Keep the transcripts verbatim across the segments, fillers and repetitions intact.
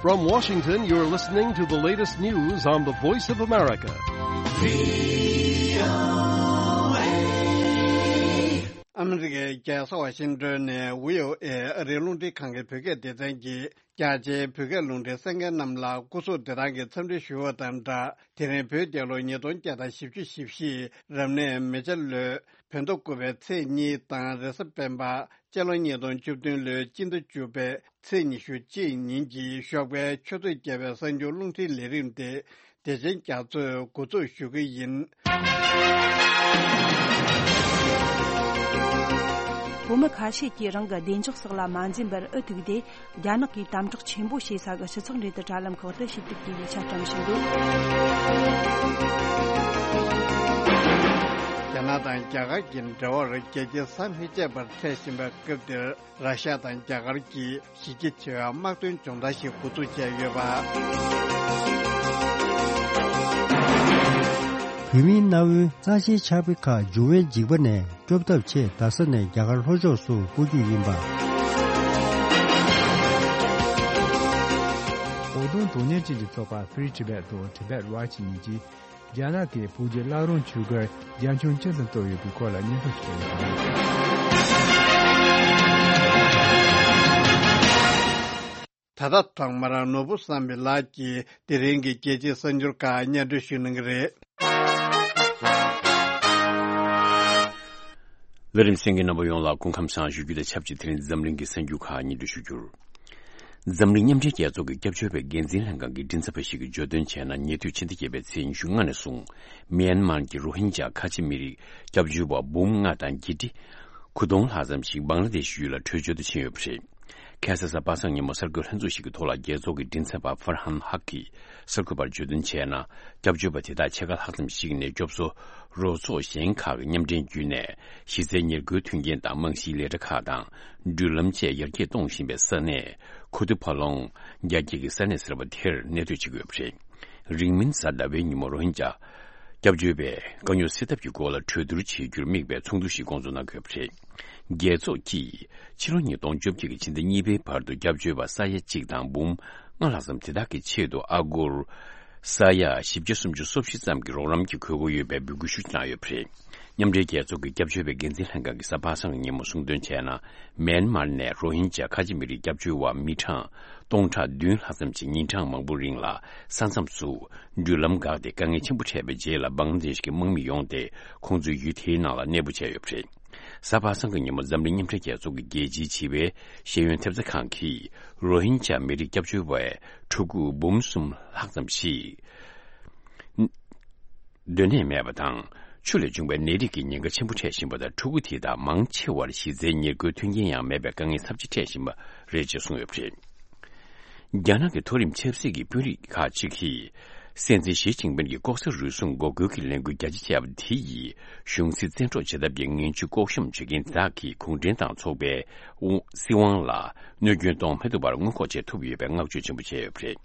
From Washington, you're listening to the latest news on the Voice of America. ཨ་མི་རི་ཀའི་རྒྱལ་ས་ཝ་ཤིང་ཏོན་ནས་བྷི་ཨོ་ཨེ་ཨ་རིའི་རླུང་འཕྲིན་ཁང་གི་བོད་སྐད་སྡེ་ཚན་གྱིས་རྒྱ་ཆེའི་བོད་སྐད་རླུང་འཕྲིན་གསན་མཁན་རྣམས་ལ་སྐུ་གཟུགས་བདེ་ཐང་གི་འཚམས་འདྲི་ཞུ་བ་དང་སྦྲགས། དེ་རིང་བོད་རྒྱལ་ལོ་ཉིས་སྟོང་བརྒྱ་དང་བཞི་བཅུ་ཞེ་བཞི་རབ་གནས་མེ་བྱ་ལོའི་བོད་ཟླ་དགུ་པའི་ཚེས་གཉིས་དང་རེས་གཟའ་སྤེན་པ་སྤྱི་ལོ་ཉིས་སྟོང་བཅུ་བདུན་ལོའི་སྤྱི་ཟླ་བཅུ་པའི་ཚེས་ཉི་ཤུ་གཅིག་ཉིན་གྱི་ཞོགས་པའི་ཆུ་ཚོད་བརྒྱད་པའི་གསར་འགྱུར་རླུང་འཕྲིན་ལས་རིམ་དེ་བདེ་ཆེན་རྒྱ་མཚོས་འགོ་འཛུགས་ཞུ་གི་ཡིན། བོད་མི་ཁ་ཤས་ཀྱིས་རང་གི་བདེ་འཇགས་སོགས་ལ་མ་འཛེམ་པར་འུ་ཐུག་སྟེ། རྒྱ་ནག་གིས་དམ་དྲག་ཆེན་པོ་བྱེད་ས་གི་སྤྱི་ཚོགས་འབྲེལ་མཐུད་དྲ་ལམ་ཁག་ཏུ་ཞུ་གཏུག་གི་ཡིག་ཆ་བཀྲམ་བཞིན་འདུག་རྒྱ་ནག་དང་རྒྱ་གར་གྱི་འབྲེལ་བར་རྒྱལ་སྤྱིའི་ས་མི་བཅད་པར་འཕྲད་བཞིན་པའི་སྐབས་འདིར། ར་ཤ་དང་རྒྱ་གར་གྱིས་གཞི་རྒྱ་ཆེ་བའི་དམག་དོན་སྦྱོང་བརྡར་ཞིག་འགོ་འཛུགས་བྱས་ཡོད་པ། བོད་མིའི་གནའ་བོའི་གཙང་ཆེན་ཕྱག་དཔེ་ཁག་འབྱུང་བའི་འཇིགས་པ་ནས་སྐྱོབ་ཐབས་ཆེད་རྡ་ས་ནས་རྒྱ་གར་ལྷོ་ཕྱོགས་སུ་སྤོ་རྒྱུ་ཡིན་པ། བོད་དོན་དོན་གཉེར་ཅན་གྱི་ཚོགས་པ་Free Tibet དང་Tibet Watch གཉིས་ཀྱིས། རྒྱ་ནག་གིས་བོད་ཀྱི་བླ་བྲང་ཆོས་སྒར་རྒྱ་ཁྱོན་ཅན་དུ་གཏོར་ཡོད་པའི་སྐོར་ལ་སྙན་ཐོ་ཞིག་སྤེལ་ཡོད་པ་རེད། ད་ལྟ་ཐོག་མར་ནོར་བུ་བསམ་འཕེལ་ལགས་ཀྱིས་དེ་རིང་གི་རྒྱལ་སྤྱིའི་གསར་འགྱུར་ཁག་སྙན་སྒྲོན་ཞུ་གནང་གི་རེད། ལས་རིམ་གསན་མཁན་རྣམ་པ་ཡོངས་ལ་སྐུ་ཁམས་བཟང་ཞུ་རྒྱུ་དང་ཆབས་ཅིག་དེ་རིང་འཛམ་གླིང་གི་གསར་འགྱུར་ཁག་སྙན་སྒྲོན་ཞུ་རྒྱུར། འཛམ་གླིང་མཉམ་འབྲེལ་རྒྱལ་ཚོགས་ཀྱི་སྐྱབས་བཅོལ་བའི་འགན་འཛིན་ལྷན་ཁང་གི་མགྲིན་ཚབ་པ་ཞིག་གིས་བརྗོད་དོན་བྱས་ན། ཉེ་དུས་ཕྱི་ཟླ་བརྒྱད་པའི་ཚེས་ཉི་ཤུ་ལྔ་ནས་བཟུང་མེན་མར་གྱི་རོ་ཧིན་ཇཱ་ཁ་ཆེ་མི་རིགས་སྐྱབས་བཅོལ་བ་འབུམ་ལྔ་དང་བརྒྱད་ཁྲི་དགུ་སྟོང་ལྷག་ཙམ་ཞིག་བང་ལ་དེ་ཤི་ཡུལ་ལ་བྲོས་བྱོལ་དུ་ཕྱིན་ཡོད་པ་རེད། ཁ་སང་གཟའ་པ་སངས་ཉིན་མོ་གསར་འགོད་ལྷན་ཚོགས་ཤིག་གི་ཐོག་ལ་རྒྱལ་ཚོགས་ཀྱི་མགྲིན་ཚབ་པ་ཧྥར་ཧན་ཧག་གིས་གསར་འགོད་པར་བརྗོད་དོན་བྱས་ན། སྐྱབས་བཅོལ་བ་དེ་དག་ཕྱེད་ཀ་ལྷག་ཙམ་ཞིག་ནས་སྐྱོབ་གསོ་རོགས་ཚོགས་གཞན་ཁག་གི་མཉམ་འབྲེལ་བརྒྱུད་ནས་གཞི་རྩའི་ཉེར་མཁོའི་མཐུན་རྐྱེན་དང་རྨང་གཞིའི་ལས་གྲྭ་ཁག་དང་འགྲུལ་ལམ་བཅས་ཡར་རྒྱས་གཏོང་བཞིན་པའི་ས་གནས་ཁུ་ཏུ་ཕ་ལོང་རྒྱ་སྐྱེད་ཀྱི་ས་གནས་ཟེར་བ་དེར་གནས་སྡོད་བྱེད་ཀྱི་ཡོད་པ་རེད། རིང་མིན་གཟའ་ཟླ་བའི་ཉིན་མོ་རོ་ཧིན་ཇཱ་སྐྱབས་བཅོལ་བའི་དཀའ་རྙོག་སེལ་ཐབས་ཀྱི་སྐོར་ལ་གྲོས་བསྡུར་བྱེད་རྒྱུར་དམིགས་པའི་ཚོགས་འདུ་ཞིག་བསྐོང་ཚོགས་གནང་དགོས་པ་རེད། རྒྱལ་ཚོགས་ཀྱིས་ཕྱི་ལོ་ཉིས་སྟོང་བཅོ་བརྒྱད་ཀྱི་ཕྱི་ཟླ་གཉིས་པའི་བར་དུ་སྐྱབས་བཅོལ་བ་ས་ཡ་གཅིག་དང་འབུམ་ལྔ་ལྷག་ཙམ་དེ་དག་གི་ཆེད་དུ་ཨ་སྒོར་ས་ཡ་བཞི་བརྒྱ་སུམ་ཅུ་སོ་བཞི་ཙམ་གྱི་རོགས་རམ་གྱི་དགོས་མཁོ་ཡོད་པའི་འབོད་སྐུལ་ཞུ་གནང་ཡོད་པ་རེད། མཉམ་འབྲེལ་རྒྱལ་ཚོགས་ཀྱི་སྐྱབས་བཅོལ་བའི་འགན་འཛིན་ལྷན་ཁང་གིས་གཟའ་པ་སངས་ཀྱི་ཉིན་མོ་གསུངས་དོན་བྱས་ན། མེན་མར་ནས་རོ་ཧིན་ཇཱ་ཁ་ཆེ་མི་རིགས་སྐྱབས་བཅོལ་བ་མི་གྲངས་སྟོང་ཕྲག་བདུན་ལྷག་ཙམ་ཞིག་ཉིན་གྲངས་མང་པོ་རིང་ལ་ས་མཚམས་སུ་འགྲུལ་ལམ་འགག་སྟེ་དཀའ་ངལ་ཆེན་པོ་འཕྲད་པའི་རྗེས་ལ་བང་ལ་དེ་ཤི་གི་དམག་མི་ཡོང་སྟེ་ཁོང་ཚོའི་ཡུལ་དེའི་ནང་ལ་གནས་སྤོ་བྱས་ཡོད་པ་རེད། གཟའ་པ་སངས་ཀྱི་ཉིན་མོ་འཛམ་གླིང་མཉམ་འབྲེལ་རྒྱལ་ཚོགས་ཀྱི་རྒྱལ་སྤྱིའི་བྱིས་པའི་ཤེས་ཡོན་ཐེབས་རྩ་ཁང་གིས་རོ་ཧིན་ཇཱ་མི་རིགས་སྐྱབས་བཅོལ་བའི་ཕྲུ་གུ་འབུམ་གསུམ་ལྷག་ཙམ་ཞིག་སྡོད་གནས་མེད་པ་དང་། ཆུ་ལས་བྱུང་བའི་ནད་རིགས་ཀྱི་ཉེན་ཁ་ཆེན་པོ་འཕྲད་བཞིན་པ་དང་། ཕྲུ་གུ་དེ་དག་མང་ཆེ་བར་གཞི་རྩའི་ཉེར་མཁོའི་མཐུན་རྐྱེན་ཡང་མེད་པའི་དཀའ་ངལ་ཚབས་ཆེ་འཕྲད་བཞིན་པ་རེད་ཅེས་གསུངས་ཡོད་པ་རེད། རྒྱ་ནག་གི་མཐོ་རིམ་ཆབ་སྲིད་ཀྱི་དཔོན་རིགས་ཁག་ཅིག་གིས། སྲིད་འཛིན་ཞི་ཅིན་ཕིན་གྱིས་ལྐོག་ཟ་རུལ་སུངས་འགོག་རྒོལ་གྱི་ལས་འགུལ་རྒྱ་ཆེ་བྱས་པ་དེ་ཡིས་གཞུང་སྲིད་བཙན་འཕྲོག་བྱེད་ཐབས་ཀྱི་ངན་ཇུས་ལྐོག་ཤོམ་བྱེད་མཁན་དག་གིས་གུང་ཁྲན་ཏང་ཚོགས་པའི་དབང་སྲིད་དབང་ལ་གནོད་སྐྱོན་གཏོང་མི་ཐུབ་པར་སྔོན་འགོག་བྱེད་ཐུབ་ཡོད་པའི་བསྔགས་བརྗོད་ཆེན་པོ་བྱས་ཡོད་པ་རེད།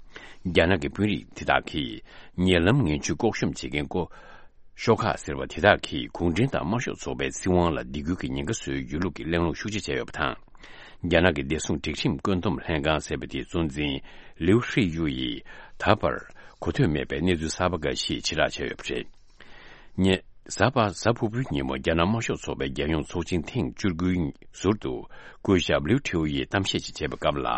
རྒྱ་ནག་གི་དཔོན་རིགས་དེ་དག་གིས་ཉེ་ལམ་ངན་ཇུས་ལྐོག་ཤོམ་བྱེད་མཁན་ཀོ། ཤོག་ཁག་ཟེར་བ་དེ་དག་གིས་གུང་ཁྲན་ཏང་དམར་ཤོག་ཚོགས་པའི་སྲིད་དབང་ལ་སྡིགས་སྐུལ་གྱི་ཉེན་ཁ་བཟོས་ཡོད་ལུགས་ཀྱི་གླེང་སློང་ཤུགས་ཆེ་བྱས་ཡོད་པ་དང་། རྒྱ་ནག་གི་བདེ་སྲུང་སྒྲིག་ཁྲིམས་བཀོད་འདོམས་ལྷན་ཁང་ཟེར་བ་དེའི་གཙོ་འཛིན་ལིའུ་ཧྲི་ཡུ་ཡིས་ད་བར་གོ་ཐོས་མེད་པའི་གནས་ཚུལ་གསར་པ་འགའ་ཞིག་ཕྱིར་བསྒྲགས་བྱས་ཡོད་པ་རེད། ཉེ། གཟའ་པ་གཟའ་ཕུར་བུའི་ཉིན་མོ་རྒྱ་ནག་དམར་ཤོག་ཚོགས་པའི་རྒྱལ་ཡོངས་ཚོགས་ཆེན་ཐེངས་བཅུ་དགུའི་ཟུར་དུ་སྐུ་ཞབས་ལིའུ་ཁྲིའུ་ཡིས་གཏམ་བཤད་ཅིག་བྱས་པའི་སྐབས་ལ།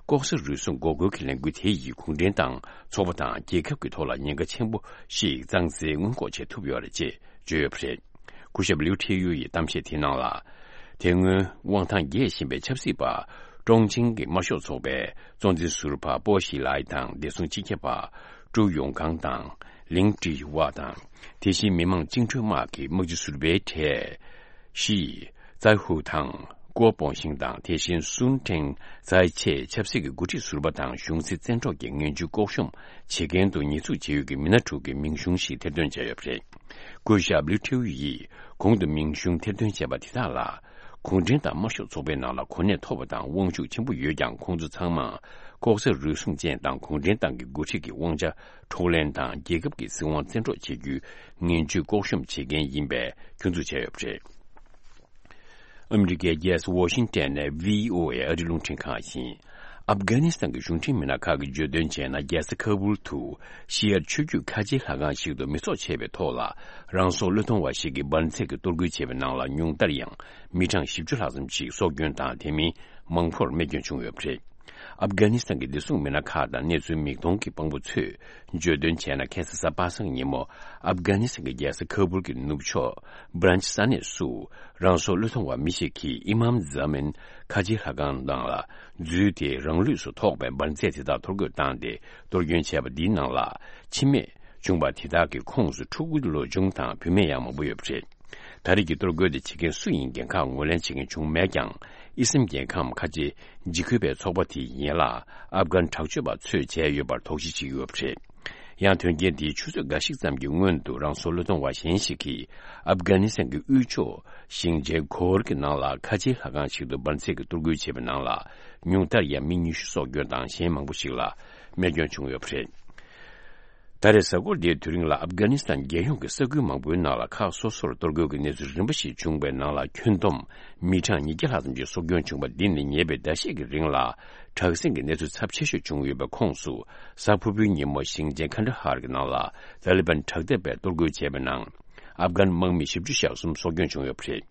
ལྐོག་ཟ་རུལ་སུངས་འགོག་རྒོལ་གྱི་ལས་འགུལ་དེ་ཡིས་གུང་ཁྲན་ཏང་ཚོགས་པ་དང་རྒྱལ་ཁབ་ཀྱི་ཐོག་ལ་ཉེན་ཁ་ཆེན་པོ་ཞིག་བསླངས་ཚེ་སྔོན་འགོག་བྱེད་ཐུབ་ཡོད་རེད་ཅེས་བརྗོད་ཡོད་པ་རེད། སྐུ་ཞབས་ལིའུ་ཁྲིའུ་ཡི་གཏམ་བཤད་དེའི་ནང་ལ། དེ་སྔོན་དབང་ཐང་རྒྱས་བཞིན་པའི་ཆབ་སྲིད་པ་ཀྲོང་ཆིང་གི་དམར་ཤོག་ཚོགས་པའི་གཙོ་འཛིན་ཟུར་པ་པོ་ཞི་ལའི་དང་། བདེ་སྲུང་སྤྱི་ཁྱབ་པ་ཀྲུའུ་ཡུང་ཀང་དང་། ལིང་ཀྲི་ཝ་དང་། དེ་བཞིན་མི་དམངས་བཅིངས་འགྲོལ་དམག་གི་དམག་སྤྱི་ཟུར་པའི་གྲས་ཞི་ཙའི་ཧུའུ་དང་། ཀོ་པོང་ཤིང་དང་། དེ་བཞིན་སུན་ཀྲེང་ཙའི་ཆེས་ཆབ་སྲིད་ཀྱི་འགོ་ཁྲིད་ཟུར་པ་དང་། གཞུང་སྲིད་བཙན་འཕྲོག་གི་ངན་ཇུས་ལྐོག་ཤོམ་བྱེད་མཁན་དུ་ཉེས་འཛུགས་བྱེད་ཡུལ་གྱི་མི་སྣ་དྲུག་གི་མིང་གཞུང་ཞིག་ཐེར་འདོན་བྱས་ཡོད་པ་རེད། སྐུ་ཞབས་ལིའུ་ཁྲིའུ་ཡིས་གོང་དུ་མིང་གཞུང་ཐེར་འདོན་བྱས་པ་དེ་དག་ལ། གུང་ཁྲན་ཏང་དམར་ཤོག་ཚོགས་པའི་ནང་ལ་གོ་གནས་མཐོ་བ་དང་དབང་ཤུགས་ཆེན་པོ་ཡོད་ཀྱང་། ཁོང་ཚོ་ཚང་མ་ལྐོག་ཟ་རུལ་སུངས་ཅན་དང་། གུང་ཁྲན་ཏང་གི་འགོ་ཁྲིད་ཀྱི་དབང་ཆ་འཕྲོག་ལེན་དང་། རྒྱལ་ཁབ་ཀྱི་སྲིད་དབང་བཙན་འཕྲོག་བྱེད་རྒྱུའི་ངན་ཇུས་ལྐོག་ཤོམ་བྱེད་མཁན་ཡིན་པའི་སྐྱོན་འཛུགས་བྱས་ཡོད་པ་རེད། ཨ་མི་རི་ཀའི་རྒྱལ་ས་ཝོ་ཤིང་ཏན་ནས་བྷི་ཨོ་ཨེ་ཨ་རིའི་རླུང་འཕྲིན་ཁང་ཡིན། ཨབ་གྷ་ནི་སི་ཐན་གྱི་གཞུང་འབྲེལ་མི་སྣ་ཁག་གིས་བརྗོད་དོན་བྱས་ན། རྒྱལ་ས་ཁ་བུལ་དུ་ཤི་ཡར་ཆོས་བརྒྱུད་ཁ་ཆེའི་ལྷ་ཁང་ཞིག་ཏུ་མི་ཚོགས་ཆེ་བའི་ཐོག་ལ་རང་སྲོག་བློས་གཏོང་བ་ཞིག་གིས་འབར་རྫས་ཀྱི་གཏོར་རྒོལ་བྱས་པའི་ནང་ལ་ཉུང་མཐར་ཡང་མི་གྲངས་བཞི་བཅུ་ལྷག་ཙམ་ཞིག་སྲོག་སྐྱོན་དང་། དེ་མིན་མང་པོར་རྨས་སྐྱོན་བྱུང་ཡོད་པ་རེད། ཨབ་གྷ་ནི་སི་ཐན་གྱི་བདེ་སྲུང་མི་སྣ་ཁག་དང་གནས་ཚུལ་མིག་མཐོང་གི་དཔང་པོ་ཚོས་བརྗོད་དོན་བྱས་ན། ཁ་སང་གཟའ་པ་སངས་ཉིན་མོ་ཨབ་གྷ་ནི་སི་ཐན་གྱི་རྒྱལ་ས་ཁ་བུལ་གྱི་ནུབ་ཕྱོགས་བྷ་རན་ཆི་ས་གནས་སུ་རང་སྲོག་བློས་གཏོང་བ་མི་ཞིག་གིས་ཨི་མམ་ཛ་མིན་ཁ་ཆེའི་ལྷ་ཁང་ནང་ལ་འཛུལ་ཏེ། རང་ལུས་སུ་ཐོགས་པའི་འབར་རྫས་དེ་དག་གཏོར་རྒོལ་བཏང་སྟེ། གཏོར་སྐྱོན་བྱས་པ་འདིའི་ནང་ལ་འཆི་རྨས་བྱུང་བ་དེ་དག་གི་ཁོངས་སུ་ཕྲུ་གུ་ལོ་ཆུང་དང་བུད་མེད་ཡང་མང་པོ་ཡོད་པ་རེད། ད་རེས་ཀྱི་གཏོར་རྒོལ་དེ་བྱེད་མཁན་སུ་ཡིན་འགན་ཁག་ངོས་ལེན་བྱེད་མཁན་བྱུང་མེད་ཀྱང་། ཨི་སིམ་རྒྱལ་ཁམས་ཁ་ཆེ་འཇིགས་སྐུལ་བའི་ཚོགས་པ་དེའི་ཡན་ལག་ཨབ་གྷན་དྲག་སྤྱོད་པ་ཚོས་བྱས་ཡོད་པར་དོགས་གཞི་བྱེད་ཀྱི་ཡོད་པ་རེད། ཡང་དོན་རྐྱེན་དེའི་ཆུ་ཚོད་འགའ་ཞིག་ཙམ་གྱི་སྔོན་དུ་རང་སྲོག་བློས་གཏོང་བ་གཞན་ཞིག་གིས་ཨབ་གྷ་ནི་སི་ཐན་གྱི་དབུས་ཕྱོགས་ཞིང་ཆེན་གྷོ་ཧར་གྱི་ནང་ལ་ཁ་ཆེའི་ལྷ་ཁང་ཞིག་ཏུ་འབར་རྫས་ཀྱི་གཏོར་རྒོལ་བྱས་པའི་ནང་ལ་ཉུང་མཐར་ཡང་མི་ཉི་ཤུ་སྲོག་སྐྱོན་དང་། གཞན་མང་པོ་ཞིག་ལ་རྨས་སྐྱོན་བྱུང་ཡོད་པ་རེད། ད་རེས་གཟའ་འཁོར་འདིའི་དུས་རིང་ལ་ཨབ་གྷ་ནི་སི་ཐན་རྒྱལ་ཡོངས་ཀྱི་ས་ཁུལ་མང་པོའི་ནང་ལ་ཁག་སོ་སོར་གཏོར་རྒོལ་གྱི་གནས་ཚུལ་རིམ་པ་ཞིག་བྱུང་བའི་ནང་ལ་ཁྱོན་བསྡོམས་མི་གྲངས་ཉིས་བརྒྱ་ལྷག་ཙམ་གྱི་སྲོག་སྐྱོན་བྱུང་བ་འདི་ནི་ཉེ་བའི་ཟླ་ཤས་ཀྱི་རིང་ལ་དྲག་ཟིང་གི་གནས་ཚུལ་ཚབས་ཆེ་ཤོས་བྱུང་ཡོད་པའི་ཁོངས་སུ། གཟའ་ཕུར་བུའི་ཉིན་མོ་ཞིང་ཆེན་ཁན་ད་ཧར་གྱི་ནང་ལ་ཏཱ་ལི་བན་དྲག་འཐབ་པས་གཏོར་རྒོལ་བྱས་པའི་ནང་། ཨབ་གྷན་དམག་མི་བཞི་བཅུ་ཞེ་གསུམ་སྲོག་སྐྱོན་བྱུང་ཡོད་པ་རེད།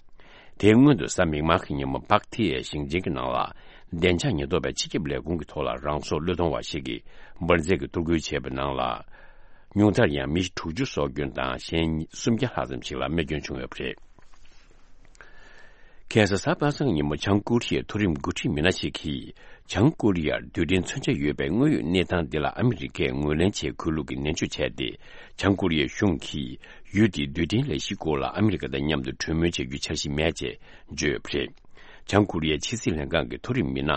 དེའི་སྔོན་དུ་གཟའ་མིག་དམར་གྱི་ཉིན་མོ་པག་ཐི་ཡའི་ཞིང་ཆེན་གྱི་ནང་ལ་བདེ་འཇགས་ཉེན་རྟོག་པས་སྤྱི་ཁྱབ་ལས་ཁུངས་ཀྱི་ཐོག་ལ་རང་སྲོག་བློས་གཏོང་བ་ཞིག་གིས་འབར་རྫས་ཀྱི་གཏོར་རྒོལ་བྱས་པའི་ནང་ལ། ཉུང་མཐར་ཡང་མི་དྲུག་ཅུ་སྲོག་སྐྱོན་དང་། གཞན་སུམ་བརྒྱ་ལྷག་ཙམ་ཞིག་ལ་རྨས་སྐྱོན་བྱུང་ཡོད་པ་རེད། ཁ་སང་གཟའ་པ་སངས་ཉིན་མོ་བྱང་ཀོ་རི་ཡའི་མཐོ་རིམ་འགོ་ཁྲིད་མི་སྣ་ཞིག་གིས། བྱང་ཀོ་རི་ཡར་རྡུལ་ཕྲན་མཚོན་ཆ་ཡོད་པའི་དངོས་ཡོད་གནས་སྟངས་འདི་ལ་ཨ་མི་རི་ཀས་ངོས་ལེན་བྱེད་དགོས་ལུགས་ཀྱི་ནན་བརྗོད་བྱས་ཏེ། བྱང་ཀོ་རི་ཡའི་གཞུང་གིས་ཡུལ་དེའི་རྡུལ་ཕྲན་ལས་གཞིའི་སྐོར་ལ་ཨ་མི་རི་ཀ་དང་མཉམ་དུ་གྲོས་མོལ་བྱ་རྒྱུའི་འཆར་གཞི་མེད་ཅེས་བརྗོད་ཡོད་པ་རེད། བྱང་ཀོ་རི་ཡའི་ཕྱི་སྲིད་ལྷན་ཁང་གི་མཐོ་རིམ་མི་སྣ་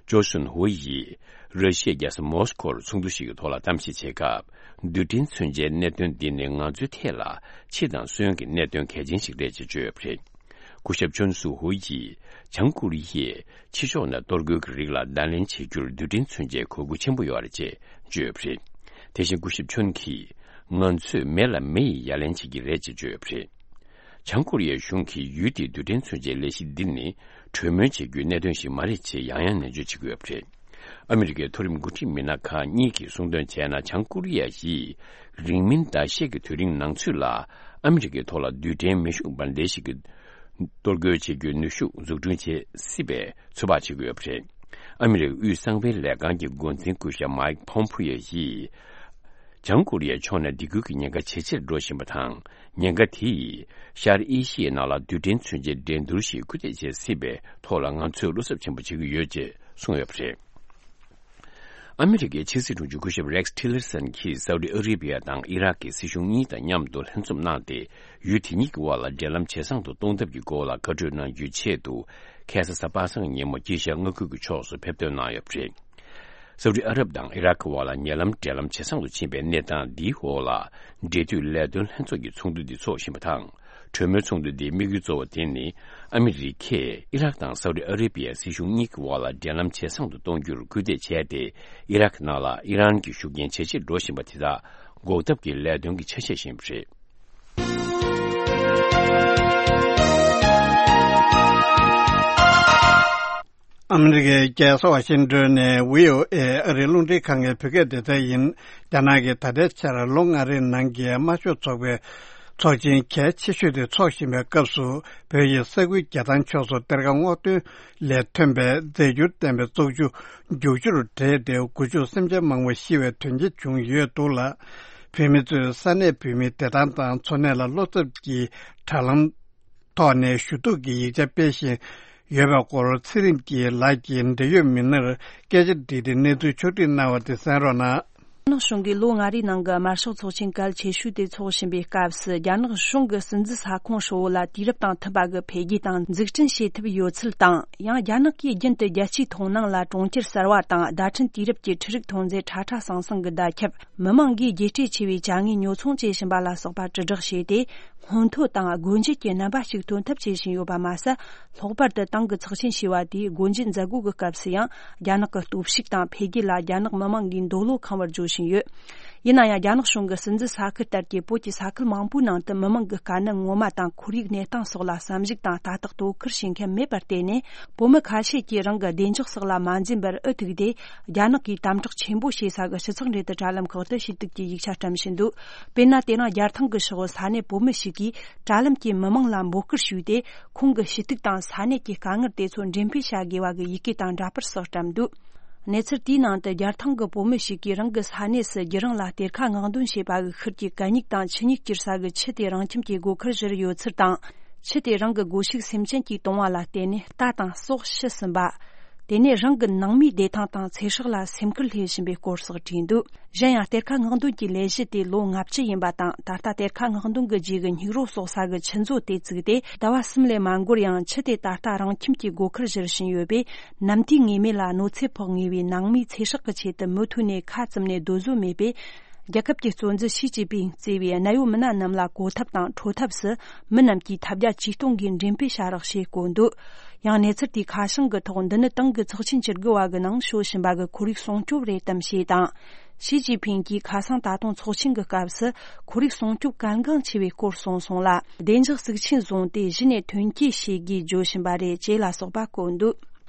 ཅོ་སུན་ཧུའེ་ཡིས་ར་ཤི་ཡའི་རྒྱལ་ས་མོ་སི་ཀོར་ཚོགས་འདུ་ཞིག་གི་ཐོག་ལ་གཏམ་བཤད་བྱེད་སྐབས། རྡུལ་ཕྲན་མཚོན་ཆའི་གནད་དོན་འདི་ནི་ང་ཚོའི་ཐད་ལ་འཆི་དང་གསོན་གྱི་གནད་དོན་གལ་ཆེན་ཞིག་རེད་ཅེས་བརྗོད་ཡོད་པ་རེད། སྐུ་ཞབས་ཆོན་སུ་ཧུའེ་ཡིས་བྱང་ཀོ་རི་ཡས་ཕྱི་ཕྱོགས་ནས་གཏོར་རྒོལ་གྱི་རིགས་ལ་བརྡ་ལན་བྱེད་རྒྱུར་རྡུལ་ཕྲན་མཚོན་ཆའི་དགོས་མཁོ་ཆེན་པོ་ཡོད་རེད་ཅེས་བརྗོད་ཡོད་པ་རེད། དེ་བཞིན་སྐུ་ཞབས་ཆོན་གྱིས། ང་ཚོས་མེ་ལ་མེ་ཡིས་ཡ་ལན་བྱེད་ཀྱི་རེད་ཅེས་བརྗོད་ཡོད་པ་རེད། བྱང་ཀོ་རི་ཡའི་གཞུང་གིས་ཡུལ་དེའི་རྡུལ་ཕྲན་མཚོན་ཆའི་ལས་གཞི་འདི་ནི་གྲོས་མོལ་བྱེད་རྒྱུའི་གནད་དོན་ཞིག་མ་རེད་ཅེས་ཡང་ཡང་ནན་བརྗོད་བྱེད་ཀྱི་ཡོད་པ་རེད། ཨ་མི་རི་ཀའི་མཐོ་རིམ་འགོ་ཁྲིད་མི་སྣ་ཁག་གཉིས་ཀྱིས་གསུངས་དོན་བྱས་ན། བྱང་ཀོ་རི་ཡ་ཡིས་རིང་མིན་ཟླ་ཤས་ཀྱི་དུས་རིང་ནང་ཚུད་ལ་ཨ་མི་རི་ཀའི་ཐོག་ལ་རྡུལ་ཕྲན་མེ་ཤུགས་འབར་མདེལ་ཞིག་གི་གཏོར་རྒོལ་བྱེད་རྒྱུའི་ནུས་ཤུགས་འཛུགས་སྐྲུན་བྱེད་སྲིད་པའི་ཚོད་དཔག་བྱེད་ཀྱི་ཡོད་པ་རེད། ཨ་མི་རི་ཀའི་དབུས་གསང་བའི་ལས་ཁང་གི་འགོ་འཛིན་སྐུ་ཞབས་མའེ་ཁི་ཕོམ་ཕུ་ཡོ་ཡིས། བྱང་ཀོ་རི་ཡའི་ཕྱོགས་ནས་སྡིགས་སྐུལ་གྱི་ཉེན་ཁ་ཇེ་ཆེར་འགྲོ་བཞིན་པ་དང་། ཉེན་ཁ་དེ་ཡིས་ཤར་ཨེ་ཤི་ཡའི་ནང་ལ་རྡུལ་ཕྲན་མཚོན་ཆའི་འགྲན་བསྡུར་ཞིག་སྐུལ་འདེད་བྱེད་སྲིད་པའི་ཐོག་ལ་ང་ཚོས་བློ་འཚབ་ཆེན་པོ་བྱེད་ཀྱི་ཡོད་ཅེས་གསུངས་ཡོད་པ་རེད། ཨ་མི་རི་ཀའི་ཕྱི་སྲིད་དྲུང་ཆེ་སྐུ་ཞབས་རེག་ཊི་ལར་སན་གྱིས་སའུ་ཏི་ཨ་རི་བི་ཡ་དང་ཨི་རག་གི་སྲིད་གཞུང་གཉིས་དང་མཉམ་དུ་ལྷན་འཛོམས་གནང་སྟེ། ཡུལ་དེ་གཉིས་ཀྱི་དབར་ལ་འབྲེལ་ལམ་ཇེ་བཟང་དུ་གཏོང་ཐབས་ཀྱི་སྐོར་ལ་བཀའ་གྲོས་གནང་རྒྱུའི་ཆེད་དུ། ཁ་སང་གཟའ་པ་སངས་ཉིན་མོ་དཀྱིལ་ཤར་མངའ་ཁུལ་གྱི་ཕྱོགས་སུ་ཕེབས་ཐོན་གནང་ཡོད་པ་རེད། སའུ་ཏི་ཨ་རབ་དང་ཨི་རག་གི་དབར་ལ་ཉེ་ལམ་འབྲེལ་ལམ་ཇེ་བཟང་དུ་ཕྱིན་པའི་གནས་སྟངས་འདིའི་འོག་ལ། འབྲེལ་མཐུད་ལས་དོན་ལྷན་ཚོགས་ཀྱི་ཚོགས་འདུ་འདི་འཚོགས་བཞིན་པ་དང་། གྲོས་མོལ་ཚོགས་འདུ་འདིའི་དམིགས་ཡུལ་གཙོ་བོ་དེ་ནི། ཨ་མི་རི་ཀས་ཨི་རག་དང་སའུ་ཏི་ཨ་རེ་བི་ཡའི་སྲིད་གཞུང་གཉིས་ཀྱི་དབར་ལ་འབྲེལ་ལམ་ཇེ་བཟང་དུ་གཏོང་རྒྱུར་སྐུལ་འདེད་བྱས་ཏེ། ཨི་རག་ནང་ལ་ཨི་རན་གྱི་ཤུགས་རྐྱེན་ཇེ་ཆེར་འགྲོ་བཞིན་པ་དེ་དག་འགོག་ཐབས་ཀྱི་ལས་དོན་གྱི་ཆ་ཤས་ཤིག་ཡིན་པ་རེད། ཨ་མི་རི་ཀའི་རྒྱལ་ས་ཝ་ཤིང་ཏོན་ནས་བྷི་ཨོ་ཨེ་ཨ་རིའི་རླུང་འཕྲིན་ཁང་གི་བོད་སྐད་སྡེ་ཚན་ཡིན། རྒྱ་ནག་གིས་ད་ལྟའི་ཆར་ལོ་ལྔ་རེའི་ནང་གི་དམར་ཤོག་ཚོགས་པའི་ཚོགས་ཆེན་གལ་ཆེ་ཤོས་དེ་འཚོགས་བཞིན་པའི་སྐབས་སུ། བོད་ཡི་ས་ཁུལ་རྒྱལ་ཐང་ཕྱོགས་སུ་གཏེར་ཁ་སྔོག་འདོན་ལས་ཐོན་པའི་རྫས་འགྱུར་ལྡན་པའི་བཙོག་ཆུ་རྒྱུག་ཆུར་འདྲེས་ཏེ། སྒོ་ཕྱུགས་སེམས་ཅན་མང་པོ་ཤི་བའི་དོན་རྐྱེན་བྱུང་ཡོད་འདུག་ལ། བོད་མི་ཚོས་ས་གནས་བོད་མིའི་བདེ་ཐང་དང་འཚོ་གནས་ལ་བློ་འཚབ་ཀྱི་དྲ་ལམ་ཐོག་ནས་ཞུ་གཏུག་གི་ཡིག་ཆ་སྤེལ་བཞིན་ཡོད་པའི་སྐོར། ཚེ་རིང་སྐྱིད་ལགས་ཀྱིས་འབྲེལ་ཡོད་མི་སྣར་སྐད་ཆ་དྲིས་ཏེ་གནས་ཚུལ་ཕྱོགས་བསྒྲིགས་གནང་བ་དེ་གསན་རོགས་གནང་། རྒྱ་ནག་གཞུང་གིས་ལོ་ལྔ་རེའི་ནང་གི་དམར་ཤོག་ཚོགས་ཆེན་གལ་ཆེ་ཤོས་དེ་འཚོགས་བཞིན་པའི་སྐབས་སུ། རྒྱ་ནག་གཞུང་གི་སྲིད་འཛིན་ས་ཁོངས་ཧྲིལ་བོ་ལ་དུས་རབས་དང་མཐུན་པ་གི་འཕེལ་རྒྱས་དང་འཛུགས་སྐྲུན་བྱེད་ཐུབ་ཡོད་ཚུལ་དང་། ཡང་རྒྱ་ནག་གིས་རྒྱུན་དུ་རྒྱལ་སྤྱིའི་མཐོང་སྣང་ལ་གྲོང་ཁྱེར་གསར་བ་དང་། བརྡ་འཕྲིན་དུས་རབས་ཀྱི་འཕྲུལ་རིག་ཐོན་རྫས་ཁྲ་ཁྲ་ཟང་ཟང་གི་བརྡ་ཁྱབ། མི་མང་གིས་རྒྱས་སྤྲོས་ཆེ་བའི་བྱ་དངོས་ཉོ་ཚོང་བྱེད་བཞིན་པ་ལ་སོགས་པ་དྲིལ་བསྒྲགས་བྱས་ཏེ། སྔོན་ཐོན་དང་སྒོ་འབྱེད་ཀྱི་རྣམ་པ་ཞིག་ཐོན་ཐབས་བྱེད་བཞིན་ཡོད་པ་མ་ཟད། ལྷག་པར་དུ་ཏང་གི་ཚོགས་ཆེན་ཞེས་པ་དེའི་སྒོ་འབྱེད་མཛད་སྒོ་གི་སྐབས་སུ་ཡང་། རྒྱ་ནག་གི་སྟོབས་ཤུགས་དང་འཕེལ་རྒྱས་ལ་རྒྱ་ནག་མི་མང་གིས་འདོད་བློ་ཁེངས་པར་བརྗོད་བཞིན་ཡོད། ཡིན་ན་ཡང་རྒྱ་ནག་གཞུང་གི་སྲིད་འཛིན་ས་ཁུལ་ལྟར་གྱི་བོད་ཀྱི་ས་ཁུལ་མང་པོའི་ནང་དུ་མི་མང་གི་དཀའ་གནད་ངོ་མ་དང་ཁོར་ཡུག་གནས་སྟངས་སོགས་ལ་བསམ་གཞིག་དང་ལྟ་རྟོག་དོ་ཁུར་བྱེད་མཁན་མེད་པར་བརྟེན་ནས། བོད་མི་ཁ་ཤས་ཀྱིས་རང་གི་བདེ་འཇགས་སོགས་ལ་མ་འཛེམ་པར་འུ་ཐུག་སྟེ། རྒྱ་ནག་གིས་དམ་དྲག་ཆེན་པོ་བྱེད་ས་གི་སྤྱི་ཚོགས་འབྲེལ་མཐུད་དྲ་ལམ་ཁག་ཏུ་ཞུ་གཏུག་གི་ཡིག་ཆ་བཀྲམ་བཞིན་འདུག་དཔེར་ན། དེ་རིང་རྒྱལ་ཐང་གི་ཕྱོགས་ས་གནས་བོད་མི་ཞིག་གིས། དྲ་ལམ་གྱི་མི་མང་ལ་འབོད་སྐུལ་ཞུས་ཏེ། ཁོང་གི་ཞུ་གཏུག་དང་ས་གནས་ཀྱི་དཀའ་ངལ་དེ་ཚོ་འགྲེམས་སྤེལ་བྱ་དགོས་པ་གི་ཡི་གེ་དང་འདྲ་པར་སོགས་བཀྲམ་འདུག་གནས་ཚུལ་དེའི་ནང་དུ། རྒྱལ་ཐང་གི་བོད་མི་ཞིག་གིས་རང་གི་ས་གནས་སུ་རྒྱུ་རང་ལ་གཏེར་ཁ་སྔོག་འདོན་བྱས་པ་གི་ཤུལ་གྱི་གད་སྙིགས་དང་ཆུ་སྙིགས་བསྐྱུར་ས་གི་ཆུ་དེ་རང་ཁྱིམ་གྱི་སྒོ་ཁར་བཞུར་ཡོད་ཚུལ་དང་། ཆུ་དེ་རང་གི་སྒོ་ཕྱུགས་སེམས་ཅན་གྱིས་བཏུང་བ་ལ་བརྟེན་ནས་རྟ་དང་སྲོག་ཤི་ཟིན་པ། དེ་ནས་རང་གི་ནང་མིའི་བདེ་ཐང་དང་ཚེ་སྲོག་ལ་སེམས་ཁུར་སླེབས་བཞིན་པའི་སྐོར་སོགས་བྲིས་འདུག་གཞན་ཡང་། གཏེར་ཁ་སྔོག་འདོན་གྱི་ལས་གཞི་དེ་ལོ་ལྔ་བཅུ་ཡིན་པ་དང་། ད་ལྟ་གཏེར་ཁ་སྔོག་འདོན་གྱི་རྗེས་ཀྱི་སྙིགས་རོ་གསོག་ས་གི་ཆུ་མཛོད་དེ་བཙུགས་ཏེ། ཟླ་བ་གསུམ་ལས་མ་འགོར་ཡང་། ཆུ་དེ་ད་ལྟ་རང་ཁྱིམ་གྱི་སྒོ་ཁར་བཞུར་བཞིན་ཡོད་པས། ནམ་དུས་ངེས་མེད་ལ་གནོད་འཚེ་ཕོག་ངེས་པའི་ནང་མིའི་ཚེ་སྲོག་གི་ཆེད་དུ་མུ་མཐུད་ནས་ཁ་བཙུམ་ནས་སྡོད་བཟོད་མེད་པས། རྒྱལ་ཁབ་ཀྱི་གཙོ་འཛིན་ཞི་ཅིན་ཕིང་གཙོས་པའི་གནད་ཡོད་མི་སྣ་རྣམས་ལ་གོ་ཐབས་དང་འཕྲོད་ཐབས་སུ། མི་རྣམས་ཀྱིས་ཐབས་བརྒྱ་ཇུས་སྟོང་གིས་འགྲེམས་སྤེལ་བྱ་རོགས་ཞེས་བཀོད་འདུག་ཡང་། གནས་ཚུལ་དེའི་ཁ་བྱང་གི་ཐོག་འདི་ནི་ཏང་གི་ཚོགས་ཆེན་བཅུ་དགུ་བ་གི་ནང་ཤོད་བཞིན་པ་གི་ཁོར་ཡུག་སྲུང་སྐྱོབ་རེད་དམ་ཞེས་དང་། ཞི་ཅིན་ཕིང་གིས་ཁ་སང་ད་དུང་ཚོགས་ཆེན་གྱི་སྐབས་སུ་ཁོར་ཡུག་སྲུང་སྐྱོབ་གལ་འགངས་ཆེ་བའི་སྐོར་གསུངས་སོང་ལ། བདེ་འཇགས་གཙིགས་ཆེན་བཟུང་སྟེ་གཞི་ནས་དོན་འཁྱོལ་བྱེད་དགོས་བརྗོད་བཞིན་པ་རེད་ཅེས་ལ་སོགས་པ་བཀོད་འདུག་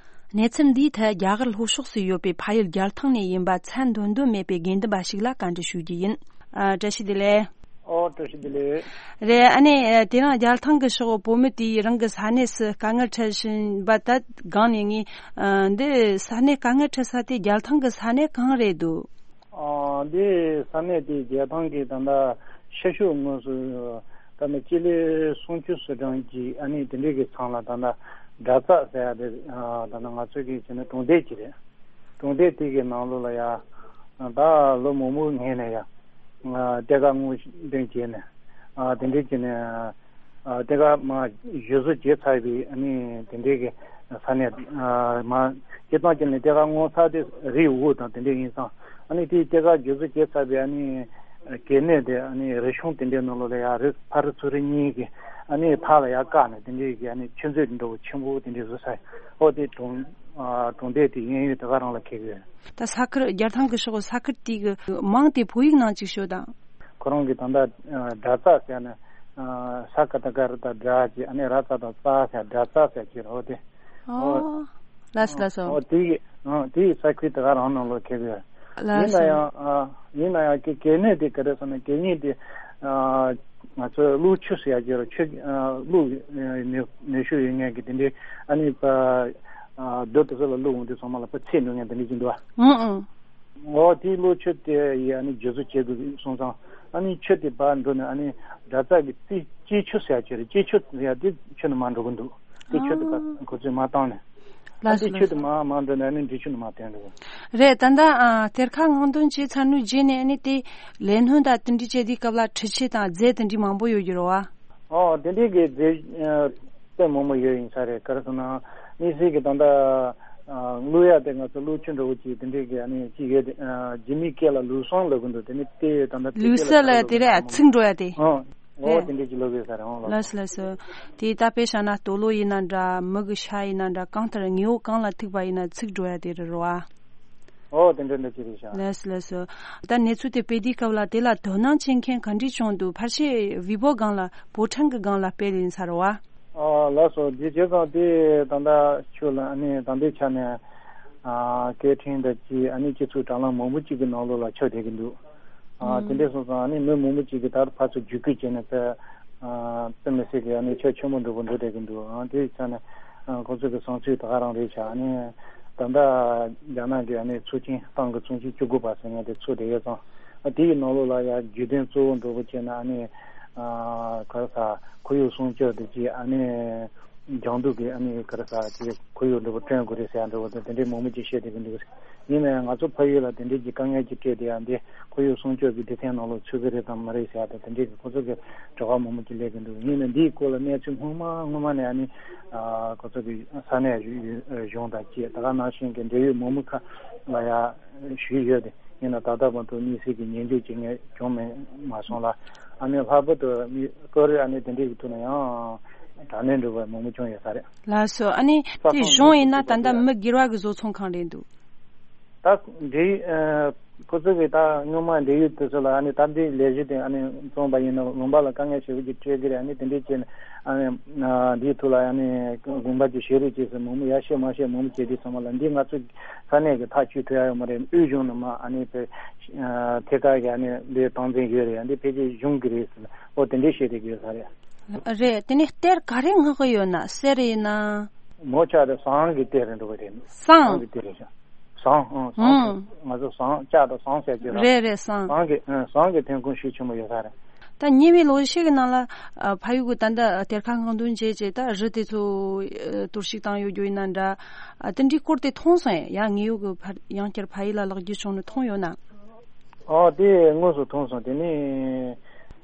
གནས་ཚུལ་འདིའི་ཐད་རྒྱ་གར་ལྷོ་ཕྱོགས་སུ་ཡོད་པའི་ཕ་ཡུལ་རྒྱལ་ཐང་ནས་ཡིན་པ་མཚན་འདོན་འདོད་མེད་པའི་དགེ་འདུན་པ་ཞིག་ལ་བཀའ་འདྲི་ཞུ་རྒྱུ་ཡིན། ཨ། བཀྲ་ཤིས་བདེ་ལེགས། ཨོ། བཀྲ་ཤིས་བདེ་ལེགས། རེད། ཨ་ནི། དེ་རིང་རྒྱལ་ཐང་གི་ཕྱོགས་བོད་མི་དེས་རང་གི་ས་གནས་སུ་དཀའ་ངལ་འཕྲད་བཞིན་པ་དེ་སྒང་ནས་ངས། ཨ། འདི་ས་གནས་དཀའ་ངལ་འཕྲད་ས་དེ་རྒྱལ་ཐང་གི་ས་གནས་གང་རེད་འདུག་ཨ། འདི་ས་གནས་དེ་རྒྱལ་ཐང་གི་ད་ལྟ་ཤར་ཕྱོགས་ངོས་སུ་ད་ནི་སྤྱི་ལེ་སུམ་ཅུ་སོ་གྲངས་ཀྱི་ཨ་ནི་དེ་འདྲའི་གི་མཚམས་ལ་ད་ལྟ་དགྲ་རྩ་ཟེར་ཡ་དེ། ཨ། ད་ལྟ་ང་ཚོའི་གི་བྱས་ན་གྲོང་རྡལ་ཅིག་རེད། གྲོང་སྡེ་དེ་གི་ནང་ལོགས་ལ་ཡ། ད་ལོ་མང་པོའི་སྔོན་ནས་ཡ། ཨ། གཏེར་ཁ་སྔོག་འདོན་བྱས་ནས། ཨ། དེ་འདྲའི་བྱས་ནས། ཨ། གཏེར་ཁ་མར་བཞེས་བཟོ་བྱས་ཚར་བའི་ཨ་ནི་དེ་འདྲའི་གི་ས་གནས། ཨ། མར་སྤྱིར་བཏང་བྱས་ནས་གཏེར་ཁ་སྔོག་ས་དེ་རི་འོག་དང་དེ་འདྲ་ཡིན་ཙང་། ཨ་ནི་དེའི་གཏེར་ཁ་བཞེས་བཟོ་བྱས་ཚར་བའི་ཨ་ནི་གད་སྙིགས་དེ་ཨ་ནི་རི་གཤོང་དེ་འདྲའི་ནང་ལོགས་ལ་ཡ། རི་ཕ་རི་ཚུ་རི་གཉིས་ཀྱི་ཨ་ནི་ཕར་ལ་ཡ་བཀག་ནས་དེ་འདྲའི་གི་ཨ་ནི་ཆུ་མཛོད་འདྲ་བོ་ཆེན་པོ་དེ་འདྲའི་བཟོས་ཚར། ཨོ། དེ་གྲོང་། ཨ། གྲོང་སྡེ་དེ་གཡས་གཡོན་དེ་ག་རང་ལ་འཁེལ་གི་ཡོད། ད་ས་ཁུལ་རྒྱལ་ཐང་གི་ཕྱོགས་ས་ཁུལ་དེ་གི་མིང་དེ་བོད་ཡིག་ནང་ཅིག་ཤོད་དང་། ཁོ་རང་གི་ད་ལྟ། ཨ། དགྲ་རྩ་ཟེར་ནས། ཨ། ས་ཀ་ད་ག་ར་ད་དགྲ་ཅིག་ཨ་ནི་ར་ཙ་ད་རྩ་ཟེར། དགྲ་རྩ་ཟེར་གྱི་རེད། ཨོ་དེ། ཨོ། ལགས་སོ། ལགས་སོ། ཨོ། དེ་ཡི། ཨ། དེ་ཡི་ས་ཁུལ་དེ་ག་རང་ནང་ལོགས་འཁེལ་གི་ཡོད། ལགས་སོ། ཡིན་ན་ཡང་། ཨ། ཡིན་ན་ཡང་གི་གད་སྙིགས་དེ་ག་རེ་ཟེར་ན། གད་སྙིགས་དེ། ཨ། ང་ཚོས་བླུག་ཆུ་ཟེར་ཡ་གྱི་རེད། ཆུ། ཨ། བླུག་ནུས་ཤུགས་ཡོད་མཁན་གྱི་དེ་འདྲའི་ཨ་ནི་ཕ། ཨ། རྡོ་དེ་ཚོ་ལ་བླུག་འོང་དུས་ཚང་མ་ལ་ཕར་ཚིག་འགྲོ་མཁན་དེ་འདྲ་ཅིག་འདུག་ཨ། ཨང་ཨང་། འོ། དེའི་བླུག་ཆུ་དེ་ཡི་ཨ་ནི་བསྒྱུར་བཟོ་བྱེད་དགོས་སོང་ཙང་། ཨ་ནི་ཆུ་དེ་ཕར་འགྲོ་ནས་ཨ་ནི་དགྲ་རྩ་གི་རྩི། གཅེས་ཆུ་ཟེར་ཡ་ཅིག་རེད། གཅེས་ཆུ་ཟེར་ཡ་དེ་ཆུ་ནང་མར་འགྲོ་གི་འདུག་དེ་ཆུ་དེ་ཕར་ཁོ་ཚོས་མར་བཏང་ནས། ཨ། ལགས་སོ། དེ་ཆུ་དེ་མར་མར་འགྲོ་ནས་ཨ་ནི་འབྲི་ཆུ་ནང་མར་བཏོན་འགྲོ་གི། རེད། ད་ལྟ། ཨ། གཏེར་ཁ་སྔོག་འདོན་བྱས་ཚར་ནས་རྗེས་ནས་ཨ་ནི་དེ་ལས་སྣོན་དང་དེ་འདྲ་བྱེད་དུས་སྐབས་ལ་འཕྲུལ་ཆས་དང་རྫས་དེ་འདྲ་མང་པོ་ཡོད་ཀྱི་རེད་བ། ཨོ། དེ་འདྲའི་གི་རྫས། ཨ། དཔེ་མང་པོ་ཡོད་ཡིན་ས་རེད། ག་རེ་ཟེར་ན། དམིགས་བསལ་གྱི་ད་ལྟ། ཨ། བླུག་ཡ་དེ་ང་ཚོ་བླུག་ཆུ་འདྲ་བོ་ཅིག་དེ་འདྲའི་གི་ཨ་ནི་ཅིག་ཡོད་དེ། ཨ། རྒྱ་མིའི་སྐད་ལ་ལུས་ཟུང་ལབ་གི་འདུག་དེ་ནི་དེ་ད་ལྟ་ལུས་ས་ལ་དེ་རེད། ཚིག་འགྲོ་ཡ་དེ། ཨོ། ཨོ། རེད། དེ་འདྲའི་ཅིག་ལབ་ཡོད་ས་རེད། ཨོ། ལགས། ལགས་སོ། ལགས་སོ། དེ་ད་དཔེ་བཞག་ན་སྟོད་ལུང་ཡིན་ན་འདྲ། མི་གི་ཤ་ཡིན་ན་འདྲ། གང་ལྟར་དངོས་པོ་གང་ལ་ཐུག་པ་ཡིན་ན་ཚིག་འགྲོ་ཡ་དེ་རེད་རོ་ཨ། ཨོ། དེ་འདྲ་འདྲ་ཅིག་རེད་ཤག་ལགས་སོ། ལགས་སོ། ད་གནས་ཚུལ་དེ་སྤེལ་དུས་སྐབས་ལ་དེ་ལ་དོ་སྣང་བྱེད་མཁན་ག་འདྲས་བྱུང་འདུག་ཕལ་ཆེར་ཝི་བོ་སྒང་ལ། བོ་ཊན་གི་སྒང་ལ་སྤེལ་ཡིན་ས་རེད་བ། ཨ། ལགས་སོ། དེ་བྱས་ཙང་དེ་ད་ལྟ་ཆུ་ལ་ཨ་ནི་ད་ལྟའི་ཆ་ནས། ཨ། སྐད་འཕྲིན་དང་ཅིག་ཨ་ནི་སྤྱི་ཚོགས་དྲ་ལམ་མང་པོ་ཅིག་གི་ནང་ལོགས་ལ་ཁྱབ་བསྡད་ཀྱི་འདུག་ཨ། ཨང་། དེ་འདྲས་སོང་ཙང་ཨ་ནི་མི་མང་པོ་ཅིག་གིས་ད་ཕར་ཚུར་བརྒྱུད་སྐུལ་བྱས་ནས་དཔེ། ཨ། དཔེ་མི་སྲིད་ཀྱི་ཨ་ནི་ཁྱབ་ཆེན་པོ་འགྲོ་གི་འགྲོ་བསྡད་ཀྱི་འདུག་ཨ། དེའི་ཆ་ནས། ཨ། ཁོ་ཚོ་གི་བསམ་ཚུལ་ད་ག་རང་རེད་ཤག་ཨ་ནི་ད་ལྟ་རྒྱ་ནག་གི་ཨ་ནི་ཚོགས་ཆེན། ཏང་གི་ཚོགས་ཆེན་བཅུ་དགུ་པ་ཟེར་མཁན་དེ་ཚོགས་བསྡད་ཡོད་ཙང་། ཨ། དེའི་ནང་ལོགས་ལ་ཡ་བརྗོད་དོན་གཙོ་བོ་འགྲོ་གི་བྱས་ན་ཨ་ནི། ཨ། ག་རེ་ཟ། ཁོར་ཡུག་སྲུང་སྐྱོབ་དེ་ཅིག་ཨ་ནི་སྦྱང་འདུག་གི་ཨ་ནི་ག་རེ་ཟ་ཅིག་ཁོར་ཡུག་འདྲ་པོ་བསྐྲུན་དགོས་རེད་ཟེར་ཡ་འདྲ་པོ་དང་དེ་འདྲའི་མང་པོ་ཅིག་བཤད་བསྡད་ཀྱི་འདུག་ཡིན་ན་ཡང་ང་ཚོ་ཕ་ཡུལ་ལ་དེ་འདྲའི་གི་དཀའ་ངལ་ཅིག་འཕྲད་བསྡད་ཡ་འདི་ཁོར་ཡུག་སྲུང་སྐྱོབ་ཀྱི་སྡེ་ཚན་ནང་ལོགས་ཚུད་ཀྱི་རེད་དམ་མ་རེད་ཟེར་ཡ་དང་དེ་འདྲའི་གི་ཁོ་ཚོ་གི་དྲི་བ་མང་པོ་ཅིག་སླེབས་ཀྱི་འདུག་ཡིན་ན་འདིའི་སྐོར་ལ་གནས་ཚུལ་སྔོན་མ་སྔོན་མ་ནས་ཨ་ནི། ཨ། ཁོ་ཚོ་གི་ས་གནས་གཞུང་དང་ཅིག་ད་ག་ནང་བཞིན་གྱི་འབྲེལ་ཡོད་མི་མང་ཁག་ལ་ཡ་ཞུས་ཡོད་དེ། ཡིན་ན་ད་ལྟ་བར་དུ་དམིགས་བསལ་གྱི་ཉན་འཇོག་བྱེད་མཁན་བྱུང་མེད་མ་སོང་ལ། ཨ་ནི་ལྷག་པར་དུ་མི་སྐོར་རེ་ཨ་ནི་དེ་འདྲའི་གི་ཐོག་ནས་ཡང་དྲག་གནོན་འདྲ་བ་མང་པོ་བྱུང་ཡོད་ས་རེད། ལགས་སོ། ཨ་ནི་ས་དེ་ཁོངས་གཞུང་ཡིན་ན་ད་ལྟ་མི་སྒེར་བ་གི་བཟོ་ཚོང་གང་རེད་འདུག་ད་འབྲེལ། ཨ། ཁོ་ཚོ་གིས་ད་སྔོན་མ་འབྲེལ་ཡོད་དེ་ཚོ་ལ་ཨ་ནི་སྟབས་བདེའི་ལས་གཞི་དེ་ཨ་ནི་བཙོང་པ་ཡིན་ན་ལུང་པ་ལ་དཀའ་ངལ་ཞེ་པོ་ཅིག་འཕྲད་ཀྱི་རེད། ཨ་ནི་དེ་འདྲས་བྱས་ནས་ཨ་ནི་འདིའི་ཐོག་ལ་ཨ་ནི་དགོན་པ་ཅིག་བཞེངས་རོགས་བྱེད་ཟེར་མང་པོ་ཡར་བཤད་མར་བཤད་མང་པོ་བྱས་དུས་ཚང་མ་ལ་འདི་ང་ཚོ་ས་གནས་ཀྱི་ཐག་གཅོད་ཐུབ་ཡ་ཡོད་མ་རེད། དབུས་གཞུང་ནས་མར་ཨ་ནི་ཐད་ཀར་གྱི་ཨ་ནི་འདི་སྟངས་འཛིན་ཡོད་རེད། འདི་ཕལ་ཆེར་གཞུང་གི་རེད་ཟེར་ལ། ཨོ་དེ་འདྲས་བཤད་བསྡད་ཀྱི་ཡོད་ས་རེད། རེད། དེ་ནས་གཏེར་ག་རེ་མངགས་གི་ཡོད་ན། གསེར་ཡིན་ན། མོ་ཆ་རེད། ཟངས་ཀྱི་གཏེར་རེད་འགྲོ་གི་རེད། ཟངས། ཟངས་ཀྱི་གཏེར་རེད་ཤག་ཟངས། ཨང་། ཟངས། ཨང་། ང་ཚོ་ཟངས་ལྕགས་དང་ཟངས་ཟེར་གྱི་རེད། རེད་རེད། ཟངས། ཟངས་ཀྱི་ཨང་ཟངས་ཀྱི་ཐོན་ཁུངས་ཤུགས་ཆེན་པོ་ཡོད་ས་རེད། ད་ཉེ་བའི་ལོ་ཤས་ཀྱི་ནང་ལ་ཨ་ཕ་ཡུལ་གྱི་ད་ལྟ་གཏེར་ཁ་སྔོག་འདོན་བྱས་བྱས་ད་རི་དེ་ཚོ་ཨ་གཏོར་བཤིག་བཏང་ཡོད་རྒྱུ་ཡིན་ན་འདྲ། ཨ་དེ་འདྲའི་སྐོར་དེ་མཐོང་སོང་ཡ། ཡང་ངེད་ཡུལ་གྱི་ཕར་ཡང་བསྐྱར་ཕ་ཡུལ་ལ་ལོག་རྒྱུ་བྱུང་ནས་མཐོང་ཡོད་ན། ཨོ་དེ་དངོས་སུ་མཐོང་སོང་། དེ་ནི་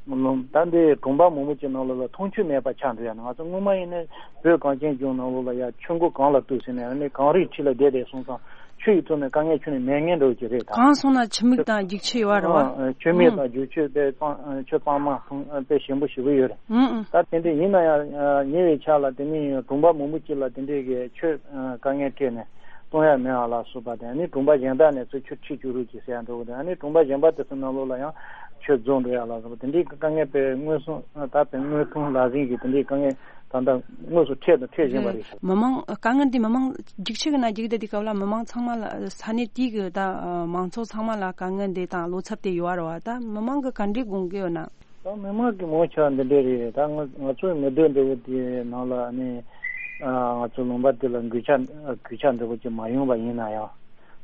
ད་འདི་གྲོང་པ་མང་པོ་ཅིག་ནང་ལོགས་ལ་འཐུང་ཆུ་མེད་པ་ཆགས་འགྲོ་ཡ་ན། ང་ཚོ་སྔོན་མ་ཡིན་ན་བོད་གངས་ཅན་ལྗོངས་ནང་ལོགས་ལ་ཡ་ཆུ་མགོ་གངས་ལ་གཏུགས་ཟེར་ནས་ཨ་ནི་གངས་རིའི་འཁྲིས་ལ་བསྡད་བསྡད་སོང་ཙང་ཆུ་ཡི་ཐོག་ནས་དཀའ་ངལ་ཁྱོན་ནས་མེད་མཁན་འདྲ་བོ་ཅིག་རེད་ད། གངས་སོང་ན་ཆུ་མིག་དང་རྒྱུག་ཆུ་ཡོད་རེད་བ། ཨ་ཆུ་མིག་ཨང་། དང་རྒྱུག་ཆུ་དཔེ་གཙང་ཆུ་གཙང་མ་ཐུང་དཔེ་ཞིམ་པོ་ཞེ་པོ་ཡོད་རེད། ཨང་ཨང་། ད་དེ་འདྲ་ཡིན་ན་ཡང་ཉེ་བའི་ཆར་ལ་དེ་ནི་གྲོང་པ་མང་པོ་ཅིག་ལ་དེ་འདྲའི་གི་ཆུ་དཀའ་ངལ་འཕྲད་ནས། གཏོང་ཡ་མེད་པ་ལ་སོགས་པ་དང་ནི་གྲོང་པ་གཞན་དག་ནས་ཚུར་ཆུ་ཁྲིད་བཅུག་རོགས་གྱིས་ཟེར་ཡ་འདྲ་བོ་དང་ནི་གྲོང་པ་གཞན་པ་དེ་ཚོ་ནང་ལོགས་ལ་ཡང་ཆུ་རྫོགས་འགྲོ་ཡ་ལ་སོགས་པ་དེ་འདྲའི་དཀའ་ངལ་དཔེ་མངོན་སུམ་ད་དཔེ་དངོས་མཐོང་ལག་ཟིན་གྱི་དེ་འདྲའི་དཀའ་ངལ་ད་ལྟ་དངོས་སུ་འཕྲད་དང་འཕྲད་བཞིན་པ་རེད། མི་མང་དཀའ་ངལ་འདི་མི་མང་རྒྱུག་ཆུ་གི་ནང་རྒྱུག་བསྡད་དུས་སྐབས་ལ་མི་མང་ཚང་མ་ལ་ས་གནས་དེའི་གི་ད་མང་ཚོགས་ཚང་མ་ལ་དཀའ་ངལ་འདི་དང་བློ་འཚབ་དེ་ཡོད་རེད་བ། ད་མི་མང་གི་ག་འདྲའི་དགོངས་ཀྱི་ཡོད་ན། ད་མི་མང་གི་ངོ་ཆ་འདི་འདྲས་རེད། ད་ང་ང་ཚོའི་མི་སྡོད་འདྲ་བོ་དེའི་ནང་ལ་ནི་ང་ཚོ་ལུང་པ་འདི་ལ་གུས་ཆ་གུས་ཆ་འདྲ་བོ་ཅིག་མ་ཡོང་བ་ཡིན་ན་ཡང་།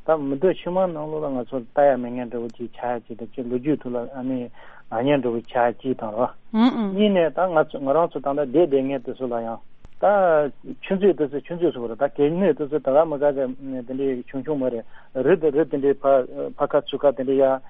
ད་མི་སྡོད་ཕྱི་མ་ནང་ལོགས་ལ་ང་ཚོ་ལྟ་ཡ་མེད་མཁན་འདྲ་བོ་ཅིག་ཆགས་ཡ་ཅིག་དང་ཅིག་ལོ་རྒྱུས་ཐོག་ལ་ཨ་ནི་ང་ཉན་འདྲ་བོ་ཆགས་ཡ་ཅིག་དང་རོ། ཨུ་ཨུ། གཉིས་ནས་ད་ང་ཚོ་ང་རང་ཚོ་ད་ལྟ་བསྡད་བསྡད་མཁན་དེ་ཚོ་ལ་ཡང་ད་ཆུ་མཛོད་དེ་ཚོ་ཆུ་མཛོད་ཚོ་རེད། ད་གད་སྙིགས་དེ་ཚོ་ད་ག་མི་ག་ག་དེ་འདྲའི་ཆུང་ཆུང་མ་རེད། རི་དེ་རི་དེ་འདྲའི་ཕ་ཕ་ཁ་ཚུར་ཁ་དེ་འདྲའི་ཡ།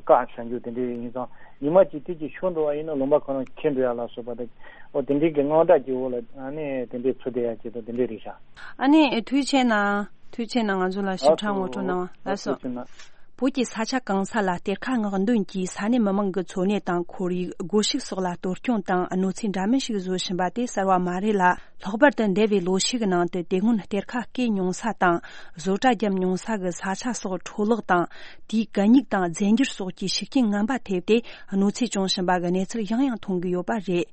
བཀག་བཞག་རྒྱུ་དེ་འདྲའི་ཡིན་ཙང་ཉི་མ་གཅིག་དུས་གཅིག་ཤོར་འགྲོ་བ་ཡིན་ན་ལུང་པ་ཁོ་རང་འཁྱེར་འགྲོ་ཡ་ལ་སོགས་པ་དེ། ཨོ་དེ་འདྲའི་གི་དངངས་སྐྲག་གི་འོག་ལ་ཨ་ནི་དེ་འདྲའི་ཚུར་བསྡད་ཡ་ཅིག་དང་དེ་འདྲའི་རེད་ཤག་ཨ་ནི་ཐུགས་རྗེ་ཆེ་གནང་། ཐུགས་རྗེ་ཆེ་གནང་། ང་ཚོ་ལ་ཞིབ་ཕྲ་ངོ་སྤྲོད་གནང་བ་ལགས་སོ། ཐུགས་རྗེ་ཆེ་གནང་། བོད་ཀྱི་ས་ཆ་གང་ས་ལ་གཏེར་ཁ་སྔོག་འདོན་གྱིས་ས་གནས་མི་མང་གི་འཚོ་གནས་དང་ཁོར་ཡུག་སྒོ་ཕྱུགས་སོགས་ལ་གཏོར་སྐྱོན་དང་གནོད་འཚེ་འདྲ་མིན་ཞིག་བཟོ་བཞིན་པ་དེ་གསར་བ་མ་རེད་ལ། ལྷག་པར་དུ་འདས་པའི་ལོ་ཤས་ཀྱི་ནང་དུ་དེ་སྔོན་གཏེར་ཁ་བརྐོས་མྱོང་ས་དང་བཟོ་གྲྭ་བརྒྱབ་མྱོང་ས་གི་ས་ཆ་སོགས་འཕྲོ་བརླག་དང་དེའི་གད་སྙིགས་དང་རྫས་འགྱུར་སོགས་ཀྱི་ཤུགས་རྐྱེན་ངན་པ་ཐེབས་ཏེ་གནོད་འཚེ་བྱུང་བཞིན་པ་གི་གནས་ཚུལ་ཡང་ཡང་མཐོང་གི་ཡོད་པ་རེད།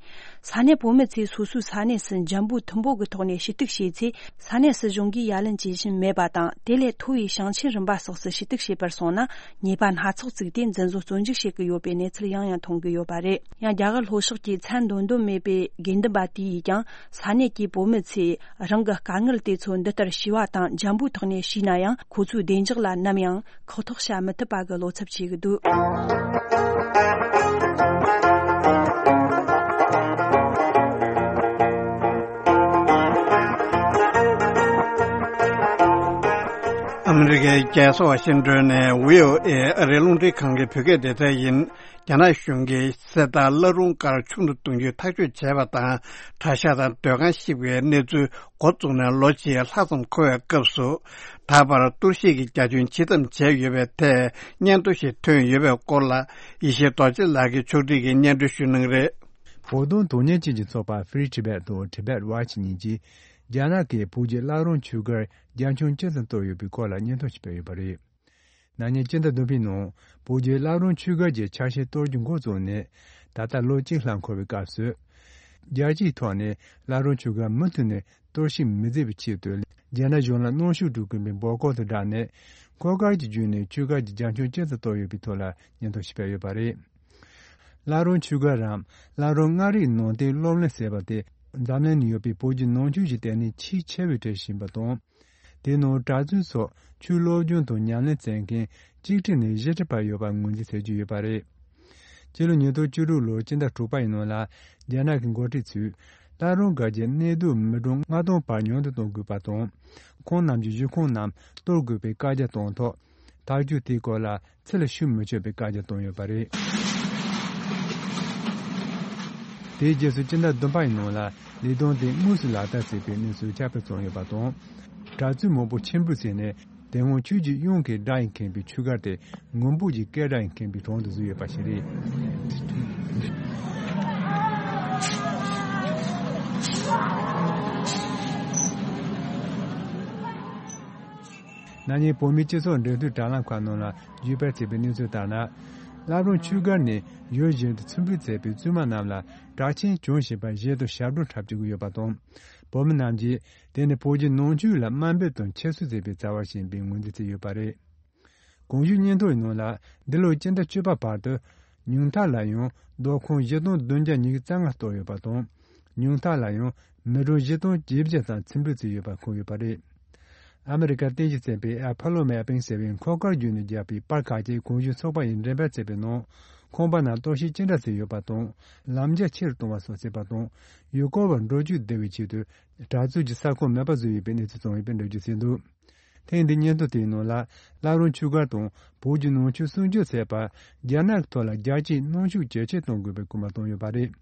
ས་གནས་བོད་མི་ཚོས་སོ་སོའི་ས་གནས་སུ་འཇམ་པོ་མཐུན་པོ་གི་ཐོག་ནས་ཞུ་གཏུག་བྱས་ཚེ། ས་གནས་སྲིད་གཞུང་གིས་ཡ་ལན་བྱེད་བཞིན་མེད་པ་དང་། དེ་ལས་མཐོ་བའི་ཞིང་ཆེན་རིམ་པ་སོགས་སུ་ཞུ་གཏུག་བྱེད་པར་སོང་ན་ཉེས་པ་སྣ་ཚོགས་བཙུགས་ཏེ་འཛིན་བཟུང་བཙོན་འཇུག་བྱེད་ཀྱི་ཡོད་པའི་གནས་ཚུལ་ཡང་ཡང་མཐོང་གི་ཡོད་པ་རེད། ཡང་རྒྱ་གར་ལྷོ་ཕྱོགས་ཀྱི་མཚན་འདོན་འདོད་མེད་པའི་དགེ་འདུན་པ་དེ་ཡིས་ཀྱང་ས་གནས་ཀྱི་བོད་མི་ཚོས་རང་གི་དཀའ་ངལ་དེ་ཚོ་འདི་ལྟར་ཞུས་པ་དང་འཇམ་པོའི་ཐོག་ནས་ཞུས་ན་ཡང་ཁོ་ཚོའི་བདེ་འཇགས་ལ་ནམ་ཡང་ཁག་ཐེག་བྱ་མི་ཐུབ་པ་གི་བློ་འཚབ་བྱེད་ཀྱི་འདུག་ཨ་མི་རི་ཀའི་རྒྱལ་ས་ཝ་ཤིང་ཏོན་ནས་བྷི་ཨོ་ཨེ་ཨ་རིའི་རླུང་འཕྲིན་ཁང་གི་བོད་སྐད་སྡེ་ཚན་ཡིན། རྒྱ་ནག་གཞུང་གིས་གསེར་རྟ་བླ་རུང་སྒར་ཆུང་དུ་གཏོང་རྒྱུའི་ཐག་གཅོད་བྱས་པ་དང་། གྲྭ་ཤག་དང་སྡོད་ཁང་བཤིག་པའི་གནས་ཚུལ་འགོ་བཙུགས་ནས་ལོ་གཅིག་ལྷག་ཙམ་འཁོར་བའི་སྐབས་སུ། ད་བར་གཏོར་བཤིག་གི་རྒྱ་ཁྱོན་ཇི་ཙམ་བྱས་ཡོད་པའི་ཐད་སྙན་ཐོ་ཞིག་ཐོན་ཡོད་པའི་སྐོར་ལ། ཡེ་ཤེས་རྡོ་རྗེ་ལགས་ཀྱིས་ཕྱོགས་སྒྲིག་གིས་སྙན་སྒྲོན་ཞུ་གནང་གི་རེད། བོད་དོན་དོན་གཉེར་ཅན་གྱི་ཚོགས་པ་Free Tibet དང་Tibet Watch གཉིས་ཀྱིས། རྒྱ་ནག་གིས་བོད་ཀྱི་བླ་རུང་ཆོས་སྒར་རྒྱ་ཁྱོན་ཅི་ཙམ་གཏོར་ཡོད་པའི་སྐོར་ལ་སྙན་ཐོ་ཞིག་སྤེལ་ཡོད་པ་རེད། ན་ནིང་སྤྱི་ཟླ་བདུན་པའི་ནང་བོད་ཀྱི་བླ་རུང་ཆོས་སྒར་གྱི་ཆ་ཤས་གཏོར་རྒྱུ་འགོ་བཙུགས་ནས་ད་ལྟ་ལོ་གཅིག་ལྷག་འཁོར་བའི་སྐབས་སུ། རྒྱལ་སྤྱིའི་ཐོག་ནས་བླ་རུང་ཆོས་སྒར་མུ་མཐུད་ནས་གཏོར་བཤིག་མི་མཛད་པའི་ཆེད་དུ་རྒྱ་ནག་གཞུང་ལ་གནོན་ཤུགས་སྤྲོད་དགོས་པའི་འབོད་སྐུལ་དང་སྦྲགས་ནས། འཁོར་སྐར་གྱི་བརྒྱུད་ནས་ཆོས་སྒར་གྱི་རྒྱ་ཁྱོན་ཅི་ཙམ་གཏོར་ཡོད་པའི་ཐོག་ལ་སྙན་ཐོ་ཞིག་སྤེལ་ཡོད་པ་རེད། བླ་རུང་ཆོས་སྒར་རམ་བླ་རུང་མངའ་རིས་ནང་བསྟན་སློབ་གླིང་ཟེར་བ་དེ་འཛམ་གླིང་ན་ཡོད་པའི་བོད་ཀྱི་ནང་ཆོས་ཀྱི་ལྟེ་གནས་ཆེས་ཆེ་བའི་གྲས་ཤིག་ཡིན་པ་དང་། དེའི་ནང་གྲྭ་བཙུན་སོགས་ཆོས་སློབ་སྦྱོང་དང་ཉམས་ལེན་བྱེད་མཁན་གཅིག་ཁྲི་ནས་བཞི་ཁྲི་བར་ཡོད་པར་ངོས་འཛིན་བྱེད་ཀྱི་ཡོད་པ་རེད། སྤྱི་ལོ་ཉིས་སྟོང་བཅུ་དྲུག་ལོའི་སྤྱི་ཟླ་དྲུག་པ་ཡི་ནང་ལ་རྒྱ་ནག་གི་འགོ་ཁྲིད་ཚོས་བླ་རུང་སྒར་གྱི་གནས་སྡོད་མི་གྲངས་ལྔ་སྟོང་བར་ཉུང་དུ་གཏོང་དགོས་པ་དང་། ཁོང་རྣམས་ཀྱི་བཞུགས་ཁང་རྣམས་གཏོར་དགོས་པའི་བཀའ་རྒྱ་བཏང་ཐོག་ཐག་གཅོད་དེའི་སྐོར་ལ་ཚུར་ལ་ཞུ་མི་ཆོག་པའི་བཀའ་རྒྱ་བཏང་ཡོད་པ་རེད། དེའི་རྗེས་སུ་སྤྱི་ཟླ་བདུན་པ་ཡི་ནང་ལ་ལས་དོན་དེ་དངོས་སུ་ལག་བསྟར་བྱས་པའི་གནས་ཚུལ་ཁྱབ་སྤེལ་བྱུང་ཡོད་པ་དང་། གྲྭ་བཙུན་མང་པོ་ཕྱིར་འབུད་བྱས་ནས་དེ་སྔོན་ཆོས་ཀྱི་དབྱངས་ཀྱི་སྒྲ་ཡིས་ཁེངས་པའི་ཆོས་སྒར་དེ་ངུ་འབོད་ཀྱི་སྐད་སྒྲ་ཡིས་ཁེངས་པའི་གྲས་སུ་བཟོས་ཡོད་པ་ཞིག་རེད། ན་ནིང་བོད་མིའི་སྤྱི་ཚོགས་འབྲེལ་མཐུད་དྲ་ལམ་ཁག་ནང་ལ་བརྒྱུད་སྤེལ་བྱས་པའི་གནས་ཚུལ་ལྟར་ན། བླ་བྲང་ཆོས་སྒར་ནས་ཡུལ་གཞན་དུ་ཚུར་འབུད་མཛད་པའི་བཙུན་མ་རྣམས་ལ་དྲག་ཆས་གྱོན་བཞིན་པ་ཞལ་དུ་ཞབས་བྲོ་འཁྲབ་བྱེད་ཀྱི་ཡོད་པ་དང་། བོད་མི་རྣམས་ཀྱིས་དེ་ནི་བོད་བརྒྱུད་ནང་ཆོས་ལ་དམའ་འབེབས་དང་ཁྱད་གསོད་བྱེད་པའི་བྱ་བ་ཞིག་ཡིན་པའི་ངོས་འཛིན་བྱས་ཡོད་པ་རེད། གོང་ཞུས་སྙན་ཐོ་ཡི་ནང་ལ། འདི་ལོའི་སྤྱི་ཟླ་བཅུ་པ་བར་དུ་ཉུང་མཐའ་ལ་ཡང་སྡོད་ཁང་བཞི་སྟོང་བདུན་བརྒྱ་ཉི་ཤུ་རྩ་ལྔ་གཏོར་ཡོད་པ་དང་། ཉུང་མཐའ་ལ་ཡང་མི་གྲངས་བཞི་སྟོང་བརྒྱད་བརྒྱ་ཙམ་ཚུར་འབུད་བྱས་ཡོད་པ་འཁོད་ཡོད་པ་རེད། ཨ་མི་རི་ཀར་རྟེན་གཞི་བྱས་པའི་ཨ་ཕ་ལོ་མེ་པིང་ཟེར་བའི་འཁོར་སྐར་བརྒྱུད་ནས་བརྒྱབ་པའི་པར་ཁག་ཅིག་གོང་ཞུས་ཚོགས་པ་ཡིས་འགྲེམས་སྤེལ་བྱས་པའི་ནང་། ཁང་པ་ནང་གཏོར་བཤིག་ཅི་འདྲ་བྱས་ཡོད་པ་དང་། ལམ་རྒྱ་ཆེ་རུ་གཏོང་བ་སོགས་བྱས་པ་དང་། ཡུལ་སྐོར་བར་འགྲོ་སྐྱོད་བདེ་བའི་ཆེད་དུ་གྲྭ་བཙུན་གྱི་ས་ཁོངས་མེད་པ་བཟོས་ཡོད་པའི་གནས་ཚུལ་བྱུང་ཡོད་པའི་འགྲེལ་བརྗོད་བྱས་འདུག་ཐེངས་འདིའི་སྙན་ཐོ་དེའི་ནང་ལ། བླ་བྲང་ཆོས་སྒར་དང་བོད་ཀྱི་ནང་ཆོས་སྲུང་སྐྱོབ་བྱས་པར་རྒྱ་ནག་གི་ཐོག་ལ་རྒྱལ་སྤྱིའི་གནོན་ཤུགས་ཇེ་ཆེར་གཏོང་དགོས་པའི་སྐུལ་མ་བཏང་ཡོད་པ་རེད།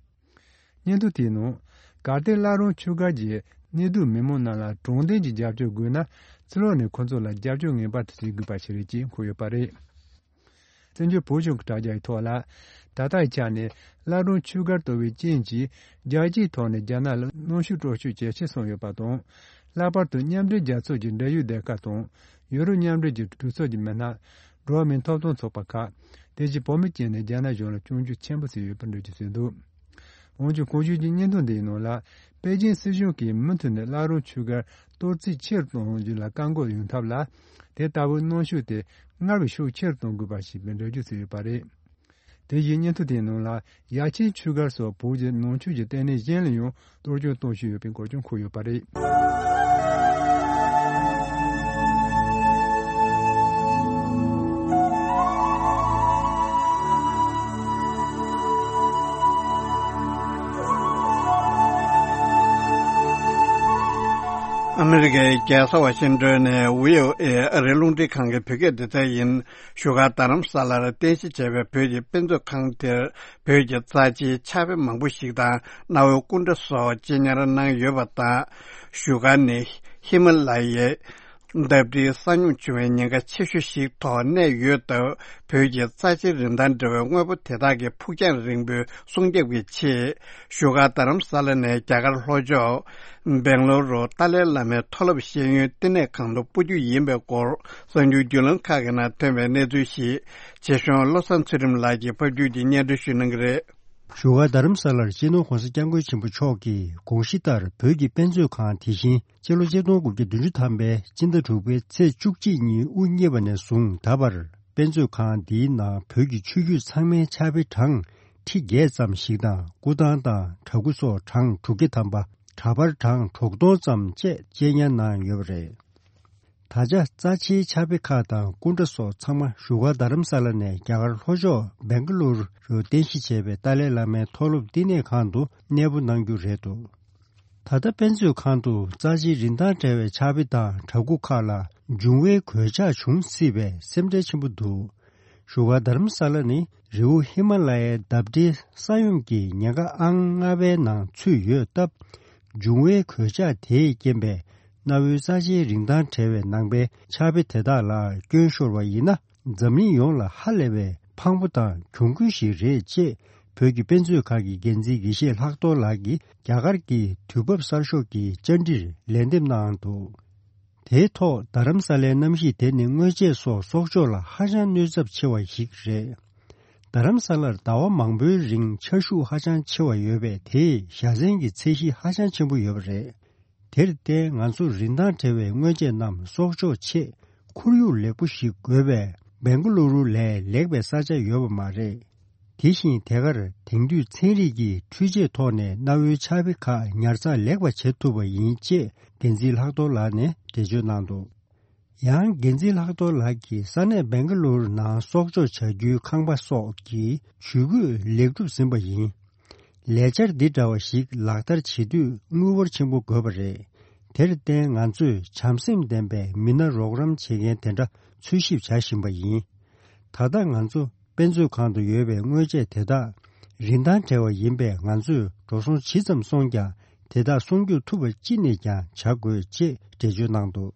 སྙན་ཐོ་དེའི་ནང་། གལ་ཏེ་བླ་བྲང་ཆོས་སྒར་གྱི་གནས་སྡོད་མི་མང་རྣམས་ལ་དྲང་བདེན་གྱི་རྒྱབ་སྐྱོར་དགོས་ན། ཕྱི་ལོགས་ནས་ཁོ་ཚོ་ལ་རྒྱབ་སྐྱོར་ངེས་པར་དུ་བྱེད་དགོས་པ་ཞིག་རེད་ཅེས་འཁོད་ཡོད་པ་རེད། བཙན་བྱོལ་བོད་གཞུང་གི་དྲ་རྒྱ་ཡི་ཐོག་ལ། ད་ལྟའི་ཆ་ནས་བླ་བྲང་ཆོས་སྒར་གཏོར་བའི་རྐྱེན་གྱིས་རྒྱལ་སྤྱིའི་ཐོག་ནས་རྒྱ་ནག་ལ་གནོན་ཤུགས་སྤྲོད་ཤུགས་ཇེ་ཆེར་སོང་ཡོད་པ་དང་། ལྷག་པར་དུ་མཉམ་འབྲེལ་རྒྱལ་ཚོགས་ཀྱི་འབྲེལ་ཡོད་སྡེ་ཁག་དང་། ཡུ་རོབ་མཉམ་འབྲེལ་གྱི་གྲོས་ཚོགས་ཀྱི་མི་སྣ། འགྲོ་བ་མིའི་ཐོབ་ཐང་ཚོགས་པ་ཁག་དེ་བཞིན་བོད་མི་བཅས་ནས་རྒྱ་ནག་གཞུང་ལ་སྐྱོན་བརྗོད་ཆེན་པོ་བྱས་ཡོད་པའི་འགྲེལ་བརྗོད་བྱས་འདུག་འོན་ཀྱང་གོང་ཞུས་ཀྱི་སྙན་ཐོ་འདིའི་ནང་ལ། པེ་ཅིན་སྲིད་གཞུང་གིས་མུ་མཐུད་ནས་བླ་བྲང་ཆོས་སྒར་གཏོར་རྩིས་ཆེ་རུ་གཏོང་རྒྱུ་ལ་བཀག་འགོག་ཡོང་ཐབས་ལ། དེ་ལྟ་བུའི་གནོན་ཤུགས་དེ་སྔར་བས་ཤུགས་ཆེ་རུ་གཏོང་དགོས་པ་ཞེས་པའི་འགྲེལ་བརྗོད་བྱས་ཡོད་པ་རེད། དེ་བཞིན་སྙན་ཐོ་དེའི་ནང་ལ། ཡ་ཆེན་ཆོས་སྒར་སོགས་བོད་ཀྱི་ནང་ཆོས་ཀྱི་ལྟེ་གནས་གཞན་ལ་ཡང་གཏོར་སྐྱོན་གཏོང་བཞིན་ཡོད་པའི་འགོད་སྐྱོན་འཁོད་ཡོད་པ་རེད། ཨ་མི་རི་ཀའི་རྒྱལ་ས་ཝ་ཤིང་ཏོན་ནས་བྷི་ཨོ་ཨེ་ཨ་རིའི་རླུང་འཕྲིན་ཁང་གི་བོད་སྐད་སྡེ་ཚན་ཡིན། བཞུགས་སྒར་རྡ་རམ་ས་ལར་རྟེན་གཞི་བྱས་པའི་བོད་ཀྱི་དཔེ་མཛོད་ཁང་དེར་བོད་ཀྱི་རྩ་ཆེའི་ཕྱག་དཔེ་མང་པོ་ཞིག་དང་། གནའ་བོའི་སྐུ་འདྲ་སོགས་གཅེས་ཉར་གནང་ཡོད་པ་དང་། བཞུགས་སྒར་ནི་ཧི་མ་ལ་ཡའི་འདབས་འབྲིང་ས་སྙོམས་བྱུང་བའི་ཉེན་ཁ་ཆེ་ཤོས་ཤིག་ཐོག་གནས་ཡོད་སྟབས། བོད་ཀྱི་རྩ་ཆེའི་རིན་ཐང་འདྲ་བའི་དངོས་པོ་དེ་དག་གི་ཕུགས་རྒྱང་རིང་པོའི་སྲུང་སྐྱོབ་ཀྱི་ཆེད། བཞུགས་སྒར་རྡ་རམ་ས་ལ་ནས་རྒྱ་གར་ལྷོ་ཕྱོགས་སྦེང་ལོར་རུ་ཏཱ་ལའི་བླ་མའི་མཐོ་སློབ་ཤེས་ཡོན་བསྟི་གནས་ཁང་དུ་སྤོ་རྒྱུ་ཡིན་པའི་སྐོར། གསར་འགྱུར་བརྒྱུད་ལམ་ཁག་གི་ནང་ཐོན་པའི་གནས་ཚུལ་ཞིག་ཆེ་ཤོས་བློ་བཟང་ཚུལ་ཁྲིམས་ལགས་ཀྱིས་ཕབ་སྒྱུར་གྱིས་སྙན་སྒྲོན་ཞུ་གནང་གི་རེད། བཞུགས་སྒར་རྡ་རམ་ས་ལར་སྤྱི་ནོར་༧གོང་ས་༧སྐྱབས་མགོན་ཆེན་པོ་མཆོག་གིས་དགོངས་གཞི་ལྟར་བོད་ཀྱི་དཔེ་མཛོད་ཁང་དེ་བཞིན་སྤྱི་ལོ་ཆིག་སྟོང་དགུ་བརྒྱ་བདུན་ཅུ་ཐམ་པའི་སྤྱི་ཟླ་དྲུག་པའི་ཚེས་བཅུ་གཅིག་ཉིན་དབུ་བརྙེས་པ་ནས་བཟུང་ད་བར་དཔེ་མཛོད་ཁང་འདིའི་ནང་བོད་ཀྱི་ཆོས་བརྒྱུད་ཚང་མའི་ཕྱག་དཔེ་གྲངས་ཁྲི་བརྒྱད་ཙམ་ཞིག་དང་སྐུ་ཐང་དང་གྲྭ་སྐུ་སོགས་གྲངས་དྲུག་བརྒྱ་ཐམ་པ། འདྲ་པར་གྲངས་དྲུག་སྟོང་ཙམ་བཅས་གཅེས་ཉར་གནང་ཡོད་པ་རེད། ད་ཆ་རྩ་ཆེའི་ཕྱག་དཔེ་ཁག་དང་སྐུ་འདྲ་སོགས་ཚང་མ་བཞུགས་སྒར་རྡ་རམ་ས་ལ་ནས་རྒྱ་གར་ལྷོ་ཕྱོགས་སྦེང་ག་ལུ་རུ་རྟེན་གཞི་བྱས་པའི་ཏཱ་ལའི་བླ་མའི་མཐོ་སློབ་བསྟི་གནས་ཁང་དུ་གནས་སྤོ་གནང་རྒྱུ་རེད་འདུག་ད་ལྟ་དཔེ་མཛོད་ཁང་དུ་རྩ་ཆེའི་རིན་ཐང་བྲལ་བའི་ཕྱག་དཔེ་དང་གྲྭ་སྐུ་ཁག་ལ་འབྱུང་བའི་གོད་ཆག་བྱུང་སྲིད་པའི་སེམས་ཁྲལ་ཆེན་པོ་འདུག་བཞུགས་སྒར་རྡ་རམ་ས་ལ་ནི་རི་བོ་ཧི་མ་ལ་ཡའི་འདབས་འབྲེལ་ས་ཡོམ་གྱི་ཉེན་ཁ་ཨང་ལྔ་པའི་ནང་ཚུད་ཡོད་སྟབས། འབྱུང་བའི་གོད་ཆག་དེས་རྐྱེན་པས་གནའ་བོའི་རྩ་ཆེའི་རིན་ཐང་བྲལ་བའི་ནང་པའི་ཕྱག་དཔེ་དེ་དག་ལ་སྐྱོན་ཤོར་བ་ཡིན་ན། འཛམ་གླིང་ཡོངས་ལ་ཧ་ལས་པའི་ཕངས་པོ་དང་གྱོང་གུན་ཞིག་རེད་ཅེས་བོད་ཀྱི་དཔེ་མཛོད་ཁང་གི་འགན་འཛིན་དགེ་བཤེས་ལྷག་རྡོར་ལགས་ཀྱིས་རྒྱ་གར་གྱི་དུས་བབ་གསར་ཤོག་གི་བཅར་འདྲིར་ལན་འདེབས་གནང་འདུག་དེའི་ཐོག་རྡ་རམ་ས་ལའི་གནམ་གཤིས་དེ་ནི་སྔོ་ཆད་སོགས་སྲོག་སྐྱོབ་ལ་ཧ་ཅང་གནོད་ཚབས་ཆེ་བ་ཞིག་རེད། རྡ་རམ་ས་ལར་ཟླ་བ་མང་པོའི་རིང་ཆར་ཤུགས་ཧ་ཅང་ཆེ་བ་ཡོད་པས་དེས་བཞའ་ཚན་གྱི་ཚད་གཞི་ཧ་ཅང་ཆེན་པོ་ཡོད་པ་རེད། དེར་བརྟེན་ང་ཚོར་རིན་ཐང་བྲལ་བའི་སྔོ་ཆད་རྣམས་སྲོག་སྐྱོབ་ཆེད་ཁོར་ཡུག་ལེགས་པོ་ཞིག་དགོས་པས་སྦེང་ག་ལུ་རུ་ལས་ལེགས་པའི་ས་ཆ་ཡོད་པ་མ་རེད། དེ་བཞིན་དེ་གར་དེང་དུས་ཚན་རིག་གི་འཕྲུལ་ཆས་ཐོག་ནས་གནའ་བོའི་ཕྱག་དཔེ་ཁག་ཉར་ཚགས་ལེགས་པ་བྱེད་ཐུབ་པ་ཡིན་ཅེས་འགན་འཛིན་ལྷག་རྡོར་ལགས་ནས་འགྲེལ་བརྗོད་གནང་འདུག་ཡང་འགན་འཛིན་ལྷག་རྡོར་ལགས་ཀྱིས་ས་གནས་སྦེང་ག་ལུར་ནང་སྲོག་སྐྱོབ་བྱ་རྒྱུའི་ཁང་པ་སོགས་ཀྱི་ཇུས་འགོད་ལེགས་གྲུབ་ཟིན་པ་ཡིན། ལས་འཆར་འདི་འདྲ་བ་ཞིག་ལག་བསྟར་བྱེད་དུས་དངུལ་འབོར་ཆེན་པོ་དགོས་པ་རེད། དེར་བརྟེན་ང་ཚོས་བྱམས་སེམས་ལྡན་པའི་མི་སྣ་རོགས་རམ་བྱེད་མཁན་དེ་འདྲ་འཚོལ་ཞིབ་བྱ་བཞིན་པ་ཡིན། ད་ལྟ་ང་ཚོ་དཔེ་མཛོད་ཁང་དུ་ཡོད་པའི་དངོས་ཆས་དེ་དག་རིན་ཐང་བྲལ་བ་ཡིན་པས་ང་ཚོས་འགྲོ་སོང་ཇི་ཙམ་སོང་ཀྱང་དེ་དག་སྲུང་སྐྱོབ་ཐུབ་པ་ཅི་ནས་ཀྱང་བྱ་དགོས་ཅེས་འགྲེལ་བརྗོད་གནང་འདུག་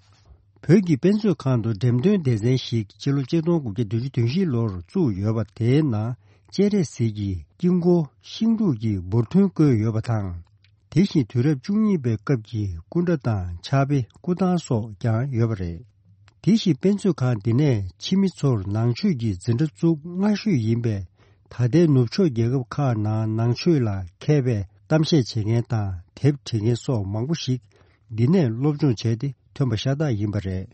བོད་ཀྱི་དཔེ་མཛོད་ཁང་དུ་འགྲེམས་སྟོན་སྡེ་ཚན་ཞིག་སྤྱི་ལོ་ཆིག་སྟོང་དགུ་བརྒྱ་བདུན་ཅུ་དོན་བཞི་ལོར་བཙུགས་ཡོད་པ་དེའི་ནང་སྤྱན་རས་གཟིགས་ཀྱི་དཀྱིལ་འཁོར་ཤིང་འབྲུག་གི་འབུར་ཐོན་བཀོད་ཡོད་པ་དང་། དེ་བཞིན་དུས་རབས་བཅུ་གཉིས་པའི་སྐབས་ཀྱི་སྐུ་འདྲ་དང་ཕྱག་དཔེ་སྐུ་ཐང་སོགས་ཀྱང་ཡོད་པ་རེད། དེ་བཞིན་དཔེ་མཛོད་ཁང་འདི་ནས་ཕྱི་མི་ཚོར་ནང་ཆོས་ཀྱི་འཛིན་གྲྭ་བཙུགས་སྔ་ཤོས་ཡིན་པས། ད་ལྟའི་ནུབ་ཕྱོགས་རྒྱལ་ཁབ་ཁག་ནང་ནང་ཆོས་ལ་མཁས་པའི་གཏམ་བཤད་བྱེད་མཁན་དང་དེབ་འབྲི་མཁན་སོགས་མང་པོ་ཞིག་འདི་ནས་སློབ་སྦྱོང་བྱས་ཏེ་ཐོན་པ་ཤ་སྟག་ཡིན་པ་རེད།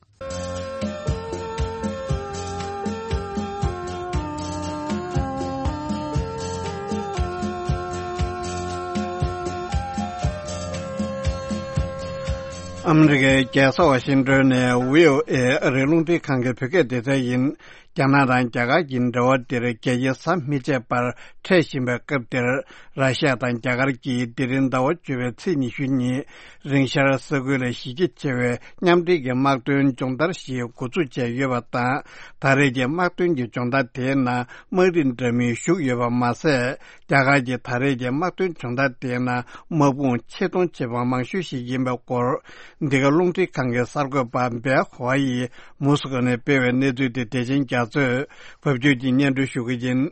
ཨ་མི་རི་ཀའི་རྒྱལ་ས་ཝ་ཤིང་ཏོན་ནས་བྷི་ཨོ་ཨེ་ཨ་རིའི་རླུང་འཕྲིན་ཁང་གི་བོད་སྐད་སྡེ་ཚན་ཡིན། རྒྱ་ནག་དང་རྒྱ་གར་གྱི་འབྲེལ་བ་འདིར་རྒྱ་ཡིག་ཟམ་མི་ཆད་པར་འཕྲད་བཞིན་པའི་སྐབས་འདིར། ར་ཤི་ཡ་དང་རྒྱ་གར་གྱིས་དེ་རིང་ཟླ་བ་བཅུ་པའི་ཚེས་ཉི་ཤུ་ཉིན། རིང་ཤར་ས་ཁུལ་ལ་གཞི་རྒྱ་ཆེ་བའི་མཉམ་འབྲེལ་གྱི་དམག་དོན་སྦྱོང་བརྡར་ཞིག་འགོ་འཛུགས་བྱས་ཡོད་པ་དང་། ད་རེས་ཀྱི་དམག་དོན་གྱི་སྦྱོང་བརྡར་དེའི་ནང་དམག་རིགས་འདྲ་མིན་ཞུགས་ཡོད་པ་མ་ཟད། རྒྱ་གར་གྱི་ད་རེས་ཀྱི་དམག་དོན་སྦྱོང་བརྡར་དེའི་ནང་དམག་དཔུང་ཆེ་མཐོང་ཆེ་བ་མང་ཤོས་ཤིག་ཡིན་པའི་སྐོར། འདི་ག་རླུང་འཕྲིན་ཁང་གི་གསར་འགོད་པ་བེ་ཧོ་ཡིས་མོ་སི་ཀོ་ནས་སྤེལ་བའི་གནས་ཚུལ་དེ་བདེ་ཆེན་རྒྱ་མཚོས་བབ་ཅོལ་གྱིས་སྙན་སྒྲོན་ཞུ་གི་ཡིན།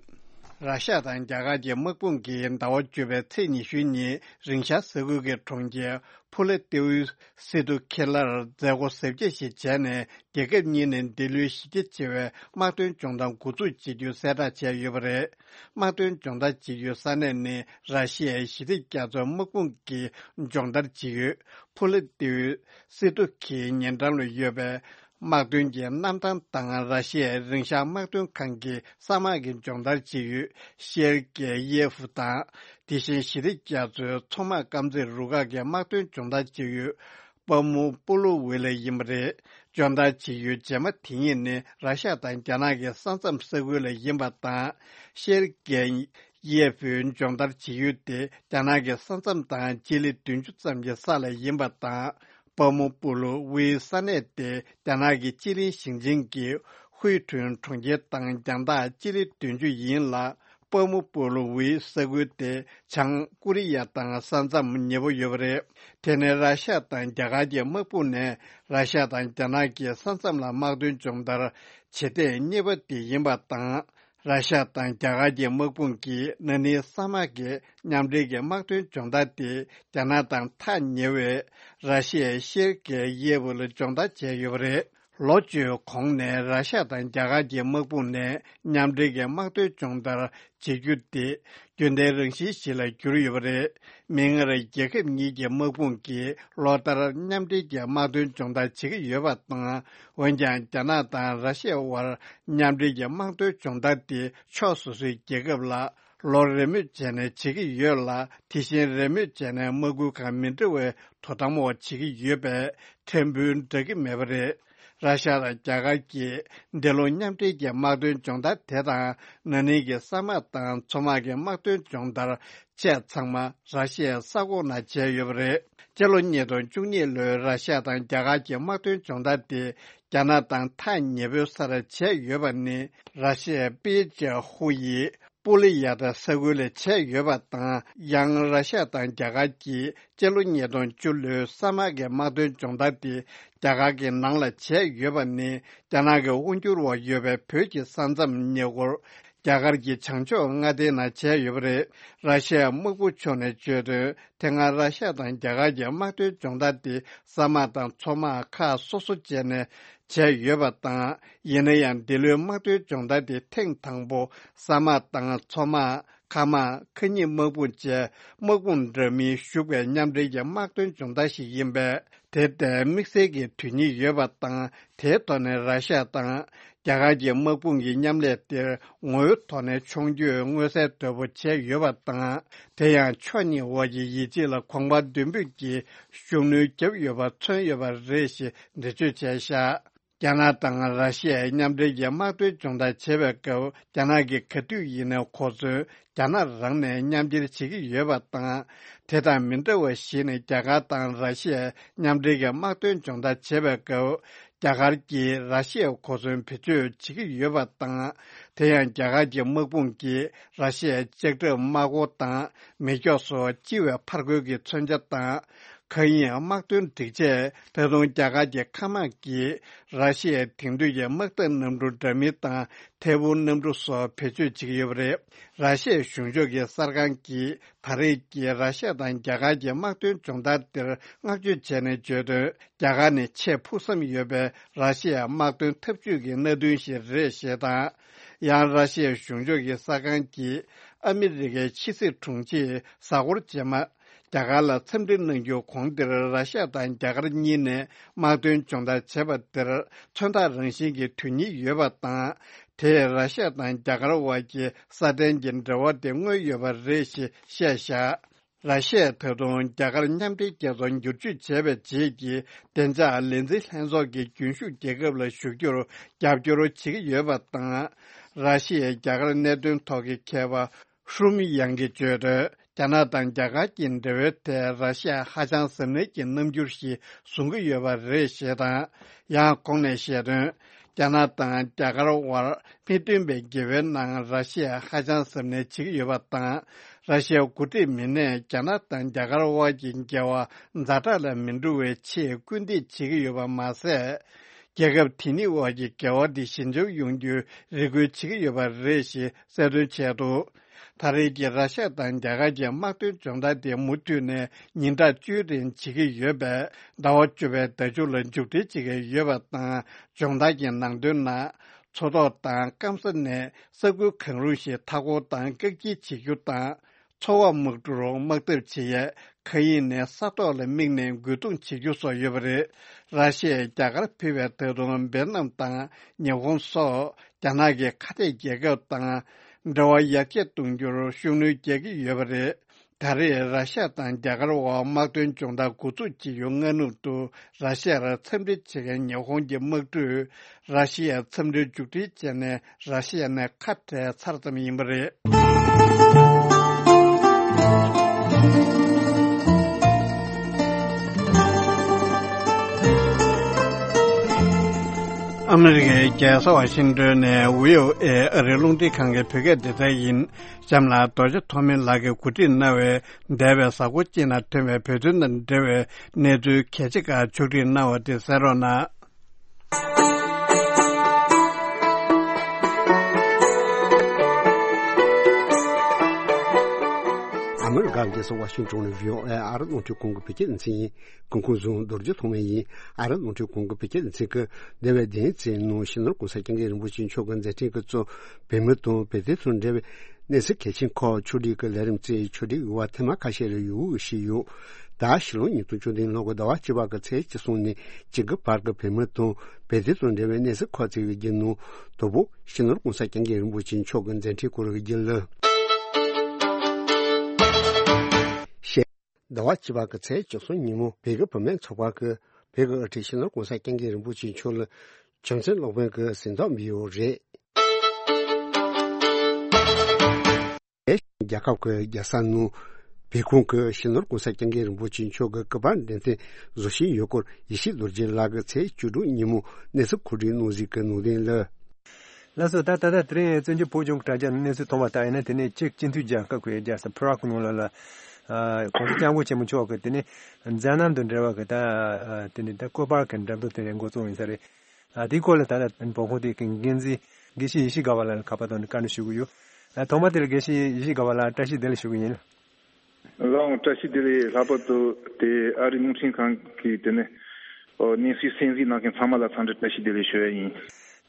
ར་ཤ་ཡ་དང་རྒྱ་གར་གྱི་དམག་དཔུང་གིས་ཟླ་བ་བཅུ་པའི་ཚེས་ཉི་ཤུའི་ཉིན་རིང་ཤར་ས་ཁུལ་གྱི་གྲོང་ཁྱེར་ཕུ་ལེ་ཏེའུ་སི་ཏུ་ཁེ་ལར་མཛད་སྒོ་གཟབ་རྒྱས་ཤིག་བྱས་ནས། རྒྱལ་ཁབ་གཉིས་ནས་འདི་ལོའི་གཞི་རྒྱ་ཆེ་བའི་དམག་དོན་སྦྱོང་བརྡར་འགོ་འཛུགས་བྱེད་རྒྱུ་གསལ་བསྒྲགས་བྱས་ཡོད་པ་རེད། དམག་དོན་སྦྱོང་བརྡར་བྱེད་རྒྱུའི་ས་གནས་ནི་ར་ཤི་ཡའི་ཞི་བདེ་རྒྱ་མཚོའི་དམག་དཔུང་གིས་སྦྱོང་བརྡར་བྱེད་ཡུལ་ཕུ་ལེ་ཏེའུ་སི་ཏུ་ཁིའི་ཉེ་འགྲམ་ལ་ཡོད་པའི་དམག་དོན་གྱི་གནམ་ཐང་དང་། ར་ཤི་ཡའི་རིང་ཤར་དམག་དོན་ཁང་གི་ས་དམག་གི་སྦྱོང་བརྡར་བྱེད་ཡུལ་ཤེར་ཀེ་ཡེ་ཧྥུ་དང་། དེ་བཞིན་ཞི་བདེ་རྒྱ་མཚོའི་མཚོ་དམག་དཀར་མཛེས་རུ་ཁག་གི་དམག་དོན་སྦྱོང་བརྡར་བྱེད་ཡུལ་པ་མུ་པུ་ལུ་ཝེ་ལ་ཡིན་པ་རེད། སྦྱོང་བརྡར་བྱེད་ཡུལ་རྗེས་མ་དེ་གཉིས་ནི་ར་ཤ་ཡ་དང་རྒྱ་ནག་གི་ས་མཚམས་ས་ཁུལ་ལ་ཡིན་པ་དང་། ཤེར་ཀེ་ཡེ་ཧྥུའི་སྦྱོང་བརྡར་བྱེད་ཡུལ་དེ་རྒྱ་ནག་གི་ས་མཚམས་དང་སྤྱི་ལེ་བདུན་ཅུ་ཙམ་གྱི་ས་ལ་ཡིན་པ་དང་། པ་མུ་པུ་ལུ་ཝེའི་ས་གནས་དེ་རྒྱ་ནག་གི་ཅི་ལིན་ཞིང་ཆེན་གྱི་ཧུའེ་ཁྲུན་གྲོང་ཁྱེར་དང་རྒྱང་ཐག་སྤྱི་ལེ་བདུན་ཅུ་ཡིན་ལ། པ་མུ་པུ་ལུ་ཝེའི་ས་ཁུལ་དེ་བྱང་ཀོ་རི་ཡ་དང་ས་མཚམས་ཉེ་པོ་ཡོད་པ་རེད། དེ་ནི་ར་ཤ་ཡ་དང་རྒྱ་གར་གྱི་དམག་དཔུང་ནས་ར་ཤ་ཡ་དང་རྒྱ་ནག་གི་ས་མཚམས་ལ་དམག་དོན་སྦྱོང་བརྡར་བྱེད་ཐེངས་གཉིས་པ་དེ་ཡིན་པ་དང་། ར་ཤ་ཡ་དང་རྒྱ་གར་གྱི་དམག་དཔུང་གིས་ན་ནིང་ས་དམག་གི་མཉམ་འབྲེལ་གྱི་དམག་དོན་སྦྱོང་བརྡར་དེ་རྒྱ་ནག་དང་ཐག་ཉེ་བའི་ར་ཤི་ཡའི་ཤེར་ཀེ་ཡེ་ཧྥུ་ལ་སྦྱོང་བརྡར་བྱས་ཡོད་པ་རེད། ལོ་བཅུའི་གོང་ནས་ར་ཤ་ཡ་དང་རྒྱ་གར་གྱི་དམག་དཔུང་ནས་མཉམ་འབྲེལ་གྱི་དམག་དོན་སྦྱོང་བརྡར་བྱེད་རྒྱུ་དེ་རྒྱུན་ལྡན་རང་བཞིན་ཞིག་ལ་གྱུར་ཡོད་པ་རེད། མིག་སྔར་རྒྱལ་ཁབ་གཉིས་ཀྱི་དམག་དཔུང་གིས་ལོ་ལྟར་མཉམ་འབྲེལ་གྱི་དམག་དོན་སྦྱོང་བརྡར་བྱེད་ཀྱི་ཡོད་པ་དང་། འོན་ཀྱང་རྒྱ་ནག་དང་ར་ཤི་ཡའི་དབར་མཉམ་འབྲེལ་གྱི་དམག་དོན་སྦྱོང་བརྡར་དེ་ཕྱོགས་སོ་སོའི་རྒྱལ་ཁབ་ལ་ལོ་རེ་མོས་བྱས་ནས་བྱེད་ཀྱི་ཡོད་ལ། དེ་བཞིན་རེ་མོས་བྱས་ནས་དམག་ཁུལ་ཁག་མི་འདྲ་བའི་དོ་དམ་འོག་བྱེད་ཀྱི་ཡོད་པས་ཕྲན་བུ་འདྲ་གི་མེད་པ་རེད། ར་ཤ་ཡ་དང་རྒྱ་གར་གྱིས་འདི་ལོ་མཉམ་འབྲེལ་གྱི་དམག་དོན་སྦྱོང་བརྡར་དེ་དང་། ན་ནིང་གི་ས་དམག་དང་མཚོ་དམག་གི་དམག་དོན་སྦྱོང་བརྡར་བཅས་ཚང་མ་ར་ཤི་ཡའི་ས་ཁོངས་ནང་བྱས་ཡོད་པ་རེད། སྤྱི་ལོ་ཉིས་སྟོང་བཅུ་གཉིས་ལོའི་ར་ཤ་ཡ་དང་རྒྱ་གར་གྱི་དམག་དོན་སྦྱོང་བརྡར་དེ་རྒྱ་ནག་དང་ཐག་ཉེ་པོའི་སར་བྱས་ཡོད་པ་ནི། ར་ཤི་ཡའི་པེ་ཅེ་ཧུ་ཡི་པུ་ལི་ཡ་ཏ་ས་ཁུལ་ལ་བྱས་ཡོད་པ་དང་། ཡང་ར་ཤ་ཡ་དང་རྒྱ་གར་གྱིས་སྤྱི་ལོ་ཉིས་སྟོང་བཅུ་ལོའི་ས་དམག་གི་དམག་དོན་སྦྱོང་བརྡར་དེ་རྒྱ་གར་གྱི་ནང་ལ་བྱས་ཡོད་པ་ནི། རྒྱ་ནག་གི་དབང་སྒྱུར་འོག་ཡོད་པའི་བོད་ཀྱི་ས་མཚམས་ཉེ་འཁོར་རྒྱ་གར་གྱི་བྱང་ཕྱོགས་མངའ་སྡེའི་ནང་བྱས་ཡོད་པ་རེད། ར་ཤ་ཡའི་དམག་དཔུང་ཕྱོགས་ནས་བརྗོད་དོན། དེ་སྔ་ར་ཤ་ཡ་དང་རྒྱ་གར་གྱི་དམག་དོན་སྦྱོང་བརྡར་དེ་ས་དམག་དང་མཚོ་དམག་ཁག་སོ་སོ་བྱས་ནས་བྱས་ཡོད་པ་དང་། ཡིན་ན་ཡང་འདི་ལོའི་དམག་དོན་སྦྱོང་བརྡར་དེ་ཐེངས་དང་པོ་ས་དམག་དང་མཚོ་དམག་མཁའ་དམག་མཁའ་སྙིགས་དམག་དཔུང་བཅས་དམག་དཔུང་འདྲ་མིན་ཞུགས་པའི་མཉམ་འབྲེལ་གྱི་དམག་དོན་སྦྱོང་བརྡར་ཞིག་ཡིན་པས། དེ་ལྟའི་དམིགས་བསལ་གྱི་དོན་སྙིང་ཡོད་པ་དང་། དེའི་ཐོག་ནས་ར་ཤ་ཡ་དང་རྒྱ་གར་གྱི་དམག་དཔུང་གི་མཉམ་ལས་དེར་ངོ་བོའི་ཐོག་ནས་མཆོང་སྐྱོད་མངོན་གསལ་དོད་པོ་བྱས་ཡོད་པ་དང་། དེ་ཡང་ཕྱོགས་གཉིས་དབར་གྱི་ཡིད་ཆེས་ལ་གོམ་པ་མདུན་སྤོས་ཀྱི་ཤུགས་སྣོན་བརྒྱབ་ཡོད་པ་མཚོན་ཡོད་པ་རེད་ཞེས་འགྲེལ་བརྗོད་བྱས་བཞག་རྒྱ་ནག་དང་ར་ཤི་ཡའི་མཉམ་འབྲེལ་གྱི་དམག་དོན་སྦྱོང་བརྡར་བྱེད་པའི་སྐབས། རྒྱ་ནག་གིས་ག་དུས་ཡིན་ནའི་གོ་མཚོན་རྒྱ་ནག་རང་ནས་མཉམ་འཁྱེར་བྱེད་ཀྱི་ཡོད་པ་དང་། དེ་དང་མི་འདྲ་བ་ཞིག་ནི། རྒྱ་གར་དང་ར་ཤི་ཡའི་མཉམ་འབྲེལ་གྱི་དམག་དོན་སྦྱོང་བརྡར་བྱེད་པའི་སྐབས། རྒྱ་གར་གྱིས་ར་ཤི་ཡའི་གོ་མཚོན་བེད་སྤྱོད་བྱེད་ཀྱི་ཡོད་པ་དང་། དེ་ཡང་རྒྱ་གར་གྱི་དམག་དཔུང་གིས་ར་ཤི་ཡའི་ལྕགས་ཁྲབ་དམག་འཁོར་དང་མེ་སྒྱོགས་སོགས་ལྕི་བའི་ཕར་རྒོལ་གྱི་མཚོན་ཆ་དང་། མཁའ་དབྱིངས་དམག་དོན་སྒྲིག་ཆས། ད་དུང་རྒྱ་གར་གྱི་མཁའ་དམག་གིས་ར་ཤི་ཡའི་དེང་དུས་ཀྱི་དམག་འཐབ་གནམ་གྲུ་འདྲ་མིན་དང་། ཐད་འཕུར་གནམ་གྲུ་སོགས་བེད་སྤྱོད་བྱེད་ཀྱི་ཡོད་པ་རེད། ར་ཤི་ཡའི་གཞུང་ཕྱོགས་ཀྱི་གསར་ཁང་གིས་ད་རེས་ཀྱི་ར་ཤི་ཡ་དང་རྒྱ་གར་གྱི་དམག་དོན་སྦྱོང་བརྡར་འདིར་བསྔགས་བརྗོད་བྱས་ནས་བརྗོད་དོན། རྒྱ་གར་ནས་ཆེས་ཕུགས་བསམ་ཡོད་པའི་ར་ཤི་ཡའི་དམག་དོན་འཐབ་ཇུས་ཀྱི་གནད་དོན་ཞིག་རེད་ཞེས་དང་། ཡང་ར་ཤི་ཡའི་གཞུང་ཕྱོགས་ཀྱི་གསར་ཁང་གིས་ཨ་མི་རི་ཀའི་ཕྱི་སྲིད་དྲུང་ཆེས་གཟའ་འཁོར་རྗེས་མ། རྒྱ་གར་ལ་འཚམས་འདྲི་གནང་རྒྱུ་གོང་དེར་ར་ཤི་ཡ་དང་རྒྱ་གར་གཉིས་ནས་དམག་དོན་སྦྱོང་བརྡར་བྱས་པ་དེར་མཚོན་རྟགས་རང་བཞིན་གྱི་དོན་སྙིང་ཡོད་པ་དང་། དེས་ར་ཤི་ཡ་དང་རྒྱ་གར་དབར་གྱི་སྲ་བརྟན་གྱི་འབྲེལ་བ་དེ་མངོན་ཡོད་པ་རེད་ཞེས་བཤད་བཞག་ར་ཤི་ཡས་ད་དུང་རྒྱ་གར་མཉམ་འབྲེལ་རྒྱལ་ཚོགས་བསྒྱུར་བཅོས་བྱས་པའི་རྗེས་ཀྱི་བདེ་འཇགས་ལས་འཛིན་ལྷན་ཚོགས་ཀྱི་རྒྱུན་ཞུགས་རྒྱལ་ཁབ་ལ་ཞུགས་རྒྱུར་རྒྱབ་སྐྱོར་བྱེད་ཀྱི་ཡོད་པ་དང་། ར་ཤི་ཡའི་རྒྱ་གར་གནད་དོན་ཐོག་གི་མཁས་པ་ཧྲུམ་ཡང་གིས་བརྗོད་དོན། རྒྱ་ནག་དང་རྒྱ་གར་གྱི་འབྲེལ་བའི་ཐད་ར་ཤི་ཡ་ཧ་ཅང་གཟབ་ནན་གྱི་རྣམ་འགྱུར་ཞིག་བཟུང་གི་ཡོད་པ་རེད་ཞེས་དང་། ཡང་གོང་ནས་བཤད་དོན། རྒྱ་ནག་དང་རྒྱ་གར་དབར་མི་མཐུན་པའི་འགལ་བའི་ནང་ར་ཤི་ཡ་ཧ་ཅང་གཟབ་ནན་བྱེད་ཀྱི་ཡོད་པ་དང་། ར་ཤི་ཡ་འགོ་ཁྲིད་མི་སྣས་རྒྱ་ནག་དང་རྒྱ་གར་དབར་གྱི་འགལ་བ་ཛ་དྲག་ལ་མི་འགྲོ་བའི་ཆེད་སྐུལ་འདེད་བྱེད་ཀྱི་ཡོད་པ་མ་ཟད། རྒྱལ་ཁབ་དེ་གཉིས་དབར་གྱི་འགལ་བ་འདི་ཞི་འཇམ་ཡོང་རྒྱུའི་རེ་སྐུལ་བྱེད་ཀྱི་ཡོད་པ་རེད་ཞེས་གསལ་སྟོན་བྱས་འདུག་ད་རེས་ཀྱི་ར་ཤ་དང་རྒྱ་གར་གྱི་དམག་དོན་སྦྱོང་བརྡར་དེ་མུ་མཐུད་ནས་ཉིན་གྲངས་བཅུའི་རིང་བྱེད་ཀྱི་ཡོད་པས། ཟླ་བ་བཅུ་པའི་ཟླ་མཇུག་ལ་མཇུག་སྒྲིལ་བྱེད་ཀྱི་ཡོད་པ་དང་། སྦྱོང་བརྡར་གྱི་ནང་དོན་ནང་། མཚོ་ཐོག་དང་སྐམ་ས་ནས་ས་ཁུལ་གང་རུང་ཞིག་མཐའ་འཁོར་དང་བཀག་སྐྱིལ་བྱེད་རྒྱུ་དང་། མཚོ་འོག་དམག་གྲུར་དམག་འཐབ་བྱེད་ཡས་མཁའ་དབྱིངས་ནས་ས་ཐོག་ལ་དམིགས་ནས་རྒོལ་རྡུང་བྱེད་རྒྱུ་སོགས་ཡོད་པ་རེད། ར་ཤི་ཡས་རྒྱ་གར་ཕུད་པའི་ད་དུང་ཝེ་ཏི་ནམ་དང་ཉི་ཧོང་སོགས་རྒྱ་ནག་གི་ཁ་གཏད་རྒྱལ་ཁབ་དང་འབྲེལ་བ་ཡར་རྒྱས་གཏོང་རྒྱུར་ཤུགས་སྣོན་རྒྱག་གི་ཡོད་པ་རེད། ད་རེས་ར་ཤ་དང་རྒྱ་གར་དབར་དམག་དོན་སྦྱོང་བརྡར་འགོ་འཛུགས་བྱེད་རྒྱུ་སྔ་སྣུར་དུ་ར་ཤ་ཡར་འཚམས་འདྲི་བྱེད་མཁན་ཉི་ཧོང་གི་དམག་གྲུས་ར་ཤ་ཡར་འཚམས་འདྲིར་མཇུག་སྒྲིལ་བྱས་ནས། ར་ཤི་ཡ་ནས་ཁ་བྲལ་ཚར་ཙམ་ཡིན་པ་རེད། ཨ་མི་རི་ཀའི་རྒྱལ་ས་ཝ་ཤིང་ཏོན་ནས་བྷི་ཨོ་ཨེ་ཨ་རིའི་རླུང་འཕྲིན་ཁང་གི་བོད་སྐད་སྡེ་ཚན་ཡིན། གཤམ་ལ་རྡོ་རྗེ་ཐོགས་མེད་ལགས་ཀྱིས་གོ་སྒྲིག་གནང་བའི་འདས་པའི་གཟའ་འཁོར་གཅིག་ནང་ཐོན་པའི་བོད་དོན་དང་འབྲེལ་བའི་གནས་ཚུལ་གལ་ཆེ་ཁག་ཕྱོགས་སྒྲིག་གནང་བ་དེ་གསན་རོགས་གནང་། ཨ་མི་རི་ཀ་རྒྱལ་ས་ཝ་ཤིང་ཏོན་ནས་བྷི་ཨོ་ཨེ་ཨ་རི་རླུང་འཕྲིན་ཁང་གི་བོད་སྐད་སྡེ་ཚན་ཡིན། སྐུ་ཁམས་བཟང་། རྡོ་རྗེ་ཐོགས་མེད་ཡིན། ཨ་རི་རླུང་འཕྲིན་ཁང་གི་བོད་སྐད་སྡེ་ཚན་གྱིས་འདས་པའི་བདུན་ཚེས་ནང་སྤྱི་ནོར་༸གོང་ས་༸སྐྱབས་མགོན་རིན་པོ་ཆེ་མཆོག་གིས་མཛད་འཕྲིན་གྱིས་གཙོས་བོད་མི་དང་བོད་དོན་དང་འབྲེལ་བའི་གནས་ཚུལ་གལ་ཆེན་ཁག་ཕྱོགས་སྒྲིག་གི་ལས་རིམ་གཙོས་ཕྱོགས་སྒྲིག་ཡོད་པ་ཐེངས་མ་ཁ་ཤས་རེ་ཡོད་ཞུས་ཡོད། ད་ཕྱི་ལོ་ཉིས་སྟོང་བཅུ་བདུན་ལོ་གི་ཟླ་བ་བཅུ་པ་གི་ཚེས་བཅུ་གསུམ་ནས་བཅུ་དགུ་བར་གྱི་བོད་མི་དང་བོད་དོན་དང་འབྲེལ་བའི་གནས་ཚུལ་ཁག་ཅིག་གི་བརྒྱུད་ནང་དང་པོ་སྤྱི་ནོར་༸གོང་ས་༸སྐྱབས་མགོན་རིན་པོ་ཆེ་མཆོག་གི་མཛད་འཕྲིན་སྐོར་གྱི་བརྒྱུད་ལ། ཟླ་བ་བཅུ་པ་གི་ཚེས་བཅུ་གསུམ་ཉིན་མོ་བོད་ཀྱི་བུད་མེད་ཚོགས་པ་གིས་བོད་ཀྱི་དབུ་ཁྲིད་སྤྱི་ནོར་༸གོང་ས་༸སྐྱབས་མགོན་རིན་པོ་ཆེ་མཆོག་ལ་བྱམས་བརྩེའི་སློབ་དཔོན་གྱི་གཟེངས་རྟགས་འབུལ་ཡོད་རེད། རྒྱལ་ཁབ་ཀྱི་རྒྱལ་ས་ནང་བོད་ཁང་གི་སྤྱི་ནོར་༸གོང་ས་༸སྐྱབས་མགོན་རིན་པོ་ཆེ་མཆོག་གི་སྐུ་པར་འགྲེམས་སྟོན་བཟོ་བཞིན་ཡོད་སྐོར་ཡེ་ཤེས་རྡོ་རྗེ་ལགས་ཀྱིས་ཚེས་བཅུ་དྲུག་ཉིན་མོ་གནས་ཚུལ་གོ་སྒྲིག་གནང་གཟིགས་ཀྱི་ནང་དོན་ལ། ལགས་སོ། ད་ད་ལྟ་དེ་རིང་བཙན་བྱོལ་བོད་ལྗོངས་ཀྱི་དྲ་རྒྱ་ནས་གནས་ཚུལ་མཐོང་བ་ལྟར་ཡིན་ན། དེ་ནས་ཅེཀ་སྤྱི་མཐུན་རྒྱལ་ཁབ་ཀྱི་རྒྱལ་ས་པ་རག་ནང་ལ་ལ་ཨ་༸གོང་ས་༸སྐྱབས་མགོན་ཆེན་པོ་མཆོག་གི་དེ་ནས་མཛད་རྣམ་དང་འབྲེལ་བ་གི་ད་ཨ་དེ་ནས་ད་སྐུ་པར་གྱི་འགྲེམས་སྟོན་དེ་རིང་འགོ་བཙུགས་ཡིན་ས་རེད། ཨ་དེའི་སྐོར་ལ་ད་ལྟ་བོད་ཁང་དེ་གི་འགན་འཛིན་དགེ་བཤེས་ཡེ་ཤེས་དགའ་བ་ལགས་ལ་ཁ་པར་ཐོག་ནས་བཀའ་འདྲི་ཞུ་གི་ཡོད། ཨ་ཐོག་མ་དེ་ལ་དགེ་བཤེས་ཡེ་ཤེས་དགའ་བ་ལགས་བཀྲ་ཤིས་བདེ་ལེགས་ཞུ་གི་ཡིན། ལགས་འོང་། བཀྲ་ཤིས་བདེ་ལེགས། ལྷག་པར་དུ་དེ་ཨ་རིའི་རླུང་འཕྲིན་ཁང་གི་དེ་ནས་ཨོ་གནས་ཚུལ་གསན་གཟིགས་གནང་མཁན་ཚང་མ་ལ་འཚམས་འདྲི་བཀྲ་ཤིས་བདེ་ལེགས་ཞུ་ཡ་ཡིན།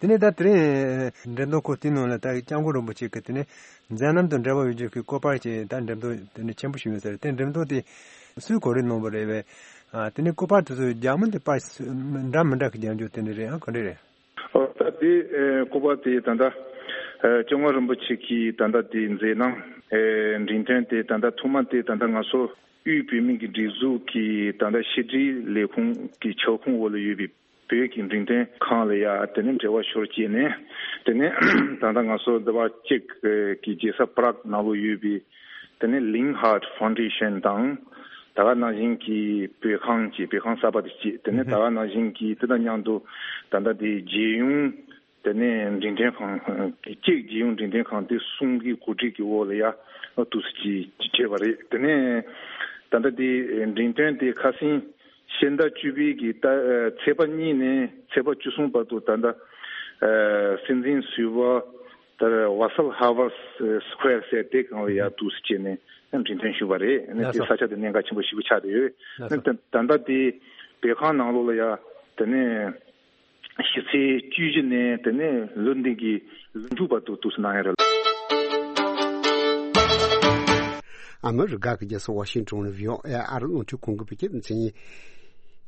དེ་ནས་ད་དེ་རིང་འགྲེམས་སྟོན་སྐོར་དེའི་ནང་ལ་ད་སྐྱབས་མགོན་རིན་པོ་ཆེ་གི་དེ་ནས་མཛད་རྣམ་དང་འབྲེལ་བ་ཡོད་རྒྱུ་གི་སྐུ་པར་ཅིག་ད་འགྲེམས་སྟོན་དེ་ནས་ཆེན་པོ་ཞིག་ཡོད་ས་རེད། དེ་འགྲེམས་སྟོན་དེ་སུས་གོ་སྒྲིག་གནང་བ་རེད་པས། ཨ་དེ་ནས་སྐུ་པར་དེ་ཚོ་རྒྱ་མི་དེ་པར་འདྲ་མི་འདྲ་གི་རྒྱག་རྒྱུ་དེ་འདྲ་རེད། ཨ་ག་འདྲ་རེད། ཨོ་ད་དེ་ཨེ་སྐུ་པར་དེ་ད་ལྟ་ཨེ་སྐྱབས་མགོན་རིན་པོ་ཆེ་གི་ད་ལྟ་དེ་མཛད་རྣམ་ཨེ་འགྲེམས་སྟོན་དེ་ད་ལྟ་ཐོག་མ་དེ་ད་ལྟ་ང་ཚོ་དབུས་བོད་མིའི་གི་སྒྲིག་འཛུགས་ཀྱི་ད་ལྟ་ཕྱི་དྲིལ་ལས་ཁུངས་ཀྱི་ཁྱབ་ཁོངས་འོག་ལ་ཡོད་པའི་བོད་ཀྱི་འགྲེམས་སྟོན་ཁང་ལ་ཡ་དེ་ནས་འབྲེལ་བ་ཤོར་བྱས་ནས། དེ་ནས་ད་ལྟ་ང་ཚོ་འདི་པ་ཅེཀ་གི་རྒྱལ་ས་པ་རག་ནང་ལོགས་ཡོད་པའི་དེ་ནས་ལིང་ཧར་ཕའུན་ཌེ་ཤན་དང་། ད་ག་ནང་བཞིན་གྱི་བོད་ཁང་གཅིག་བོད་ཁང་གསར་པ་དེ་གཅིག་དེ་ནས་ད་ག་ནང་བཞིན་གྱི་དེ་དང་མཉམ་དུ་ད་ལྟ་དེ་རྒྱལ་ཡོངས་དེ་ནས་འགྲེམས་སྟོན་ཁང་གཅིག་རྒྱལ་ཡོངས་འགྲེམས་སྟོན་ཁང་དེ་གསུམ་གྱི་གོ་སྒྲིག་གི་འོག་ལ་ཡ་འདུག་སེ་ཅིག་བྱས་པ་རེད། དེ་ནས་ ད་ལྟ་དེ་འགྲེམས་སྟོན་དེ་ཁ་སང་ཕྱི་ཟླ་བཅུ་པའི་གི་ད་ཚེས་པ་གཉིས་ནས་ཚེས་པ་བཅུ་གསུམ་བར་དུ་ད་ལྟ་སྲིད་འཛིན་ཟུར་པ་ད་ཝ་སལ་ཧ་ཝར་སི་སི་ཀོ་ཡར་ཟེར་དེ་གང་ལ་ཡར་འདུག་སེ་བྱས་ནས་འགྲེམས་སྟོན་ཞུས་པ་རེད། ཨ་ནི་དེ་ལགས་སོ། ས་ཆ་དེ་གནད་འགག་ཆེན་པོ་ཞེ་པོ་ཆགས་བསྡད་ཡོད། ལགས་སོ། ད་ད་ལྟ་དེ་བོད་ཁང་ནང་ལོགས་ལ་ཡ་དེ་ནས་ཕྱི་ཚེས་བཅུ་བཞི་ནས་དེ་ནས་ལོ་འདི་གི་ལོ་མཇུག་བར་དུ་འདུག་སེ་གནང་ཡ་རེད། ཨ་མི་རི་ཀ་གི་རྒྱལ་ས་ཝ་ཤིང་ཏོན་ནས་བྷི་ཨོ་ཨེ་ཨ་རི་རླུང་འཕྲིན་ཁང་གི་བོད་སྐད་སྡེ་ཚན་ཡིན།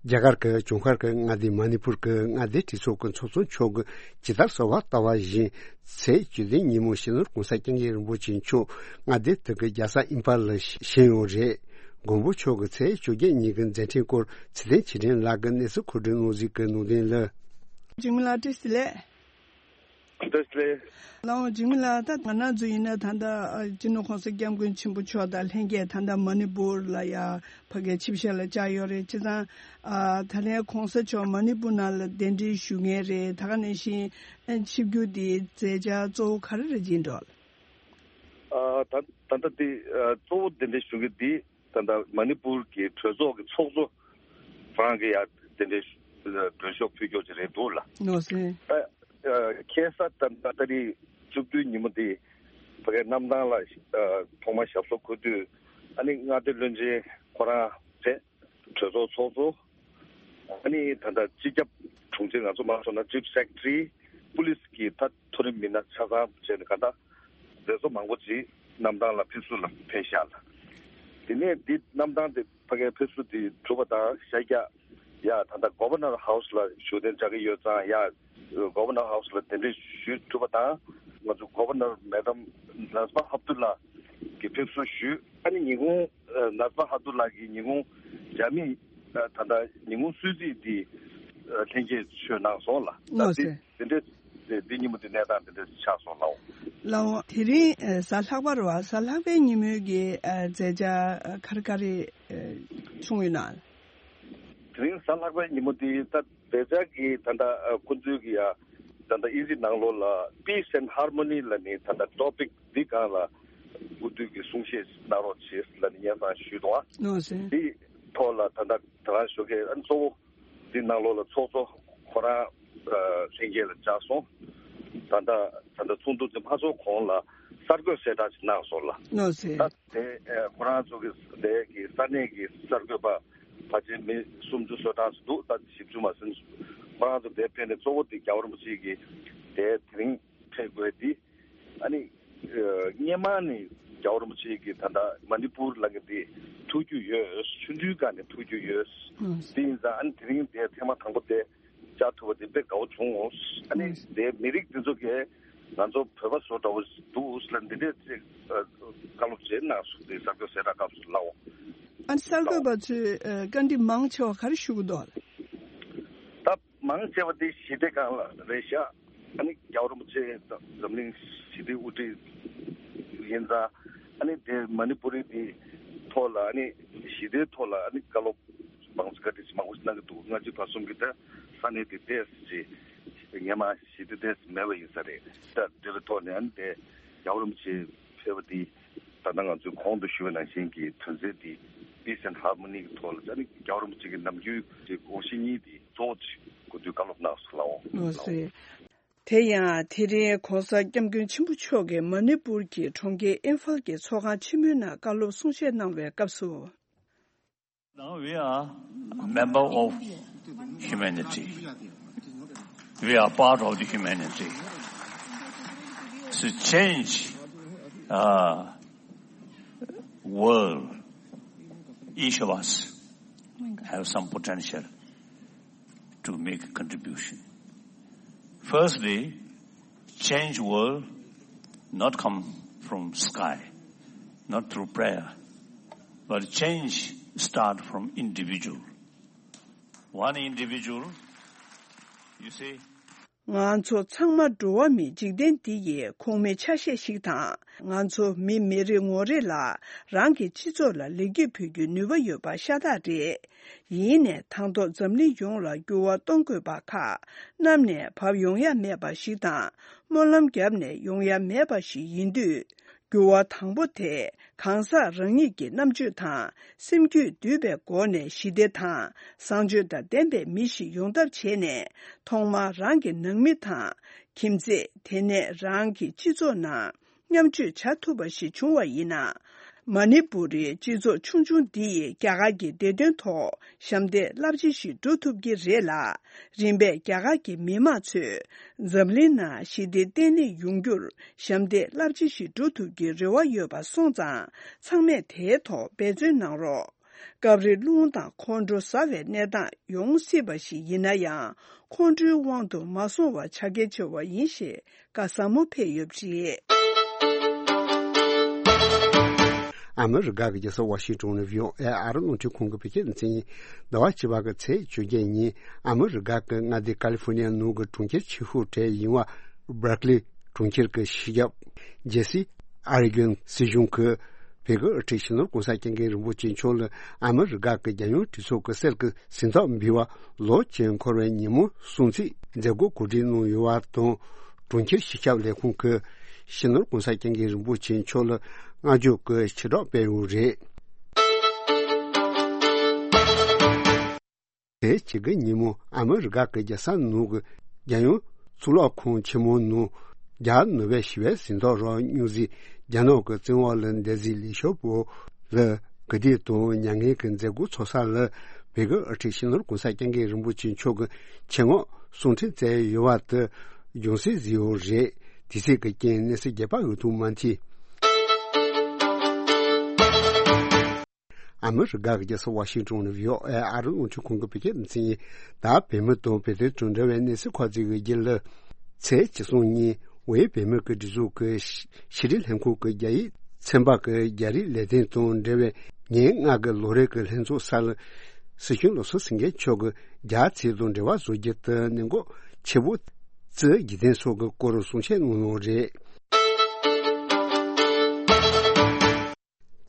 རྒྱ་གར་གྱི་ཇུན་ཁར་གྱི་མངའ་སྡེ་མ་ནི་པུར་གྱི་མངའ་སྡེ་གྲོས་ཚོགས་ཀྱི་ཚོགས་གཙོ་མཆོག་གིས་ཇི་ལྟར་གསལ་བ་ལྟ་བ་བཞིན་ཚེས་བཅུ་བདུན་ཉིན་མོ་སྤྱི་ནོར་༸གོང་ས་༸སྐྱབས་མགོན་རིན་པོ་ཆེ་མཆོག་མངའ་སྡེ་དེ་གའི་རྒྱལ་ས་ཨིམ་ཕལ་ལ་བཞེངས་ཡོད་རེད། མགོན་པོ་མཆོག་གི་ཚེས་བཅོ་བརྒྱད་ཉིན་གྱི་མཛད་འཕྲིན་སྐོར་ཚེ་བརྟན་ཆོས་སྒྲོན་ལགས་ཀྱིས་གནས་ཚུལ་མཁོ་སྒྲུབ་གནང་གཟིགས་ཀྱི་གནང་དོན་ལ། འཇིགས་མེད་ལགས་བཀྲ་ཤིས་བདེ་ལེགས། བཀྲ་ཤིས་བདེ་ལེགས། ལགས་འོང་། འཇིགས་མེད་ལགས། ད་ང་རང་ཚོ་ཡིན་ན་ད་ལྟ་ཨ་སྤྱི་ནོར་༸གོང་ས་༸སྐྱབས་མགོན་ཆེན་པོ་མཆོག་དང་ལྷན་རྒྱས་ད་ལྟ་མ་ནི་པུར་ལ་ཡ་ཕ་གིར་ཆིབས་ཞལ་ལ་བཅར་ཡོད་རེད། བྱས་ཙང་ཨ་ད་ལན་༸གོང་ས་མཆོག་མ་ནི་པུར་ནང་ལ་གདན་འདྲེན་ཞུ་མཁན་རེད། ད་ག་ནང་བཞིན་ཨ་ཆིབས་བསྒྱུར་འདིའི་མཛད་འཆར་གཙོ་བོ་ག་རེ་རེད་ཅེས་འདྲི་བ་ལ། ཨ་ད་ད་ལྟ་འདི་ཨ་གཙོ་བོ་གདན་འདྲེན་ཞུ་མཁན་འདི་ད་ལྟ་མ་ནི་པུར་གྱི་གྲོས་ཚོགས་ཀྱི་ཚོགས་གཙོ་ཁོ་རང་གིས་ཡ་གདན་འདྲེན་ཞུ་མགྲོན་ཤོག་ཕུལ་རྒྱུ་ཅིག་རེད་འདུག་ལ། ནོ་སེ། ཨ་ཨ་ཁ་སང་ད་ལྟ་ཏ་རིག་བཅུ་བདུན་ཉིན་མོ་འདི་ཕ་གིའི་གནམ་ཐང་ལ་ཨ་ཐོག་མར་ཞབས་སོར་འཁོད་དུས་ཨ་ནི་མངའ་སྡེ་བློན་ཆེན་ཁོ་རང་རེད། གྲོས་ཚོགས་ཚོགས་གཙོ། ཨ་ནི་ད་ལྟ་སྤྱི་ཁྱབ་དྲུང་ཆེ་ང་ཚོ་མ་སོང་ན་ཅིབ་སེག་ཊ་རི། པུ་ལིས་ཀྱི་ད་མཐོ་རིམ་མི་སྣ་ཆ་ཚང་བྱས་ནས་ག་ད་མཛད་གཙོ་མང་པོ་ཅིག་གནམ་ཐང་ལ་ཕེབས་བསུ་ལ་ཕེབས་ཤག་ལ། དེ་ནས་འདི་གནམ་ཐང་དེ་ཕ་གིའི་ཕེབས་བསུ་དེ་གྲུབ་པ་དང་ཤར་རྒྱག་ཡ་ད་ལྟ་གོ་བར་ནར་ཧའུ་སི་ལ་བཞུགས་གདན་འཇགས་ཀྱི་ཡོད་ཙང་ཡ་གོ་བར་ནར་ཧའུ་སི་ལ་གདན་འདྲེན་ཞུས་གྲུབ་པ་དང་ང་ཚོ་གོ་བར་ནར་མེ་ཌམ་ནཱ་ཛི་མ་ཧབ་དུ་ལ་གི་ཕེབས་བསུ་ཞུས། ཨ་ནི་ཉིན་གུང་ནཱ་ཛི་མ་ཧབ་དུ་ལ་གི་ཉིན་གུང་རྒྱ་མིས་ད་ལྟ་ཉིན་གུང་གསོལ་ཚིགས་འདི་ལྷན་རྒྱས་མཆོད་གནང་སོང་ལ། ད་ལགས་སོ། འདི་འདི་འདྲའི་དེ་འདི་ཉིན་མོ་འདི་གནས་སྟངས་འདི་འདྲ་ཆགས་སོང་ལགས། ལགས་འོང་། དེ་རིང་ཨ་གཟའ་ལྷག་པ་རེད་བ། གཟའ་ལྷག་པའི་ཉིན་མོའི་གི་ཨ་མཛད་འཆར་ཨ་ག་རེ་ག་རེ་ཨ་བྱུང་ཡོད་ན། དེ་རིང་གཟའ་ལྷག་པའི་ཉིན་མོ་འདི་ད་མཛད་འཆར་གི་ད་ལྟ་ཨ་ཁོང་ཚོའི་གི་ཡ་ད་ལྟ་དབྱིན་ཇི་ནང་ལོགས་ལ་Peace and Harmony ལབ་ནས་ད་ལྟ་ཊོ་པིག་འདི་སྒང་ལ་འགོ་འདུས་ཀྱི་གསུང་བཤད་གནང་རོགས་བྱེད་ལབ་ནས་སྙན་སེང་ཞུས་འདུག་ཨ། ནོ་སེ། འདི་ཐོག་ལ་ད་ལྟ་ད་རང་ཞོགས་ཀས་ཨ་གཙོ་བོ། འདི་ནང་ལོགས་ལ་ཚོགས་གཙོ་ཁོ་རང་ཨ་ལྷན་རྒྱས་ལ་བཅར་སོང་། ད་ལྟ་ད་ལྟ་ཚོགས་འདུ་འདི་མ་ཚོགས་གོང་ལ་གསར་འགོད་གསལ་བསྒྲགས་ཅིག་གནང་སོང་ལ། ནོ་སེ། ད་དེ་ཨ་ཁོ་རང་ཚོ་གི་དེ་གི་ས་གནས་ཀྱི་གསར་འགོད་པ་ཕལ་ཆེར་མི་སུམ་ཅུ་སོ་གྲངས་ཤིག་འདུག་ད་བཞི་བཅུ་མ་ཟིན། ཁོ་རང་ཚོ་དེ་ཕེབས་ནས་གཙོ་བོ་དེ་རྒྱལ་བ་རིན་པོ་ཆེ་གི་དེ་དེ་རིང་ཕེབས་དགོས་དེ། ཨ་ནི་ཨ་སྔོན་མ་ནས་རྒྱལ་བ་རིན་པོ་ཆེ་གིས་ད་ལྟ་མ་ནི་པུར་ལ་གི་འདི་ཐུགས་རྒྱུས་ཡོད། ཆུང་དུས་སྒང་ནས་ཐུགས་རྒྱུས་ཡོད། ཨང་། དེ་ཡིན་ཙང་ཨ་ནི་དེ་རིང་དེ་ཐེངས་མ་དང་པོ་དེ་བཅར་ཐུབ་པ་དེ་དཔེ་དགའ་བོ་བྱུང་། ཨ་ནི་ཨང་། དེ་མི་རིགས་འདི་ཚོ་གིས་ང་ཚོ་བོད་པ་བཟོ་འདྲ་བོ་འདུག་ལ་འདི་འདྲས་ཅིག་ཨ་བཀའ་སློབ་བྱས་གནང་སོང་། དེ་གསར་འགོད་གསལ་བསྒྲགས་སྐབས་སུ་ལའོ། ཨ་ནི་གསར་འགོད་པ་ཚོས་ཨ་བཀའ་འདྲི་མང་ཆེ་བ་ག་རེ་ཞུ་གི་འདུག་ལགས། ད་མང་ཆེ་བ་དེ་ཞི་བདེ་སྒང་ལ་རེད་ཤག་ཨ་ནི་རྒྱལ་བ་རིན་པོ་ཆེ་འཛམ་གླིང་ཞི་བདེའི་དབུ་ཁྲིད་ཡིན་ཙང་ཨ་ནི་དེ་མ་ནི་པུ་རི་དེ་ཐོག་ལ་ཨ་ནི་ཞི་བདེའི་ཐོག་ལ་ཨ་ནི་བཀའ་སློབ་མང་ཆེ་བཀའ་དྲིན་ཆེ་མང་པོ་ཞིག་གནང་གི་འདུག་སྔ་ཕྱི་བར་གསུམ་གྱི་ད་ས་གནས་དེ་ཏོག་ཙམ་ཅིག་སྔོན་མ་ཞི་བདེ་ཏོག་ཙམ་མེད་པ་ཡིན་ས་རེད། ད་དེ་བའི་ཐོག་ནས་ཨ་ནི་དེ་རྒྱལ་བ་རིན་པོ་ཆེ་ཕེབས་པ་དེ། ད་ལྟ་ང་ཚོས་གོང་དུ་ཞུས་པ་ནང་བཞིན་གྱི་དོན་ཚན་འདི་Peace and Harmony གི་ཐོག་ལ་ཨ་ནི་རྒྱལ་བ་རིན་པོ་ཆེ་གི་ནམ་རྒྱུན་གྱི་དགོངས་གཞི་གཉིས་འདི་གཙོ་བོ་ཅིག་གོ་དུས་བཀའ་སློབ་གནང་སོང་ལགས། འོ་ཟེར། དེ་ཡང་དེ་རིང་༸གོང་ས་༸སྐྱབས་མགོན་ཆེན་པོ་མཆོག་གིས་མ་ནི་པུར་གྱི་གྲོང་ཁྱེར་ཨིམ་ཕལ་གྱི་ཚོགས་ཁང་ཆེན་མོའི་ནང་བཀའ་སློབ་གསུང་བཤད་གནང་བའི་སྐབས་སུ། Now we are a member of humanity. We are part of the humanity. To change uh, world, each of us have some potential to make a contribution. Firstly, change world not come from sky, not through prayer, but change start from individual. One individual, you see, ང་ཚོ་ཚང་མ་འགྲོ་བ་མིའི་འཇིག་རྟེན་འདི་ཡི་ཁོངས་མི་ཆ་ཤས་ཤིག་དང་། ང་ཚོ་མི་མི་རེ་ངོ་རེ་ལ་རང་གི་སྤྱི་ཚོགས་ལ་ལེགས་སྐྱེས་ཕུལ་རྒྱུའི་ནུས་པ་ཡོད་པ་ཤ་སྟག་རེད། ཡིན་ནའི་དང་ཐོག་འཛམ་གླིང་ཡོངས་ལ་འགྱུར་བ་གཏོང་དགོས་པ་ཁག་གནམ་ནས་བབས་ཡོང་ཡ་མེད་པ་ཞིག་དང་། སྨོན་ལམ་བརྒྱབ་ནས་ཡོང་ཡ་མེད་པ་ཞིག་ཡིན་དུས། འགྱུར་བ་དང་པོ་དེ་གང་ཟག་རང་ཉིད་ཀྱི་རྣམ་དཔྱོད་དང་སེམས་རྒྱུད་འདུས་པའི་སྒོ་ནས་ཞི་བདེ་དང་བཟང་སྤྱོད་དང་ལྡན་པའི་མི་ཞིག་ཡོང་ཐབས་བྱས་ནས། ཐོག་མར་རང་གི་ནང་མི་དང་ཁྱིམ་མཚེས། དེ་ནས་རང་གི་སྤྱི་ཚོགས་ནང་མཉམ་སྤྱོད་བྱ་ཐུབ་པ་ཞིག་བྱུང་བ་ཡིན་ན། མ་ནི་པུ་རིའི་སྤྱི་ཚོགས་ཆུང་ཆུང་འདི་ཡིས་རྒྱ་གར་གྱི་བདེ་དོན་ཐོག་ཞབས་འདེགས་རླབས་ཆེ་ཞིག་སྒྲུབ་ཐུབ་ཀྱི་རེད་ལ། རིམ་པས་རྒྱ་གར་གྱི་མི་དམངས་ཚོས་འཛམ་གླིང་ནང་ཞི་བདེ་བརྟན་ལྷིང་ཡོང་རྒྱུར་ཞབས་འདེགས་རླབས་ཆེ་ཞིག་སྒྲུབ་ཐུབ་ཀྱི་རེ་བ་ཡོད་པ་སོང་ཙང་། ཚང་མས་དེའི་ཐོག་འབད་བརྩོན་གནང་རོགས། སྐབས་རེ་རླུང་དང་ཁོང་ཁྲོ་ཟ་བའི་གནས་སྟངས་ཡོང་སྲིད་པ་ཞིག་ཡིན་ན་ཡང་། ཁོང་ཁྲོའི་དབང་དུ་མ་སོང་བ་བྱ་གལ་ཆེ་བ་ཡིན་ཞེས་བཀའ་ཟབ་མོ་ཕེབས་ཡོད་པ་རེད། ཨ་མི་རི་ཀ་གི་རྒྱལ་ས་ཝ་ཤིང་ཏོན་ནས་བྷི་ཨོ་ཨེ་ཨ་རི་རླུང་འཕྲིན་ཁང་གི་བོད་སྐད་སྡེ་ཚན་ཡིན། ཟླ་བ་བཅུ་པ་གི་ཚེས་བཅོ་བརྒྱད་ཉིན་ཨ་མི་རི་ཀ་གི་མངའ་སྡེ་ཀ་ལི་ཧྥོ་ནི་ཡ་ནང་གི་གྲོང་ཁྱེར་ཆེ་ཤོས་གྲས་ཡིན་པ་སྦར་ཀི་ལི་གྲོང་ཁྱེར་གྱི་སྤྱི་ཁྱབ་ཇེ་སི་ཨར་གྷན་སྲིད་གཞུང་གིས་བོད་ཀྱི་དབུ་ཁྲིད་སྤྱི་ནོར་༧གོང་ས་༧སྐྱབས་མགོན་རིན་པོ་ཆེ་མཆོག་ལ་ཨ་མི་རི་ཀ་གི་རྒྱལ་ཡོངས་གྲོས་ཚོགས་ཀྱི་གསེར་གྱི་གཟེངས་རྟགས་འབུལ་བ་ལོ་གཅིག་འཁོར་བའི་ཉིན་མོ་སྲུང་བརྩིའི་མཛད་སྒོ་གོ་སྒྲིག་གནང་ཡོད་པ་དང་། གྲོང་ཁྱེར་སྤྱི་ཁྱབ་ལས་ཁུངས་ཀྱིས་སྤྱི་ནོར་༧གོང་ས་༧སྐྱབས་མགོན་རིན་པོ་ཆེ་མཆོག་ལ་བསྔགས་བརྗོད་ཀྱི་ཕྱིར་སྒྲོག་སྤེལ་ཡོད་རེད། དེའི་ཕྱི་གི་ཉིན་མོ་ཨ་མི་རི་ཀ་གི་རྒྱལ་ས་ནང་གི་རྒྱལ་ཡོངས་གཙུག་ལག་ཁང་ཆེན་མོ་ནང་རྒྱ་ནོ་བེལ་ཞི་བའི་གཟེངས་རྟགས་རག་སྨྱོ་རྫས་རྒྱ་ནག་གི་བཙོན་འོག་ལ་བསྡད་རྫས་ལི་ཞའོ་པོ་ལ་གུས་འདུད་དང་མྱ་ངན་གྱི་མཛད་སྒོ་ཚོགས་ས་ལ་བོད་ཀྱི་དབུ་ཁྲིད་སྤྱི་ནོར་༧གོང་ས་༧སྐྱབས་མགོན་རིན་པོ་ཆེ་མཆོག་གི་ཆེད་མངགས་གསུང་འཕྲིན་བསྩལ་ཡོད་པ་དེ་འབྱུང་སྲིད་བཟོས་ཡོད་རེད། དེ་སྲིད་ཀྱི་རྐྱེན་གནས་ཚུལ་རྒྱས་པ་འོས་ཐུབ་མ་མཐོང་། ཨ་མི་རི་ཀ་གི་རྒྱལ་ས་ཝ་ཤིང་ཏོན་ནས་བྷི་ཨོ་ཨེ་ཨ་རི་རླུང་འཕྲིན་ཁང་གི་བོད་སྐད་སྡེ་ཚན་ཡིན། ད་བོད་མི་དང་བོད་དོན་དང་འབྲེལ་བའི་གནས་ཚུལ་ཁག་ཅིག་གི་རྒྱུད་ལ། ཚེས་བཅུ་གསུམ་ཉིན་ཝེ་བོད་མི་གི་སྒྲིག་འཛུགས་ཀྱི་ཕྱི་དྲིལ་ལྷན་ཁང་གི་རྒྱ་ཡིག་ཚན་པ་གི་རྒྱ་རིགས་ལས་དོན་དང་འབྲེལ་བའི་ཉིན་ལྔ་གི་ལོ་རེ་གི་ལྷན་ཚོགས་སར། སྲིད་སྐྱོང་བློ་བཟང་སེང་གེ་མཆོག་གིས་རྒྱ་རྩིས་དང་འབྲེལ་བ་བཟོ་རྒྱུ་དེ་གནད་འགག་ཆེ་བོ་བརྩིས། རྒྱུ་རྐྱེན་སོགས་ཀྱི་སྐོར་གསུང་བཤད་གནང་ཡོད་རེད།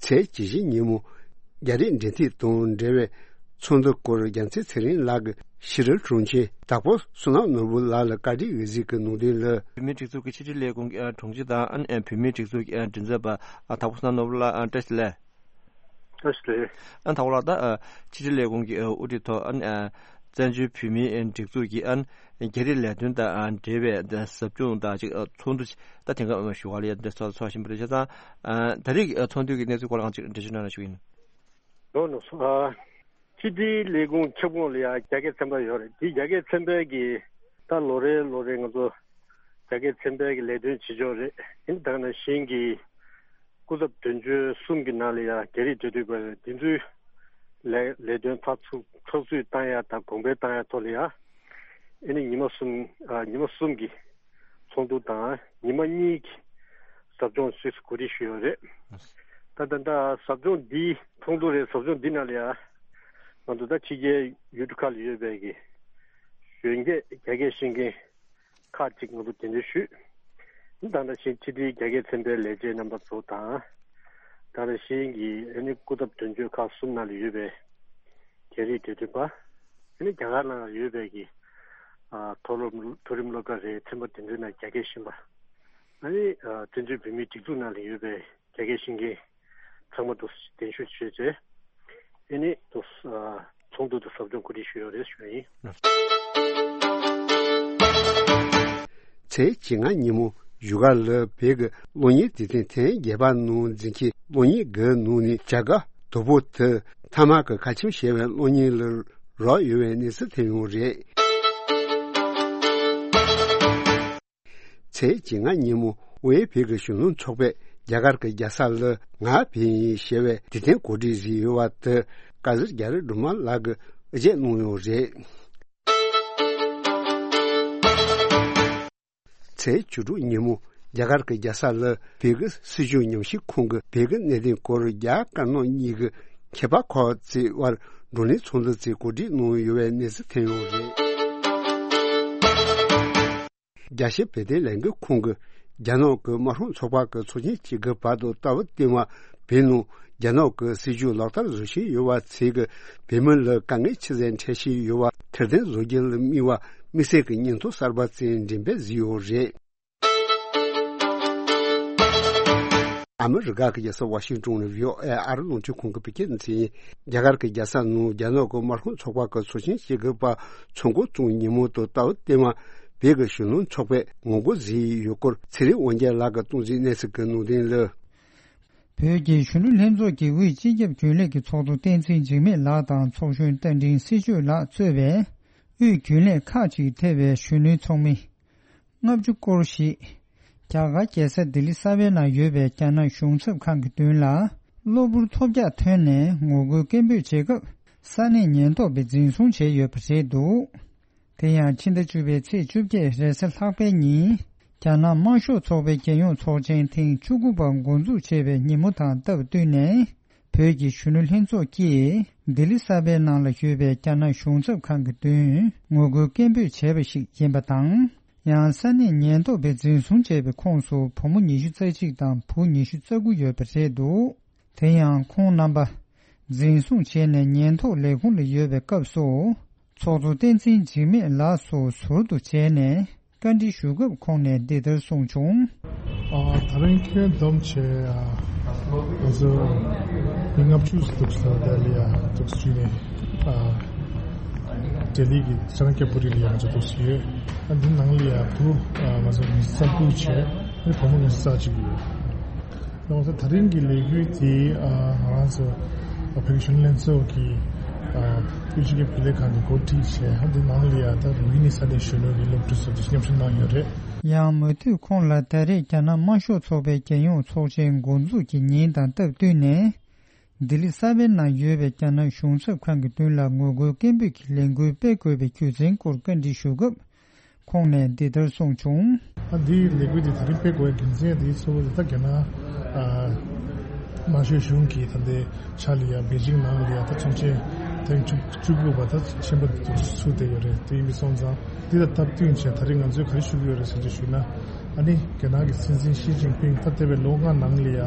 ཚེས་བཅུ་བཞི་ཉིན་མོ། རྒྱ་རིགས་འབྲེལ་མཐུད་དང་འབྲེལ་བའི་ཚོགས་འདུ་སྐོར་རྒྱལ་མཚན་ཚེ་རིང་ལགས་ཀྱིས་ཕྱི་དྲིལ་དྲུང་ཆེ་དྭགས་པོ་བསོད་ནམས་ནོར་བུ་ལགས་ལ་བཀའ་འདྲི་འོས་གཟིགས་ཀྱི་གནང་དོན་ལ། བོད་མིའི་སྒྲིག་འཛུགས་ཀྱི་ཕྱི་དྲིལ་ལས་ཁུངས་ཀྱི་དྲུང་ཆེ་དང་། ཨ་ནི་བོད་མིའི་སྒྲིག་འཛུགས་ཀྱི་མགྲིན་ཚབ་པ་དྭགས་པོ་བསོད་ནམས་ནོར་བུ་ལགས། བཀྲ་ཤིས་བདེ་ལེགས། བཀྲ་ཤིས་བདེ་ལེགས། ཨ་ནི་དྭགས་པོ་ལགས། ད་ཕྱི་དྲིལ་ལས་ཁུངས་ཀྱི་དབུ་ཁྲིད་ཐོག་ཨ་ནི་བཙན་བྱོལ་བོད་མིའི་སྒྲིག་འཛུགས་ཀྱི་ཨ་ནི་རྒྱ་རིགས་ལས་དོན་དང་འབྲེལ་བའི་ཟབ་སྦྱོང་དང་ཅིག་ཚོགས་འདུ་ད་དེང་སྐབས་ཞུ་བ་ལ་ཡ་འདི་ཚོགས་བཞིན་པ་རེད། བྱས་ཙང་ད་རེས་ཚོགས་འདུ་གི་གནས་ཚུལ་སྐོར་ལ་ཅིག་འགྲེལ་བརྗོད་གནང་རོགས་ཞུ་ཡིན། ལོ་ནོ་སོ། ཨ། ཕྱི་དྲིལ་ལས་ཁུངས་ཁྱབ་ཁོངས་ལ་ཡང་རྒྱ་སྐད་ཚན་པ་ཡོད་རེད། དེ་རྒྱ་སྐད་ཚན་པའི་གི་ད་ལོ་རེ་ལོ་རེ་ང་ཚོ་རྒྱ་སྐད་ཚན་པའི་གི་ལས་དོན་བྱེད་ཕྱོགས་རེད། ཡིན་ད་ནང་བཞིན་གྱི་སྐུ་ཚབ་དོན་གཅོད་གསུམ་གྱི་ནང་ལ་ཡང་རྒྱ་རིགས་འབྲེལ་མཐུད་པ་རེད། དེ་ཚོའི་ལས་ལས་དོན་ཚགས་ཚུད་ཚགས་ཚུད་བཏང་ཡ་དང་གོང་འཕེལ་བཏང་ཡ་ཐོག་ལ་ཡང་ཨ་ནི་ཉི་མ་གསུམ་ཨ་ཉི་མ་གསུམ་གྱི་ཚོགས་འདུ་དང་ཉི་མ་གཉིས་ཀྱི་ཟབ་སྦྱོང་སུད་སི་གོ་སྒྲིག་ཞུས་ཡོད་རེད། ད་ད་ད་ཟབ་སྦྱོང་འདི་ཚོགས་འདུ་རེད། ཟབ་སྦྱོང་འདི་ནང་ལ་ཡ་ང་ཚོ་ད་ཕྱི་རྒྱལ་ཡུལ་གྲུ་ཁག་ལ་ཡོད་པའི་གི་གཞོན་སྐྱེས་རྒྱ་སྐད་ཤེས་མཁན་ཁག་ཅིག་ང་ཚོ་གདན་འདྲེན་ཞུས། ད་ད་བཞིན་ཕྱི་དྲིལ་རྒྱ་སྐད་ཚན་པའི་ལས་བྱེད་རྣམ་པ་ཚོ་དང་། ད་ད་བཞིན་གྱི་ཨ་ནི་སྐུ་ཚབ་དོན་གཅོད་ཁག་གསུམ་ནང་ལ་ཡོད་པའི་རྒྱ་རིགས་འབྲེལ་མཐུད་པ། ཨ་ནི་རྒྱ་གར་ནང་ཡོད་པའི་གི་ཨ་མཐོ་སློབ་མཐོ་རིམ་སློབ་གྲྭ་རེད། ཚན་པ་དེ་ཚོའི་ནང་རྒྱ་སྐད་ཤེས་པ། ཨ་ནི་ཨ་བཙན་བྱོལ་བོད་མིའི་སྒྲིག་འཛུགས་ནང་ལ་ཡོད་པའི་རྒྱ་སྐད་ཤེས་མཁན་ཚང་མ་དུ་གདན་ཞུ་བྱས་རྗེས་ཨ་ནི་དུ་ཨ་ཚོགས་འདུ་དུ་ཟབ་སྦྱོང་གོ་སྒྲིག་ཞུས་ཡོད་རེད་ཞུ་ཡིན། ཚེས་བཅོ་ལྔ་ཉིན་མོ་བཞུགས་སྒར་ལ་བོད་ཀྱི་གློག་བརྙན་སྡེ་ཚན་ཐེངས་བརྒྱད་པ་ནང་འཛིན་གྱི་གློག་བརྙན་འགའི་ནང་ནས་བྱ་དགའ་དོ་པོ་དེ་མཐའ་མ་གི་ཁ་ཆེམས་བཞེས་པའི་གློག་བརྙན་ལ་རག་ཡོད་པའི་གནས་ཚུལ་ཐོན་ཡོད་རེད། ཚེས་བཅོ་ལྔ་ཉིན་མོ་ཝེ་བོད་ཀྱི་གཞོན་ནུ་ཚོགས་པས་རྒྱ་གར་གྱི་རྒྱལ་ས་ལ་ང་བོད་ཡིན་ཞེས་པའི་དེ་ཐེངས་གོ་སྒྲིག་བཟོས་ཡོད་པ་དེ་ཀ་ཟུར་རྒྱ་རི་སྒྲོལ་མ་ལགས་ཀྱིས་དབུ་འབྱེད་གནང་ཡོད་རེད། ཚེས་བཅུ་དྲུག་ཉིན་མོ་རྒྱ་གར་གྱི་རྒྱལ་ས་ལ་བོད་ཀྱི་སྲིད་བྱུས་ཉམས་ཞིབ་ཁང་གིས་བོད་ཀྱི་གནད་དོན་སྐོར་རྒྱ་དཀར་ནག་གཉིས་ཀྱི་མཁས་པ་ཁག་ཅིག་དབར་བགྲོ་གླེང་ཚོགས་འདུ་ཅིག་གོ་སྒྲིག་གནང་ཡོད་པའི་གནས་ཚུལ་ཐོན་ཡོད་རེད། རྒྱལ་སྤྱིའི་བོད་དོན་ལས་འགུལ་ཁང་གིས་རྒྱ་ནག་གི་དམར་ཤོག་ཚོགས་པ་གི་ཚོགས་ཆེན་གཅིག་གི་བར་དུ་ལྟ་བ་བསྟུན་པ་བོད་ནང་རྒྱ་ནག་གི་སྲིད་བྱུས་ལག་བསྟར་བཟོ་བཞིན་ཡོད་པ་ཚོས་ཀྱི་བོད་མི་ལ་དཀའ་ངལ་ཆེ་ཙམ་འཕྲད་བཞིན་ཡོད་པ་ཐེར་འདོན་བཟོ་རྒྱུ་ལ་དམིགས་པ་དམིགས་བསལ་གྱི་སྙན་ཐོ་གསར་པ་ཅིག་འགྲེམས་སྤེལ་བཟོས་ཡོད་རེད། ཨ་མི་རི་ཀ་གི་རྒྱལ་ས་ཝ་ཤིང་ཊོན་ནས་བྷི་ཨོ་ཨེ་ཨ་རི་རླུང་འཕྲིན་ཁང་གི་བོད་སྐད་སྡེ་ཚན་ཡིན། རྒྱ་གར་གྱི་རྒྱལ་ས་ནང་རྒྱ་ནག་གི་དམར་ཤོག་ཚོགས་པ་གི་ཚོགས་ཆེན་ཞིག་གི་བར་ཚོགས་འགོ་བཙུགས་ཉིན་མོ་དང་ད་བར་ལྟད་མ་བོད་ཀྱི་གཞོན་ནུ་ཚོགས་པས་ངོ་རྒོལ་བཟོས་ཡོད་སྐོར་ཚེ་རིང་དབང་རྒྱལ་ལགས་ཀྱིས་གཏོང་མཛད་གནས་ཚུལ་གྱི་ནང་དོན་ལ། བོད་ཀྱི་གཞོན་ནུ་ལྷན་ཚོགས་ཀྱི་དབུས་སྤྱི་ཁྱབ་རྒྱུན་ལས་ཀྱི་ཚོགས་གཙོ་བསྟན་འཛིན་འཇིགས་མེད་ལགས་དང་ཚོགས་གཞོན་རྟ་མགྲིན་སྲི་གཅོད་ལགས་གཙོས་པའི་དབུས་རྒྱུན་ལས་ཁག་ཅིག་ཐེ་བའི་གཞོན་ནུའི་ཚོགས་མི་ལྔ་བཅུ་སྐོར་ཞིག་རྒྱ་གར་རྒྱལ་ས་ལྡི་ལི་གསར་པའི་ནང་ཡོད་པའི་རྒྱ་ནག་གཞུང་ཚབ་ཁང་གི་མདུན་ལ་གློ་བུར་ཐོལ་རྒྱག་ཐོན་ནས་ངོ་རྒོལ་སྐད་འབོད་བྱེད་སྐབས་ས་གནས་ཉེན་རྟོག་པས་འཛིན་བཟུང་བྱས་ཡོད་པ་རེད་འདུག་དེ་ཡང་ཕྱི་ཟླ་བཅུ་པའི་ཚེས་བཅོ་བརྒྱད་རེས་གཟའ་ལྷག་པའི་ཉིན་རྒྱ་ནག་དམར་ཤོག་ཚོགས་པའི་རྒྱལ་ཡོངས་ཚོགས་ཆེན་ཐེངས་བཅུ་དགུ་པ་འགོ་འཛུགས་བྱས་པའི་ཉིན་མོ་དང་སྟབས་བསྟུན་ནས་བོད་ཀྱི་གཞོན་ནུ་ལྷན་ཚོགས་ཀྱིས་ལྡི་ལི་གསར་པའི་ནང་ལ་ཡོད་པའི་རྒྱ་ནག་གཞུང་ཚབ་ཁང་གི་མདུན་ངོ་རྒོལ་སྐད་འབོད་བྱས་པ་ཞིག་ཡིན་པ་དང་། ཡང་ས་གནས་ཉེན་རྟོག་པས་འཛིན་བཟུང་བྱས་པའི་ཁོངས་སུ་བུ་མོ་ཉི་ཤུ་རྩ་གཅིག་དང་བུ་ཉི་ཤུ་རྩ་དགུ་ཡོད་པ་རེད་འདུག་དེ་ཡང་ཁོང་རྣམ་པ་འཛིན་བཟུང་བྱས་ནས་ཉེན་རྟོག་ལས་ཁུངས་ལ་ཡོད་པའི་སྐབས་སུ། ཚོགས་གཙོ་བསྟན་འཛིན་འཇིགས་མེད་ལགས་སུ་ཟུར་དུ་བྱས་ནས་བཀའ་འདྲི་ཞུ་སྐབས་ཁོང་ནས་འདི་ལྟར་གསུངས་བྱུང་། ཨ། ད་རིང་ཁྱོན་བསྡོམས་བྱས་ཨ། ང་ཚོ་མི་ལྔ་བཅུ་ཙམ་འདུག་ས་ལྡི་ལི་ཡ་འདུག་ཅུས་ནས་ཨ། ལྡི་ལི་གི་ཤང་ཀྱ་པུ་རི་ལ་ཡ་ང་ཚོ་འདུག་ཡོད། ཨ། འདི་ནང་ལ་ཡ་བུ་ཨ། ང་ཚོ་ཉི་ཤུ་རྩ་དགུ་བྱས་ཨ་ནི་བུ་མོ་ཉི་ཤུ་རྩ་གཅིག་ཡོད། ད་ང་ཚོ་ད་རིང་གི་ལས་འགུལ་དེ་ཨ། ང་རང་ཚོ་བོད་ཀྱི་གཞོན་ནུ་ལྷན་ཚོགས་ཀྱི་ཨ། དབུས་སྤྱི་ཁྱབ་རྒྱུན་ལས་ཁང་གིས་འགོ་ཁྲིད་བྱས་ཨ། འདི་ནང་ལ་ཡ་ད་རུ་ཝི་ནི་ས་གནས་གཞོན་ནུ་གི་སློབ་ཕྲུག་ཚོ་དེ་མཉམ་ཞུགས་གནང་ཡོད་རེད། ཡང་མུ་མཐུད་ཁོང་ལ་ད་རེས་རྒྱ་ནག་དམར་ཤོག་ཚོགས་པའི་རྒྱལ་ཡོངས་ཚོགས་ཆེན་འགོ་འཛུགས་ཀྱི་ཉིན་དང་སྟབས་བསྟུན་ནས། ལྡི་ལི་གསར་པའི་ནང་ཡོད་པའི་རྒྱ་ནག་གཞུང་ཚབ་ཁང་གི་མདུན་ལ་ངོ་རྒོལ་སྐད་འབོད་ཀྱི་ལས་འགུལ་སྤེལ་དགོས་པའི་རྒྱུ་མཚན་སྐོར་བཀའ་འདྲི་ཞུ་སྐབས། ཁོང་ནས་འདི་ལྟར་གསུངས་བྱུང་། ཨ། འདིའི་ལས་འགུལ་འདི་ད་རིང་སྤེལ་དགོས་པའི་རྒྱུ་མཚན་དེ་གཙོ་བོ་དེ་ད་རྒྱ་ནག་ཨ། དམར་ཤོག་གཞུང་གིས་ད་ལྟའི་ཆ་ལ་ཡ་པེ་ཅིང་ནང་ལ་ཡ་ད་ཚོགས་ཆེན་ཐེངས་བཅུ་བཅུ་དགུ་པ་ད་ཆེན་པོ་འདུག་ཚུགས་བསྡད་ཡོད་རེད། དེ་ཡིན་པ་སོང་ཙང་འདི་ལ་སྟབས་བསྟུན་བྱས་ད་རིང་ང་ཚོས་ག་རེ་ཞུ་གི་ཡོད་རེད་ཟེར་ཅིག་ཞུས་ན། ཨ་ནི་རྒྱ་ནག་གི་སྲིད་འཛིན་ཞི་ཅིན་ཕིང་ད་འདས་པའི་ལོ་ལྔ་ནང་ལ་ཡ་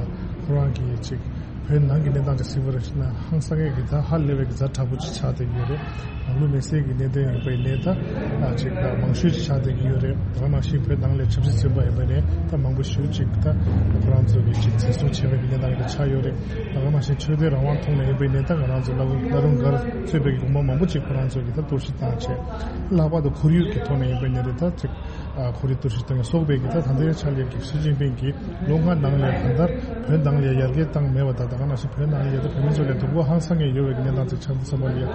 ཁོ་རང་གིས་ཅིག་བོད་ནང་གི་གནས་སྟངས་ཅིག་གཟིགས་པ་རེད་ན་ཧང་སང་ངེས་ཀྱི་ད་ཧ་ལས་པའི་གི་ཛ་དྲག་པོ་ཅིག་ཆགས་བསྡད་ཀྱི་ཡོད་རེད། ནང་ལུགས་མེ་སྲེག་གི་གནད་དོན་ཡིན་པ་ཡིན་ནའི་ད་ཨ་ཅིག་མང་ཤོས་ཅིག་ཆགས་བསྡད་ཀྱི་ཡོད་རེད། ད་ག་ནང་བཞིན་བོད་ནང་ལ་ཆབ་སྲིད་བཙོན་པ་ཡིན་པ་ནས་ད་མང་པོ་ཞེ་པོ་ཅིག་ད་ཁོ་རང་ཚོ་གི་ཅིག་བཙན་བཟུང་བྱས་པའི་གི་གནས་སྟངས་ཅིག་ཆགས་ཡོད་རེད། ད་ག་ནང་བཞིན་ཆོས་དད་རང་དབང་ཐོག་ནས་ཡིན་པ་ཡིན་ནའི་ད་ང་རང་ཚོ་བླ་རུང་བླ་རུང་སྒར་གཙོས་པའི་གི་དགོན་པ་མང་པོ་ཅིག་ཁོ་རང་ཚོ་གི་ད་གཏོར་བཤིག་བཏང་བྱས། ལྷག་པར་དུ་ཁོར་ཡུག་གི་ཐོག་ནས་ཡིན་པ་ཡིན་ནའི་ད་ཅིག་ཨ། ཁོར་ཡུག་གཏོར་བཤིག་བཏང་ཡ་སོགས་པའི་གི་ད་ད་ལྟའི་ཆ་ལས་ཀྱི་ཞི་ཅིན་ཕིང་གིས་ལོ་ལྔ་ནང་ལ་གང་ལྟར་བོད་ནང་ལ་ཡར་རྒྱས་བཏང་མེད་པ་དང་ད་ག་ནང་བཞིན་བོད་ནང་ལ་ཡ་ད་བོད་མི་ཚོ་ལ་སྡུག་པོ་ཧང་སང་ངེ་ཡོད་པའི་གི་གནས་སྟངས་ཅིག་ཆགས་འདུག་བསམ་པ་ལ་ཡ་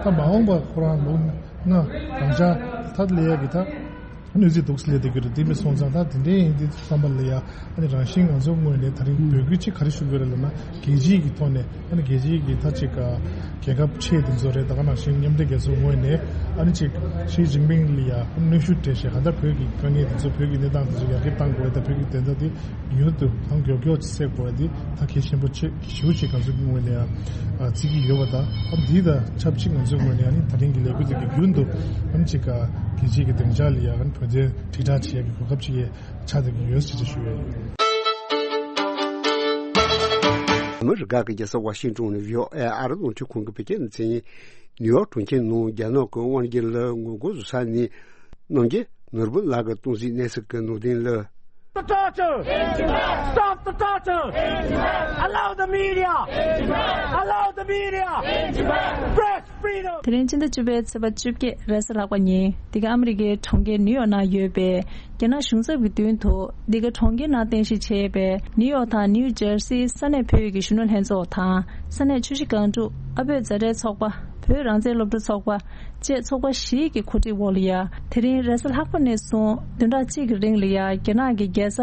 ད་མ་འོངས་པ་ཁོ་རང་ལོ་ལྔ་རང་ཅག་ད་ལས་ཡ་གི་ད་གནོད་འཚེ་འདུག་སེ་ལས་བསྡད་རྒྱུ་རེད། དེ་མིན་སོང་ཙང་ད་དེ་འདྲའི་ཡིན་དུས་བསམ་པ་ལ་ཡ་ཨ་ནི་རང་བཞིན་ང་ཚོ་ངོས་ནས་ད་རིང་འབོད་སྐུལ་ཅིག་ག་རེ་ཞུ་དགོས་རེད་ལབ་ན་རྒྱལ་སྤྱིའི་གི་ཐོག་ནས། ཨ་ནི་རྒྱལ་སྤྱིའི་གི་ད་ཅིག་རྒྱལ་ཁབ་ཆེ་དེ་ཚོ་རེད། ད་ག་ནང་བཞིན་མཉམ་འབྲེལ་རྒྱལ་ཚོགས་ངོས་ནས་ཨ་ནི་ཅིག་ཞི་ཅིན་ཕིང་ལ་ཡ་གནོན་ཤུགས་སྤྲད་བྱས་གང་ལྟར་བོད་ཀྱི་དཀའ་ངལ་དེ་ཚོ་བོད་ཀྱི་གནས་སྟངས་དེ་ཚོ་ཡར་རྒྱས་གཏང་དགོས་རེད། ད་བོད་ཀྱི་བདེན་མཐའ་དེ་མྱུར་དུ་གང་མགྱོགས་མགྱོགས་ཅིག་སེལ་དགོས་རེད། དེ་ད་གལ་ཆེན་པོ་ཆེ་ཞེ་པོ་ཅིག་ང་ཚོ་གི་ངོས་ནས་ཡ་བརྩི་གི་ཡོད་པ་དང་ཨ་འདི་དང་ཆབས་ཅིག་ང་ཚོའི་ངོས་ནས་ཨ་ནི་ད་རིང་གི་ལས་འགུལ་དེ་གི་རྒྱུན་དུ་ཨ་ནི་ཅིག་རྒྱལ་སྤྱིའི་གི་སྡིངས་ཆ་ལ་ཡ་ཨ་ནི་བོད་དོན་དྲིལ་བསྒྲགས་བྱེད་ཡ་གི་གོ་སྐབས་ཅིག་ཡ། ཆགས་བསྡད་ཀྱི་ཡོད་ཅེས་ཞུ་ཡ་ཡིན། ཨ་མི་རི་ཀ་གི་རྒྱལ་ས་ཝ་ཤིང་ཏོན་ནས་བྷི་ཨོ་ཨེ་ཨ་རི་རླུང་འཕྲིན་ཁང་གི་བོད་སྐད་སྡེ་ཚན་ཡིན། ནིའུ་ཡོག་གྲོང་ཁྱེར་ནང་རྒྱ་ནག་གི་དབང་སྒྱུར་ལ་ངོ་རྒོལ་བཟོ་ས་ནས་གནམ་རྒྱལ་ནོར་བུ་ལགས་ཀྱིས་གཏོང་གཟིགས་གནས་ཚུལ་གྱི་ནང་དོན་ལ། Stop the torture! Stop the torture! Allow the media! Allow the media! Press freedom! དེ་རིང་སྤྱི་ཟླ་བཅུ་པའི་ཚེས་པ་བཅོ་བརྒྱད་རེས་གཟའ་ལྷག་པ་ཉིན་འདི་ག་ཨ་མི་རི་ཀའི་གྲོང་ཁྱེར་ནིའུ་ཡོག་ནང་ཡོད་པའི་རྒྱ་ནག་གཞུང་ཚབ་ཀྱི་མདུན་དུ་འདི་ག་གྲོང་ཁྱེར་ནང་རྟེན་གཞི་བྱས་པའི་ནིའུ་ཡོག་དང་ནིའུ་ཇར་སིའི་ས་གནས་བོད་ཀྱི་གཞོན་ནུ་ལྷན་ཚོགས་དང་ས་གནས་ཆུ་བཞི་སྒང་དྲུག་ཨ་བོད་མཛའ་འབྲེལ་ཚོགས་པ། བོད་རང་བཙན་སློབ་ཕྲུག་ཚོགས་པ་བཅས་ཚོགས་པ་བཞིའི་གི་གོ་སྒྲིག་འོག་ལ་ཡ། དེ་རིང་རེས་གཟའ་ལྷག་པ་ནས་བཟུང་བདུན་ཕྲག་གཅིག་གི་རིང་ལ་ཡ་རྒྱ་ནག་གི་རྒྱལ་ས་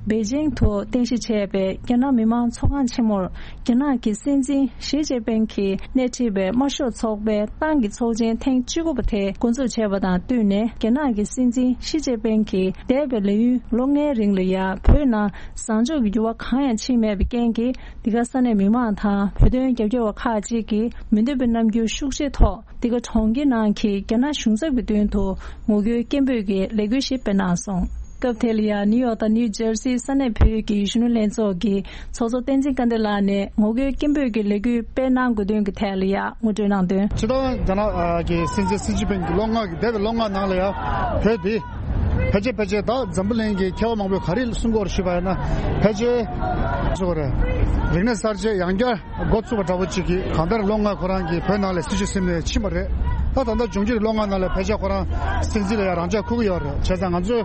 པེ་ཅིང་དུ་རྟེན་གཞི་བྱས་པའི་རྒྱ་ནག་མི་དམངས་ཚོགས་ཁང་ཆེན་མོར་རྒྱ་ནག་གི་སྲིད་འཛིན་ཞི་ཅིན་ཕིང་གིས་སྣེ་ཁྲིད་པའི་དམར་ཤོག་ཚོགས་པའི་ཏང་གི་ཚོགས་ཆེན་ཐེངས་བཅུ་དགུ་པ་དེ་འགོ་འཛུགས་བྱས་པ་དང་བསྟུན་ནས་རྒྱ་ནག་གི་སྲིད་འཛིན་ཞི་ཅིན་ཕིང་གིས་འདས་པའི་ལས་ཡུན་ལོ་ལྔའི་རིང་ལ་ཡ་བོད་ནང་བཟང་ཕྱོགས་ཀྱི་འགྱུར་བ་གང་ཡང་ཕྱིན་མེད་པའི་རྐྱེན་གྱིས། འདི་ག་ས་གནས་མི་མང་དང་བོད་དོན་རྒྱབ་སྐྱོར་བ་ཁག་ཅིག་གིས་མི་འདོད་པའི་རྣམ་འགྱུར་ཤུགས་ཆེ་ཐོག་འདི་ག་གྲོང་ཁྱེར་ནང་གི་རྒྱ་ནག་གཞུང་ཚབ་ཀྱི་མདུན་དུ་ངོ་རྒོལ་སྐད་འབོད་ཀྱི་ལས་འགུལ་ཞིག་སྤེལ་གནང་སོང་། སྐབས་དེ་ལ་ཡང་ནིའུ་ཡོག་དང་ནིའུ་ཇར་སིའི་ས་གནས་བོད་ཀྱི་གཞོན་ནུ་ལྷན་ཚོགས་ཀྱི་ཚོགས་གཙོ་བསྟན་འཛིན་དཀར་ལྡན་ལགས་ནས་ངོ་རྒོལ་སྐད་འབོད་ཀྱི་ལས་འགུལ་སྤེལ་གནང་དགོས་དོན་གྱི་ཐད་ལ་ཡང་ངོ་སྤྲོད་གནང་དོན། སྤྱིར་བཏང་རྒྱ་ནག་གི་སྲིད་འཛིན་སི་ཅིན་ཕིང་གི་ལོ་ལྔ་གི་འདས་པའི་ལོ་ལྔ་ནང་ལ་ཡང་བོད་འདི། ཕལ་ཆེར་ཕལ་ཆེར་ད་འཛམ་བུ་གླིང་གི་མཁས་པ་མང་པོས་ག་རེ་གསུང་གི་ཡོད་རེད་ཞུས་པ་ཡིན་ན། ཕལ་ཆེར་བཟོ་བ་རེད། རིག་གནས་གསར་བརྗེ་ཡང་བསྐྱར་འགོ་བཙུགས་པ་འདྲ་བོ་ཅིག་གིས། གང་ལྟར་ལོ་ལྔ་ཁོ་རང་གིས་བོད་ནང་ལ་སྲིད་བྱུས་ཟིན་ནས་ཕྱིན་པ་རེད། ད་ད་ལྟ་འབྱུང་འགྱུར་ལོ་ལྔ་ནང་ལ་ཕལ་ཆེར་ཁོ་རང་སྲིད་འཛིན་ལ་ཡང་རང་འཇགས་འཁུར་གྱི་ཡོད་རེད། བྱས་ཙང་ང་ཚོས་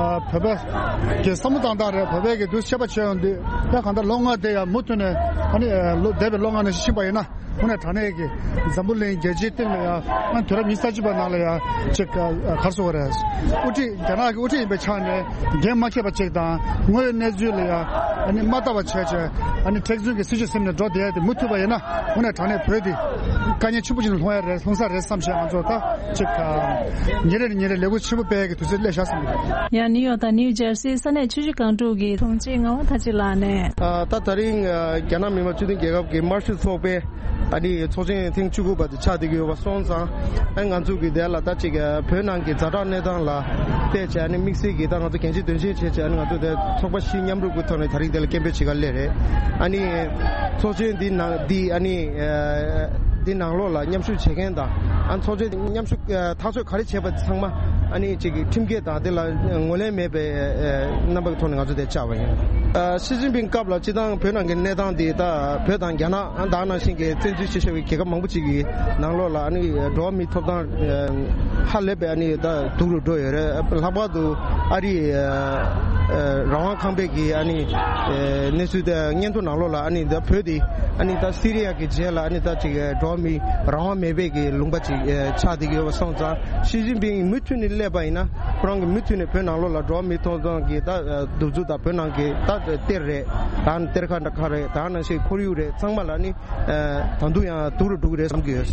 ཨ་བོད་པ་གི་བསམ་བློ་བཏང་སྟངས་རེད། བོད་པའི་གི་དུས་ཆད་པ་བྱས་ཡོང་དུས་ཡང་གང་ལྟར་ལོ་ལྔ་དེ་ཡང་མུ་མཐུད་ནས་ཨ་ནི་ཨ་ལོ་འདས་པའི་ལོ་ལྔ་ནང་བཞིན་ཕྱིན་པ་ཡིན་ན། དངོས་གནས་དྲང་གནས་ཀྱི་འཛམ་བུ་གླིང་རྒྱལ་སྤྱིའི་སྟེང་ལ་ཡང་ཨ་དུས་རབས་ཉི་ཤུ་རྩ་གཅིག་པ་ནང་ལ་ཡང་ཅིག་ཨ་ག་རེ་ཟེར་དགོས་རེད། དབུ་ཁྲིད་རྒྱ་ནག་གི་དབུ་ཁྲིད་ཡིན་པའི་ཆ་ནས་འགན་མ་འཁྱེར་བ་ཅིག་དང་། དངོས་ཡོད་གནས་ཚུལ་ལ་ཡང་ཨ་ནི་མ་ལྟ་བ་བྱས་བྱས་ཨ་ནི་མཁྲེགས་འཛིན་གྱི་སྲིད་བྱུས་ཟིན་ནས་འགྲོ་བསྡད་ཡ་དེ་མུ་མཐུད་པ་ཡིན་ན། དངོས་གནས་དྲང་གནས་བོད་འདི་དཀའ་ངལ་ཆེན་པོ་ཅིག་ལ་ལྷུང་ཡ་རེད། ལྷུང་ས་རེད་བསམ་བྱས་ང་ཚོ་ད་ཅིག་ཨ་ཉིན་རེ་ནས་ཉིན་རེ་ལས་འགུལ་ཆེན་པོ་སྤེལ་ཡ་གི་དུས་ཚོད་སླེབས་ཤག་བསམ་གྱི་འདུག་ཡང་ནིའུ་ཡོག་དང་ནིའུ་ཇར་སི་ས་གནས་ཆུ་བཞི་སྒང་དྲུག་གི་དྲུང་ཆེ་ངག་དབང་ཐར་གཅིག་ལགས་ནས། ཨ་ད་ད་རིང་ཨ་རྒྱ་ནག་མི་དམངས་སྤྱི་མཐུན་རྒྱལ་ཁབ་ཀྱི་དམར་ཤོག་ཚོགས་པའི་ཨ་ནི་ཚོགས་ཆེན་ཐེངས་བཅུ་དགུ་པ་དེ་ཆགས་བསྡད་ཀྱི་ཡོད་པ་སོང་ཙང་། ཨ་ང་ཚོ་གི་དེ་ལ་ད་ཅིག་ཨ་བོད་ནང་གི་ཛ་དྲག་གནས་སྟངས་ལ་བལྟས་བྱས་ཨ་ནི་དམིགས་བསལ་གྱི་ད་ང་ཚོ་འགན་འཁྲི་དོན་ཆེན་བྱས་བྱས་ཨ་ནི་ང་ཚོ་དེ་ཚོགས་པ་བཞི་མཉམ་རུབ་ཀྱི་ཐོག་ནས་ད་རིང་དེ་ལ་སྐད་འབོད་བྱེད་ག་སླེབས་རེད། ཨ་ནི་ཚོགས་ཆེན་འདི་ནང་འདི་ཨ་ནི་ཨ་འདི་ནང་ལོགས་ལ་མཉམ་ཞུགས་བྱེད་མཁན་དང་། ཨ་ཚོགས་ཆེན་མཉམ་ཞུགས་ཨ་ཐག་གཅོད་ག་རེ་བྱས་པ་ཚང་མ་ཨ་ནི་ཅིག་ཁྲིམས་འགལ་དང་དེ་ལ་ངོས་ལེན་མེད་པའི་ཨ་རྣམ་པ་གི་ཐོག་ནས་ང་ཚོ་དེ་བཅར་བ་ཡིན། ཨ་ཞི་ཅིན་ཕིང་སྐབས་ལ་སྤྱིར་བཏང་བོད་ནང་གི་གནས་སྟངས་དེ་ད་བོད་དང་རྒྱ་ནག་ཨ་ད་ག་ནང་བཞིན་གྱི་བཙན་འཛུལ་བྱེད་བཞིན་པའི་རྒྱལ་ཁབ་མང་པོ་ཅིག་གི་ནང་ལོགས་ལ་ཨ་ནི་འགྲོ་བ་མིའི་ཐོབ་ཐང་ཨ་ཧ་ལས་པའི་ཨ་ནི་ད་སྡུག་རུ་འགྲོ་ཡོད་རེད། ལྷག་པར་དུ་ཨ་རིའི་ཨ་ཨ་རང་དབང་ཁང་པའི་གི་ཨ་ནི་ཨ་གནས་ཚུལ་དེ་སྙན་ཐོ་ནང་ལོགས་ལ་ཨ་ནི་ད་བོད་དེ་ཨ་ནི་ད་སི་རི་ཡ་གི་རྗེས་ལ་ཨ་ནི་ད་ཅིག་འགྲོ་བ་མིའི་རང་དབང་མེད་པའི་གི་ལུང་པ་ཅིག་ཨ་ཆགས་བསྡད་ཀྱི་ཡོད་པ་སོང་ཙང་། ཞི་ཅིན་ཕིང་མུ་མཐུད་ནས་སླེབས་པ་ཡིན་ན་ཁོ་རང་གི་མུ་མཐུད་ནས་བོད་ནང་ལོགས་ལ་འགྲོ་བ་མིའི་ཐོབ་ཐང་གི་ད་གདུག་རྩུབ་དང་བོད་ནང་གི་ད་གཏེར་རེད། ད་གཏེར་ཁ་འདྲ་ཁ་རེད། ད་ག་ནང་བཞིན་ཁོར་ཡུག་རེད། ཚང་མ་ལ་ནི་ཨ་ད་དུང་ཡང་སྡུག་རུ་འགྲོ་གི་རེད་བསམ་གྱི་ཡོད།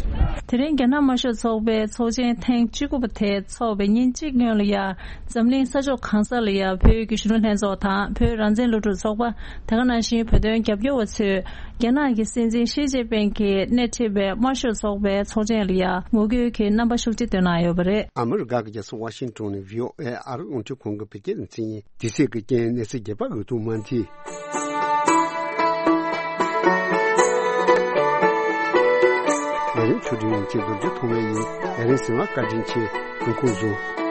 དེ་རིང་རྒྱ་ནག་དམར་ཤོག་ཚོགས་པའི་ཚོགས་ཆེན་ཐེངས་བཅུ་དགུ་པ་དེ་ཚོགས་པའི་ཉིན་གཅིག་སྔོན་ལ་ཡང་འཛམ་གླིང་ས་ཕྱོགས་གང་ས་ལ་ཡང་བོད་ཀྱི་གཞོན་ནུ་ལྷན་ཚོགས་དང་བོད་རང་བཙན་སློབ་ཕྲུག་ཚོགས་པ། དེ་ག་ནང་བཞིན་བོད་དོན་རྒྱབ་སྐྱོར་བ་ཚོས་རྒྱ་ནག་གི་སྲིད་འཛིན་ཞི་ཅིན་ཕིང་གིས་སྣེ་ཁྲིད་པའི་དམར་ཤོག་ཚོགས་པའི་ཚོགས་ཆེན་ལ་ཡང་ངོ་རྒོལ་གྱི་རྣམ་པ་ཤུགས་ཆེ་བཏོན་གནང་ཡོད་པ་རེད། ཨ་མི་རི་ཀ་གི་རྒྱལ་ས་ཝ་ཤིང་ཊོན་ནས་བྷི་ཨོ་ཨེ་ཨ་རི་རླུང་འཕྲིན་ཁང་གི་བོད་སྐད་སྡེ་ཚན་ཡིན། དེ་ཚེས་ཀྱི་རྐྱེན་གནས་ཚུལ་རྒྱས་པ་འོད་ཐུག་མ་མཐིལ། ལས་རིམ་ཆུ་སྒྲིག་ཡིན་གཅིག་རྡོ་རྗེ་ཐོགས་མེད་ཡིན། ལས་རིམ་གཟིགས་པར་བཀའ་དྲིན་ཆེ། ཐུགས་ཁུར་བཟུང་།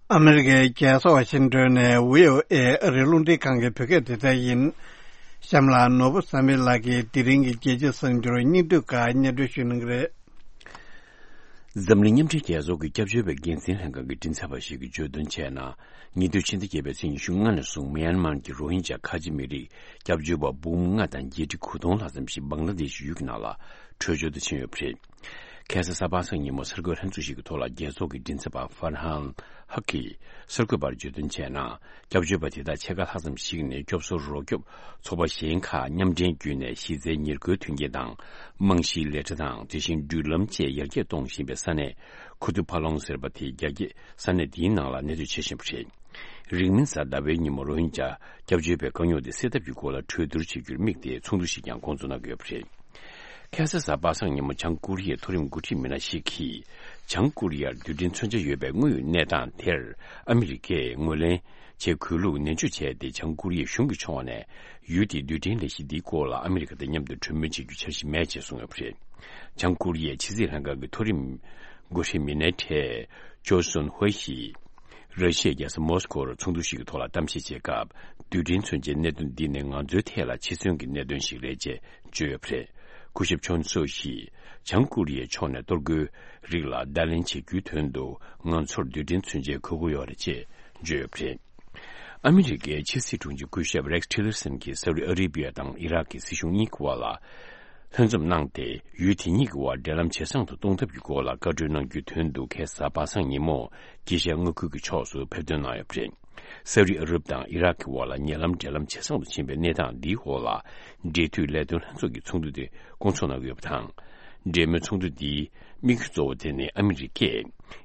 ཨ་མི་རི་ཀའི་རྒྱལ་ས་ཝ་ཤིང་ཊོན་ནས་བྷི་ཨོ་ཨེ་ཨ་རིའི་རླུང་འཕྲིན་ཁང་གི་བོད་སྐད་སྡེ་ཚན་ཡིན། གཤམ་ལ་ནོར་བུ་བསམ་འཕེལ་ལགས་ཀྱིས་དེ་རིང་གི་རྒྱལ་སྤྱིའི་གསར་འགྱུར་སྙིང་བསྡུས་ཁག་སྙན་སྒྲོན་ཞུ་གནང་གི་རེད། འཛམ་གླིང་མཉམ་འབྲེལ་རྒྱལ་ཚོགས་ཀྱི་སྐྱབས་བཅོལ་བའི་འགན་འཛིན་ལྷན་ཁང་གི་མགྲིན་ཚབ་པ་ཞིག་གིས་བརྗོད་དོན་བྱས་ན། ཉེ་དུས་ཕྱི་ཟླ་བརྒྱད་པའི་ཚེས་ཉི་ཤུ་ལྔ་ནས་བཟུང་མི་ཡན་མར་གྱི་རོ་ཧིན་ཇཱ་ཁ་ཆེ་མི་རིགས་སྐྱབས་བཅོལ་བ་འབུམ་ལྔ་དང་བརྒྱད་ཁྲི་དགུ་སྟོང་ལྷག་ཙམ་ཞིག་བང་ལ་དེ་ཤི་ཡུལ་གྱི་ནང་ལ་བྲོས་བྱོལ་དུ་ཕྱིན་ཡོད་པ་རེད། ཁ་སང་གཟའ་པ་སངས་ཉིན་མོ་གསར་འགོད་ལྷན་ཚོགས་ཤིག་གི་ཐོག་ལ་རྒྱལ་ཚོགས་ཀྱི་མགྲིན་ཚབ་པ་ཧྥར་ཧན་ཧག་གིས་གསར་འགོད་པར་བརྗོད་དོན་བྱས་ན། སྐྱབས་བཅོལ་བ་དེ་དག་ཕྱེད་ཀ་ལྷག་ཙམ་ཞིག་ནས་སྐྱོབ་གསོ་རོགས་སྐྱོབ་ཚོགས་པ་གཞན་ཁག་མཉམ་འབྲེལ་བརྒྱུད་ནས་གཞི་རྩའི་ཉེར་མཁོའི་མཐུན་རྐྱེན་དང་། རྨང་གཞིའི་ལས་གྲྭ་དང་། དེ་བཞིན་འགྲུལ་ལམ་བཅས་ཡར་རྒྱས་གཏོང་བཞིན་པའི་ས་གནས་ཁུ་ཏུ་ཕ་ལོང་ཟེར་བ་དེའི་རྒྱ་སྐྱེད་ས་གནས་འདིའི་ནང་ལ་གནས་སྡོད་བྱེད་བཞིན་པ་རེད། རིང་མིན་གཟའ་ཟླ་བའི་ཉིན་མོ་རོ་ཧིན་ཇཱ་སྐྱབས་བཅོལ་བའི་དཀའ་རྙོག་དེ་སེལ་ཐབས་ཀྱི་སྐོར་ལ་གྲོས་བསྡུར་བྱེད་རྒྱུར་དམིགས་ཏེ་ཚོགས་འདུ་ཞིག་ཀྱང་འགོ་འཛུགས་གནང་གི་ཡོད་པ་རེད། ཁ་སང་གཟའ་པ་སངས་ཉིན་མོ་བྱང་ཀོ་རི་ཡའི་མཐོ་རིམ་འགོ་ཁྲིད་མི་སྣ་ཞིག་གིས། བྱང་ཀོ་རི་ཡར་རྡུལ་ཕྲན་མཚོན་ཆ་ཡོད་པའི་དངོས་ཡོད་གནས་སྟངས་དེར་ཨ་མི་རི་ཀས་ངོས་ལེན་བྱེད་དགོས་ལུགས་ནན་བརྗོད་བྱས་ཏེ། བྱང་ཀོ་རི་ཡའི་གཞུང་གི་ཕྱོགས་ནས་ཡུལ་དེའི་རྡུལ་ཕྲན་ལས་གཞི་འདིའི་སྐོར་ལ་ཨ་མི་རི་ཀ་དང་མཉམ་དུ་གྲོས་མོལ་བྱེད་རྒྱུའི་འཆར་གཞི་མེད་ཅེས་གསུངས་ཡོད་པ་རེད། བྱང་ཀོ་རི་ཡའི་ཕྱི་སྲིད་ལྷན་ཁང་གི་མཐོ་རིམ་འགོ་ཁྲིད་མི་སྣའི་གྲས་ཇོ་སོན་ཧུའེ་ཞིས། ར་ཤི་ཡའི་རྒྱལ་ས་མོ་སི་ཀོར་ཚོགས་འདུ་ཞིག་གི་ཐོག་ལ་གཏམ་བཤད་བྱེད་སྐབས། རྡུལ་ཕྲན་མཚོན་ཆའི་གནད་དོན་འདི་ནི་ང་ཚོའི་ཐད་ལ་འཆི་གསོན་གྱི་གནད་དོན་ཞིག་རེད་ཅེས་བརྗོད་ཡོད་པ་རེད། སྐུ་ཞབས་ཆོན་སོ་ཞིས། བྱང་ཀོ་རི་ཡའི་ཕྱོགས་ནས་གཏོར་རྒོལ་རིགས་ལ་བརྡ་ལན་བྱེད་རྒྱུའི་དོན་དུ་ང་ཚོར་རྡུལ་ཕྲན་མཚོན་ཆའི་དགོས་མཁོ་ཡོད་རེད་ཅེས་བརྗོད་ཡོད་པ་རེད། ཨ་མི་རི་ཀའི་ཕྱི་སྲིད་དྲུང་ཆེ་སྐུ་ཞབས་རེགས་ཊི་ལར་སན་གྱིས་སའུ་ཏི་ཨ་རི་བི་ཡ་དང་ཨི་རག་གི་སྲིད་གཞུང་གཉིས་ཀྱི་བར་ལ་ལྷན་འཛོམས་གནང་སྟེ། ཡུལ་དེ་གཉིས་ཀྱི་བར་འབྲེལ་ལམ་ཇེ་བཟང་དུ་གཏོང་ཐབས་ཀྱི་སྐོར་ལ་བཀའ་གྲོས་གནང་རྒྱུའི་དོན་དུ་ཁ་སང་གཟའ་པ་སངས་ཉིན་མོ་དཀྱིལ་ཤར་མངའ་ཁུལ་གྱི་ཕྱོགས་སུ་ཕེབས་ཐོན་གནང་ཡོད་པ་རེད། སའུ་ཏི་ཨ་རབ་དང་ཨི་རག་གི་བར་ལ་ཉེ་ལམ་འབྲེལ་ལམ་ཇེ་བཟང་དུ་ཕྱིན་པའི་གནས་སྟངས་འདིའི་འོག་ལ། འབྲེལ་མཐུད་ལས་དོན་ལྷན་ཚོགས་ཀྱི་ཚོགས་འདུ་དེ་སྐོང་ཚོགས་གནང་གི་ཡོད་པ་དང་། འབྲེལ་མོལ་ཚོགས་འདུ་འདིའི་དམིགས་ཡུལ་གཙོ་བོ་དེ་ནི་ཨ་མི་རི་ཀས་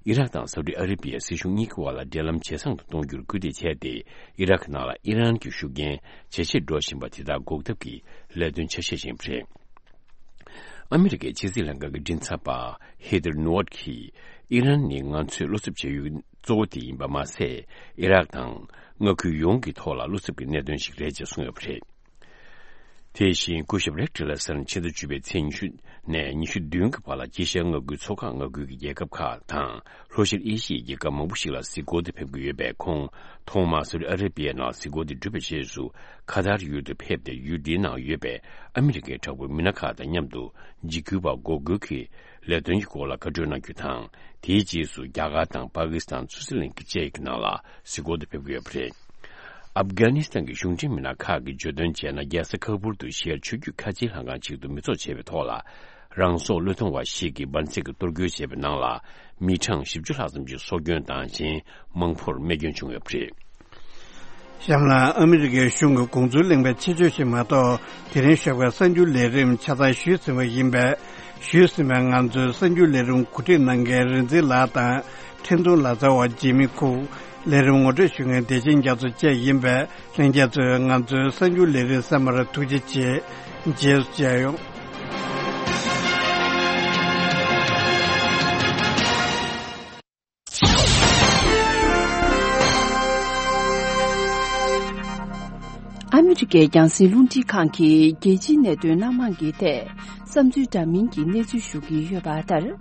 ཨི་རག་དང་སའུ་ཏི་ཨ་ར་བི་ཡའི་སྲིད་གཞུང་གཉིས་ཀྱི་བར་ལ་འབྲེལ་ལམ་ཇེ་བཟང་དུ་གཏོང་རྒྱུར་སྐུལ་འདེད་བྱས་ཏེ། ཨི་རག་ནང་ལ་ཨི་རན་གྱི་ཤུགས་རྐྱེན་ཇེ་ཆེར་འགྲོ་བཞིན་པ་དེ་དག་འགོག་ཐབས་ཀྱི་ལས་དོན་ཆ་ཤས་ཤིག་རེད། ཨ་མི་རི་ཀའི་ཕྱི་སྲིད་ལྷན་ཁང་གི་མགྲིན་ཚབ་པ་ཧེ་ཐར་ནུ་ཝར་གྱིས། ཨི་རན་ནི་ང་ཚོས་བློ་འཚབ་བྱེད་ཡུལ་གཙོ་བོ་དེ་ཡིན་པ་མ་ཟད། ཨི་རག་དང་མངའ་ཁུལ་ཡོངས་ཀྱི་ཐོག་ལ་བློ་འཚབ་ཀྱི་གནད་དོན་ཞིག་རེད་ཅེས་གསུངས་ཡོད་པ་རེད། དེ་བཞིན་སྐུ་ཞབས་རེག་ཊི་ལ་སར་ཕྱི་ཟླ་བཅུ་པའི་ཚེས་ཉི་ཤུ་ནས་ཉི་ཤུ་བདུན་གྱི་བར་ལ་ཨེ་ཤ་ཡ་མངའ་ཁུལ་མཚོ་འགག་མངའ་ཁུལ་གྱི་རྒྱལ་ཁབ་ཁག་དང་ལྷོ་ཤར་ཨེ་ཤི་ཡའི་རྒྱལ་ཁབ་མང་པོ་ཞིག་ལ་གཟིགས་སྐོར་དུ་ཕེབས་ཀྱི་ཡོད་པས། ཁོང་ཐོག་མར་སའུ་ཌི་ཨ་ར་བི་ཡའི་ནང་གཟིགས་སྐོར་དེ་གྲུབ་པའི་རྗེས་སུ་ཁ་ཐར་ཡུལ་དུ་ཕེབས་ཏེ། ཡུལ་འདིའི་ནང་ཡོད་པའི་ཨ་མི་རི་ཀའི་དྲག་པོའི་མི་སྣ་ཁག་དང་མཉམ་དུ་འཇིགས་སྐུལ་བ་འགོག་རྒོལ་གྱི་ལས་དོན་གྱི་སྐོར་ལ་བཀའ་འཁྲོལ་གནང་རྒྱུ་དང་། དེའི་རྗེས་སུ་རྒྱ་གར་དང་པ་ཀི་སི་ཐན། སུའུ་ཙི་ལན་གྱི་བཅས་ཀྱི་ནང་ལ་གཟིགས་སྐོར་དུ་ཕེབས་ཀྱི་ཡོད་པ་རེད། ཨབ་གྷ་ནི་སི་ཐན་གྱི་གཞུང་འབྲེལ་མི་སྣ་ཁག་གིས་བརྗོད་དོན་བྱས་ན། རྒྱལ་ས་ཁ་པུར་དུ་ཤར་ཆུ་རྒྱུད་ཁ་ཆེའི་ལྷན་ཁང་ཅིག་ཏུ་མི་ཚོགས་བྱས་པའི་ཐོག་ལ། རང་སྲོག་བློས་གཏོང་བ་ཞིག་གིས་འབར་རྫས་ཀྱི་གཏོར་རྒོལ་བྱས་པའི་ནང་ལ་མི་གྲངས་བཞི་བཅུ་ལྷག་ཙམ་ཞིག་སྲོག་སྐྱོན་དང་། གཞན་མང་པོར་རྨས་སྐྱོན་བྱུང་ཡོད་པ་རེད། གཤམ་ལ་ཨ་མི་རི་ཀའི་གཞུང་གི་དགོངས་ཚུལ་གླེང་བའི་ཆེད་བརྗོད་ཞིག་མ་གཏོགས། དེ་རིང་ཞོགས་ཀའི་གསར་འགྱུར་ལས་རིམ་ཆ་ཚང་ཞུས་ཟིན་པ་ཡིན་པས། ཞུས་ཟིན་པའི་ང་ཚོའི་གསར་འགྱུར་ལས་རིམ་གོ་སྒྲིག་གནང་མཁན་རིག་འཛིན་ལགས་དང་། འཕྲིན་གཏོང་ལག་རྩལ་བ་འཇིགས་མེད་ཁུག་ལས་རིམ་ངོ་སྤྲོད་ཞུ་མཁན་བདེ་ཆེན་རྒྱ་མཚོ་བཅས་ཡིན་པས། ལྷན་རྒྱས་ཚོས་ང་ཚོའི་གསར་འགྱུར་ལས་རིམ་གསན་པར་ཐུགས་རྗེ་ཆེ། རྗེས་སུ་མཇལ་ཡོང་། ཨ་མི་རི་ཀའི་རྒྱང་སྲིང་རླུང་འཕྲིན་ཁང་གིས་རྒྱལ་སྤྱིའི་གནད་དོན་སྣ་མང་གི་ཐད་བསམ་ཚུལ་འདྲ་མིན་གྱི་གནས་ཚུལ་ཞུ་གི་ཡོད་པ་ལྟར།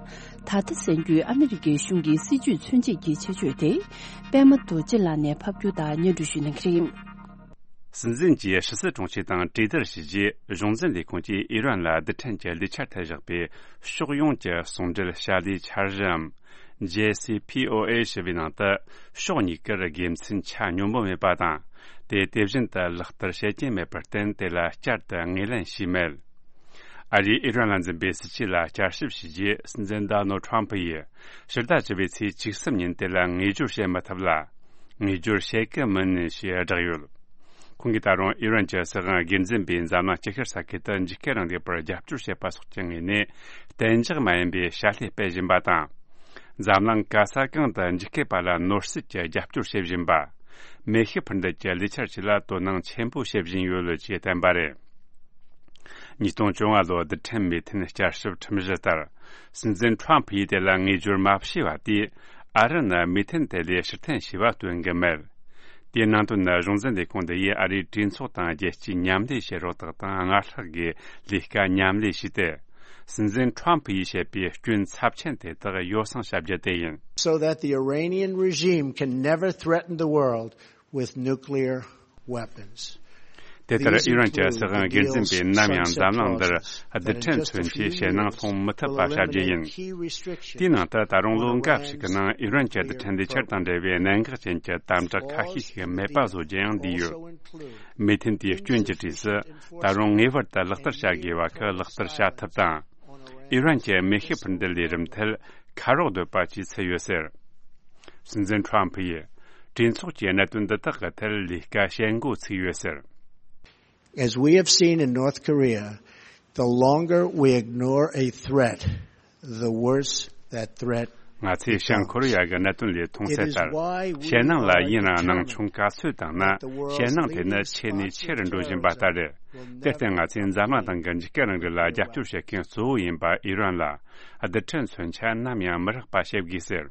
ད་ལྟ་གསན་རྒྱུའི་ཨ་མི་རི་ཀའི་གཞུང་གི་སྲིད་ཇུས་མཚོན་བྱེད་ཀྱི་ཆེད་བརྗོད་དེ། པད་མ་རྡོ་རྗེ་ལགས་ནས་ཕབ་སྒྱུར་དང་སྙན་སྒྲོན་ཞུ་གནང་གི་རེད། སྲིད་འཛིན་གྱིས་ཕྱི་སྲིད་དྲུང་ཆེ་དང་གྲོས་བསྡུར་བྱས་རྗེས། གཞུང་འཛིན་ལས་ཁུངས་ཀྱིས་ཨི་རན་ལ་རྡུལ་ཕྲན་གྱི་ལས་འཆར་ཐད་བཞག་པའི་ཕྱོགས་ཡོངས་ཀྱི་ཟུང་འབྲེལ་བྱ་ལས་འཆར་གཞིའམ། ཇེ་སི་ཕི་ཨོ་ཨེ་ཞེས་པའི་ནང་དུ། ཕྱོགས་གཉིས་ཀར་དགེ་མཚན་ཆ་སྙོམས་པོ་མེད་པ་དང་། དེ་དེ་བཞིན་དུ་ལག་བསྟར་བྱེད་ཀྱིན་མེད་པར་བརྟེན། དེ་ལ་བསྐྱར་དུ་ངོས་ལེན་བྱས་མེད། ཨ་རིས་ཨི་རན་ལ་འཛིན་པའི་སྲིད་ཇུས་ལ་བསྐྱར་ཞིབ་བྱས་རྗེས། སྲིད་འཛིན་ཌོ་ནལ་ཁྲོམ་ཕུ་ཡིས་ཕྱི་ཟླ་བཅུ་པའི་ཚེས་བཅུ་གསུམ་ཉིན་དེ་ལ་ངོས་སྦྱོར་བྱེད་མི་ཐུབ་ལ། ངོས་སྦྱོར་བྱེད་ཀྱི་མིན་ཞེས་བསྒྲགས་ཡོད། ཁོང་གིས་ད་རུང་ཨི་རན་གྱི་སྲིད་དབང་སྒེར་འཛིན་པས་འཛམ་གླིང་སྤྱི་ཁྱབ་ས་ཁུལ་དུ་འཇིགས་སྐུལ་རིང་ལུགས་པར་རྒྱབ་སྐྱོར་བྱེད་པ་སོགས་ཀྱི་ངོས་ནས། གཏན་འཇགས་མ་ཡིན་པའི་བྱ་ལས་སྤེལ་བཞིན་པ་དང་། འཛམ་གླིང་ག་ས་གང་དུ་འཇིགས་སྐུལ་པ་ལ་ནོར་སྲིད་ཀྱི་རྒྱབ་སྐྱོར་བྱེད་བཞིན་པ། མེ་ཤུགས་འཕུར་མདེལ་གྱི་ལས་འཆར་བཅས་ལ་དོ་སྣང་ཆེན་པོ་བྱེད་བཞིན་ཡོད་ཅེས་བསྟན་པ་རེད། ཉིས་སྟོང་བཅོ་ལྔ་ལོའི་རྡུལ་ཕྲན་མོས་མཐུན་བསྐྱར་ཞིབ་ཁྲིམས་གཞི་ལྟར། སྲིད་འཛིན་ཁྲོམ་ཕུ་ཡིས་དེ་ལ་ངོས་སྦྱོར་མ་བྱས་པ་དེས། ཨ་རི་ནི་མོས་མཐུན་དེ་ལས་ཕྱིར་འཐེན་བྱས་པ་སྟོན་གྱི་མེད། དེའི་ནང་དོན་ནི། གཞུང་འཛིན་ལས་ཁུངས་འདི་ཡིས་ཨ་རིའི་གྲོས་ཚོགས་དང་རྒྱལ་སྤྱིའི་མཉམ་ལས་བྱེད་རོགས་དག་དང་སྔར་ལྷག་གི་ལས་ཀ་མཉམ་ལས་བྱས་ཏེ། སྲིད་འཛིན་ཁྲོམ་ཕུ་ཡིས་བཤད་པའི་སྐྱོན་ཚབས་ཆེན་དེ་དག་ཡོ་བསྲང་བྱ་རྒྱུ་དེ་ཡིན། So that the Iranian regime can never threaten the world with nuclear weapons. དེ་ལྟར་ཨི་རན་གྱི་སྲིད་དབང་སྒེར་འཛིན་པས་ནམ་ཡང་འཛམ་གླིང་འདིར་རྡུལ་ཕྲན་མཚོན་ཆའི་ཞེད་སྣང་སློང་མི་ཐུབ་པ་བྱ་རྒྱུ་ཡིན། དེའི་ནང་དུ་ད་རུང་ལོ་འགའ་ཞིག་གི་ནང་ཨི་རན་གྱི་རྡུལ་ཕྲན་ལས་འཆར་དང་འབྲེལ་བའི་གནད་འགག་ཅན་གྱི་དམ་དྲག་ཁ་ཤས་ཤིག་མེད་པ་བཟོ་རྒྱུ་ཡང་འདུས་ཡོད། མོས་མཐུན་དེའི་སྐྱོན་གྱི་གྲས་སུ། ད་རུང་ངེས་པར་དུ་ལག་བསྟར་བྱ་དགོས་པ་ཁག་ལག་བསྟར་བྱ་ཐབས་དང་། ཨི་རན་གྱི་མེ་ཤུགས་འཕུར་མདེལ་ལས་རིམ་ཐད་ཁ་རོག་འདོད་པ་བཅས་ཚུད་ཡོད་ཟེར། སྲིད་འཛིན་ཁྲོམ་ཕུ་ཡིས་གྲོས་ཚོགས་ཀྱི་གནད་དོན་འདི་དག་གི་ཐད་ལས་ཀ་བྱེད་འགོ་ཚུགས་ཡོད་ཟེར། As we have seen in North Korea, the longer we ignore a threat, the worse that threat. ང་ཚོས་བྱང་ཁོ་རེ་ཡ་གི་གནད་དོན་ལས་མཐོང་གསལ་ལྟར། ཞེད་སྣང་ལ་ཡུན་རིང་སྣང་ཆུང་ག་ཚོད་བཏང་ན། ཞེད་སྣང་དེ་ནི་ཆེ་ནས་ཆེ་རུ་འགྲོ་བཞིན་པ་ལྟར་རེད། དེར་བརྟེན་ང་ཚོས་འཛམ་གླིང་སྟེང་གི་འཇིགས་སྐུལ་རིང་ལུགས་ལ་རྒྱབ་སྐྱོར་བྱེད་མཁན་གཙོ་བོ་ཡིན་པ་ཨི་རན་ལ། རྡུལ་ཕྲན་མཚོན་ཆ་ནམ་ཡང་མི་རེག་པ་བྱེད་དགོས་ཟེར།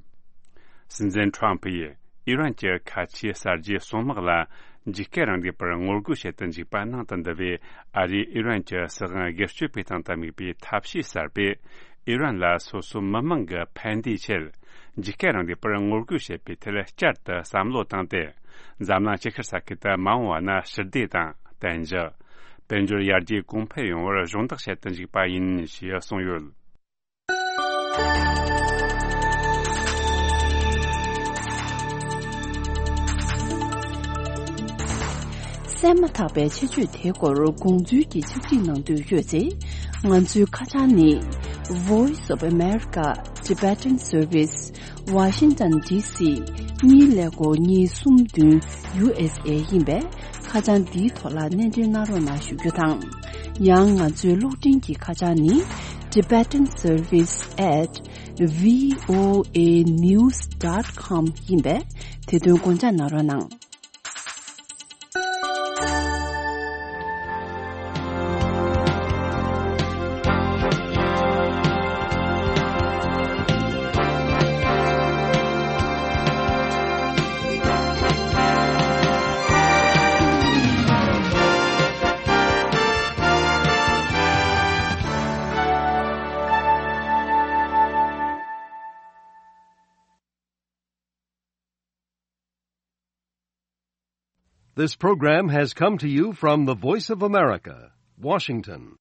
སྲིད་འཛིན་ཁྲོམ་ཕུ་ཡིས་ཨི་རན་གྱི་ཁ་ཆེའི་གསར་བརྗེའི་སྲུང་དམག་ལ་འཇིགས་སྐུལ་རིང་ལུགས་པར་ངོ་རྒོལ་བྱེད་དུ་འཇུག་པ་ནང་དུ་འདུ་བའི་ཨ་རིས་ཨི་རན་གྱི་སྲིད་དབང་སྒེར་གཅོད་པའི་སྟེང་དུ་དམིགས་པའི་ཐབས་ཤེས་གསར་པས། ཨི་རན་ལ་སོ་སོའི་མི་མང་གི་ཕན་བདེའི་ཆེད། འཇིགས་སྐུལ་རིང་ལུགས་པར་ངོ་རྒོལ་བྱེད་པའི་ཐད་བསྐྱར་དུ་བསམ་བློ་བཏང་སྟེ། འཛམ་གླིང་ཅི་ཁར་ས་ཁུལ་དུ་མ་འོངས་པ་ན་ཞི་བདེ་དང་བརྟན་འཇགས། དཔལ་འབྱོར་ཡར་རྒྱས་གོང་འཕེལ་ཡོང་བར་གཞོགས་འདེགས་བྱེད་དུ་འཇུག་པ་ཡིན་ཞེས་གསུངས་ཡོད། གསན་མ་ཐག་པའི་ཆེད་བརྗོད་དེའི་སྐོར་དགོངས་ཚུལ་གྱི་ཕྱག་བྲིས་གནང་འདོད་ཡོད་ཚེ། ང་ཚོའི་ཁ་བྱང་ནི། Voice of America Tibetan Service, Washington D C གཉིས་ཀླད་ཀོར་གཉིས་གསུམ་བདུན་U S A ཡིན་པས། ཁ་བྱང་འདིའི་ཐོག་ལ་སྣེ་འདྲེན་གནང་རོགས་གནང་ཞུ་རྒྱུ་དང་། ཡང་ང་ཚོའི་གློག་འཕྲིན་གྱི་ཁ་བྱང་ནི། Tibetan Service at V O A news dot com ཡིན་པས། དེ་དོན་དགོངས་འཇགས་གནང་རོགས་གནང་། This program has come to you from the Voice of America, Washington.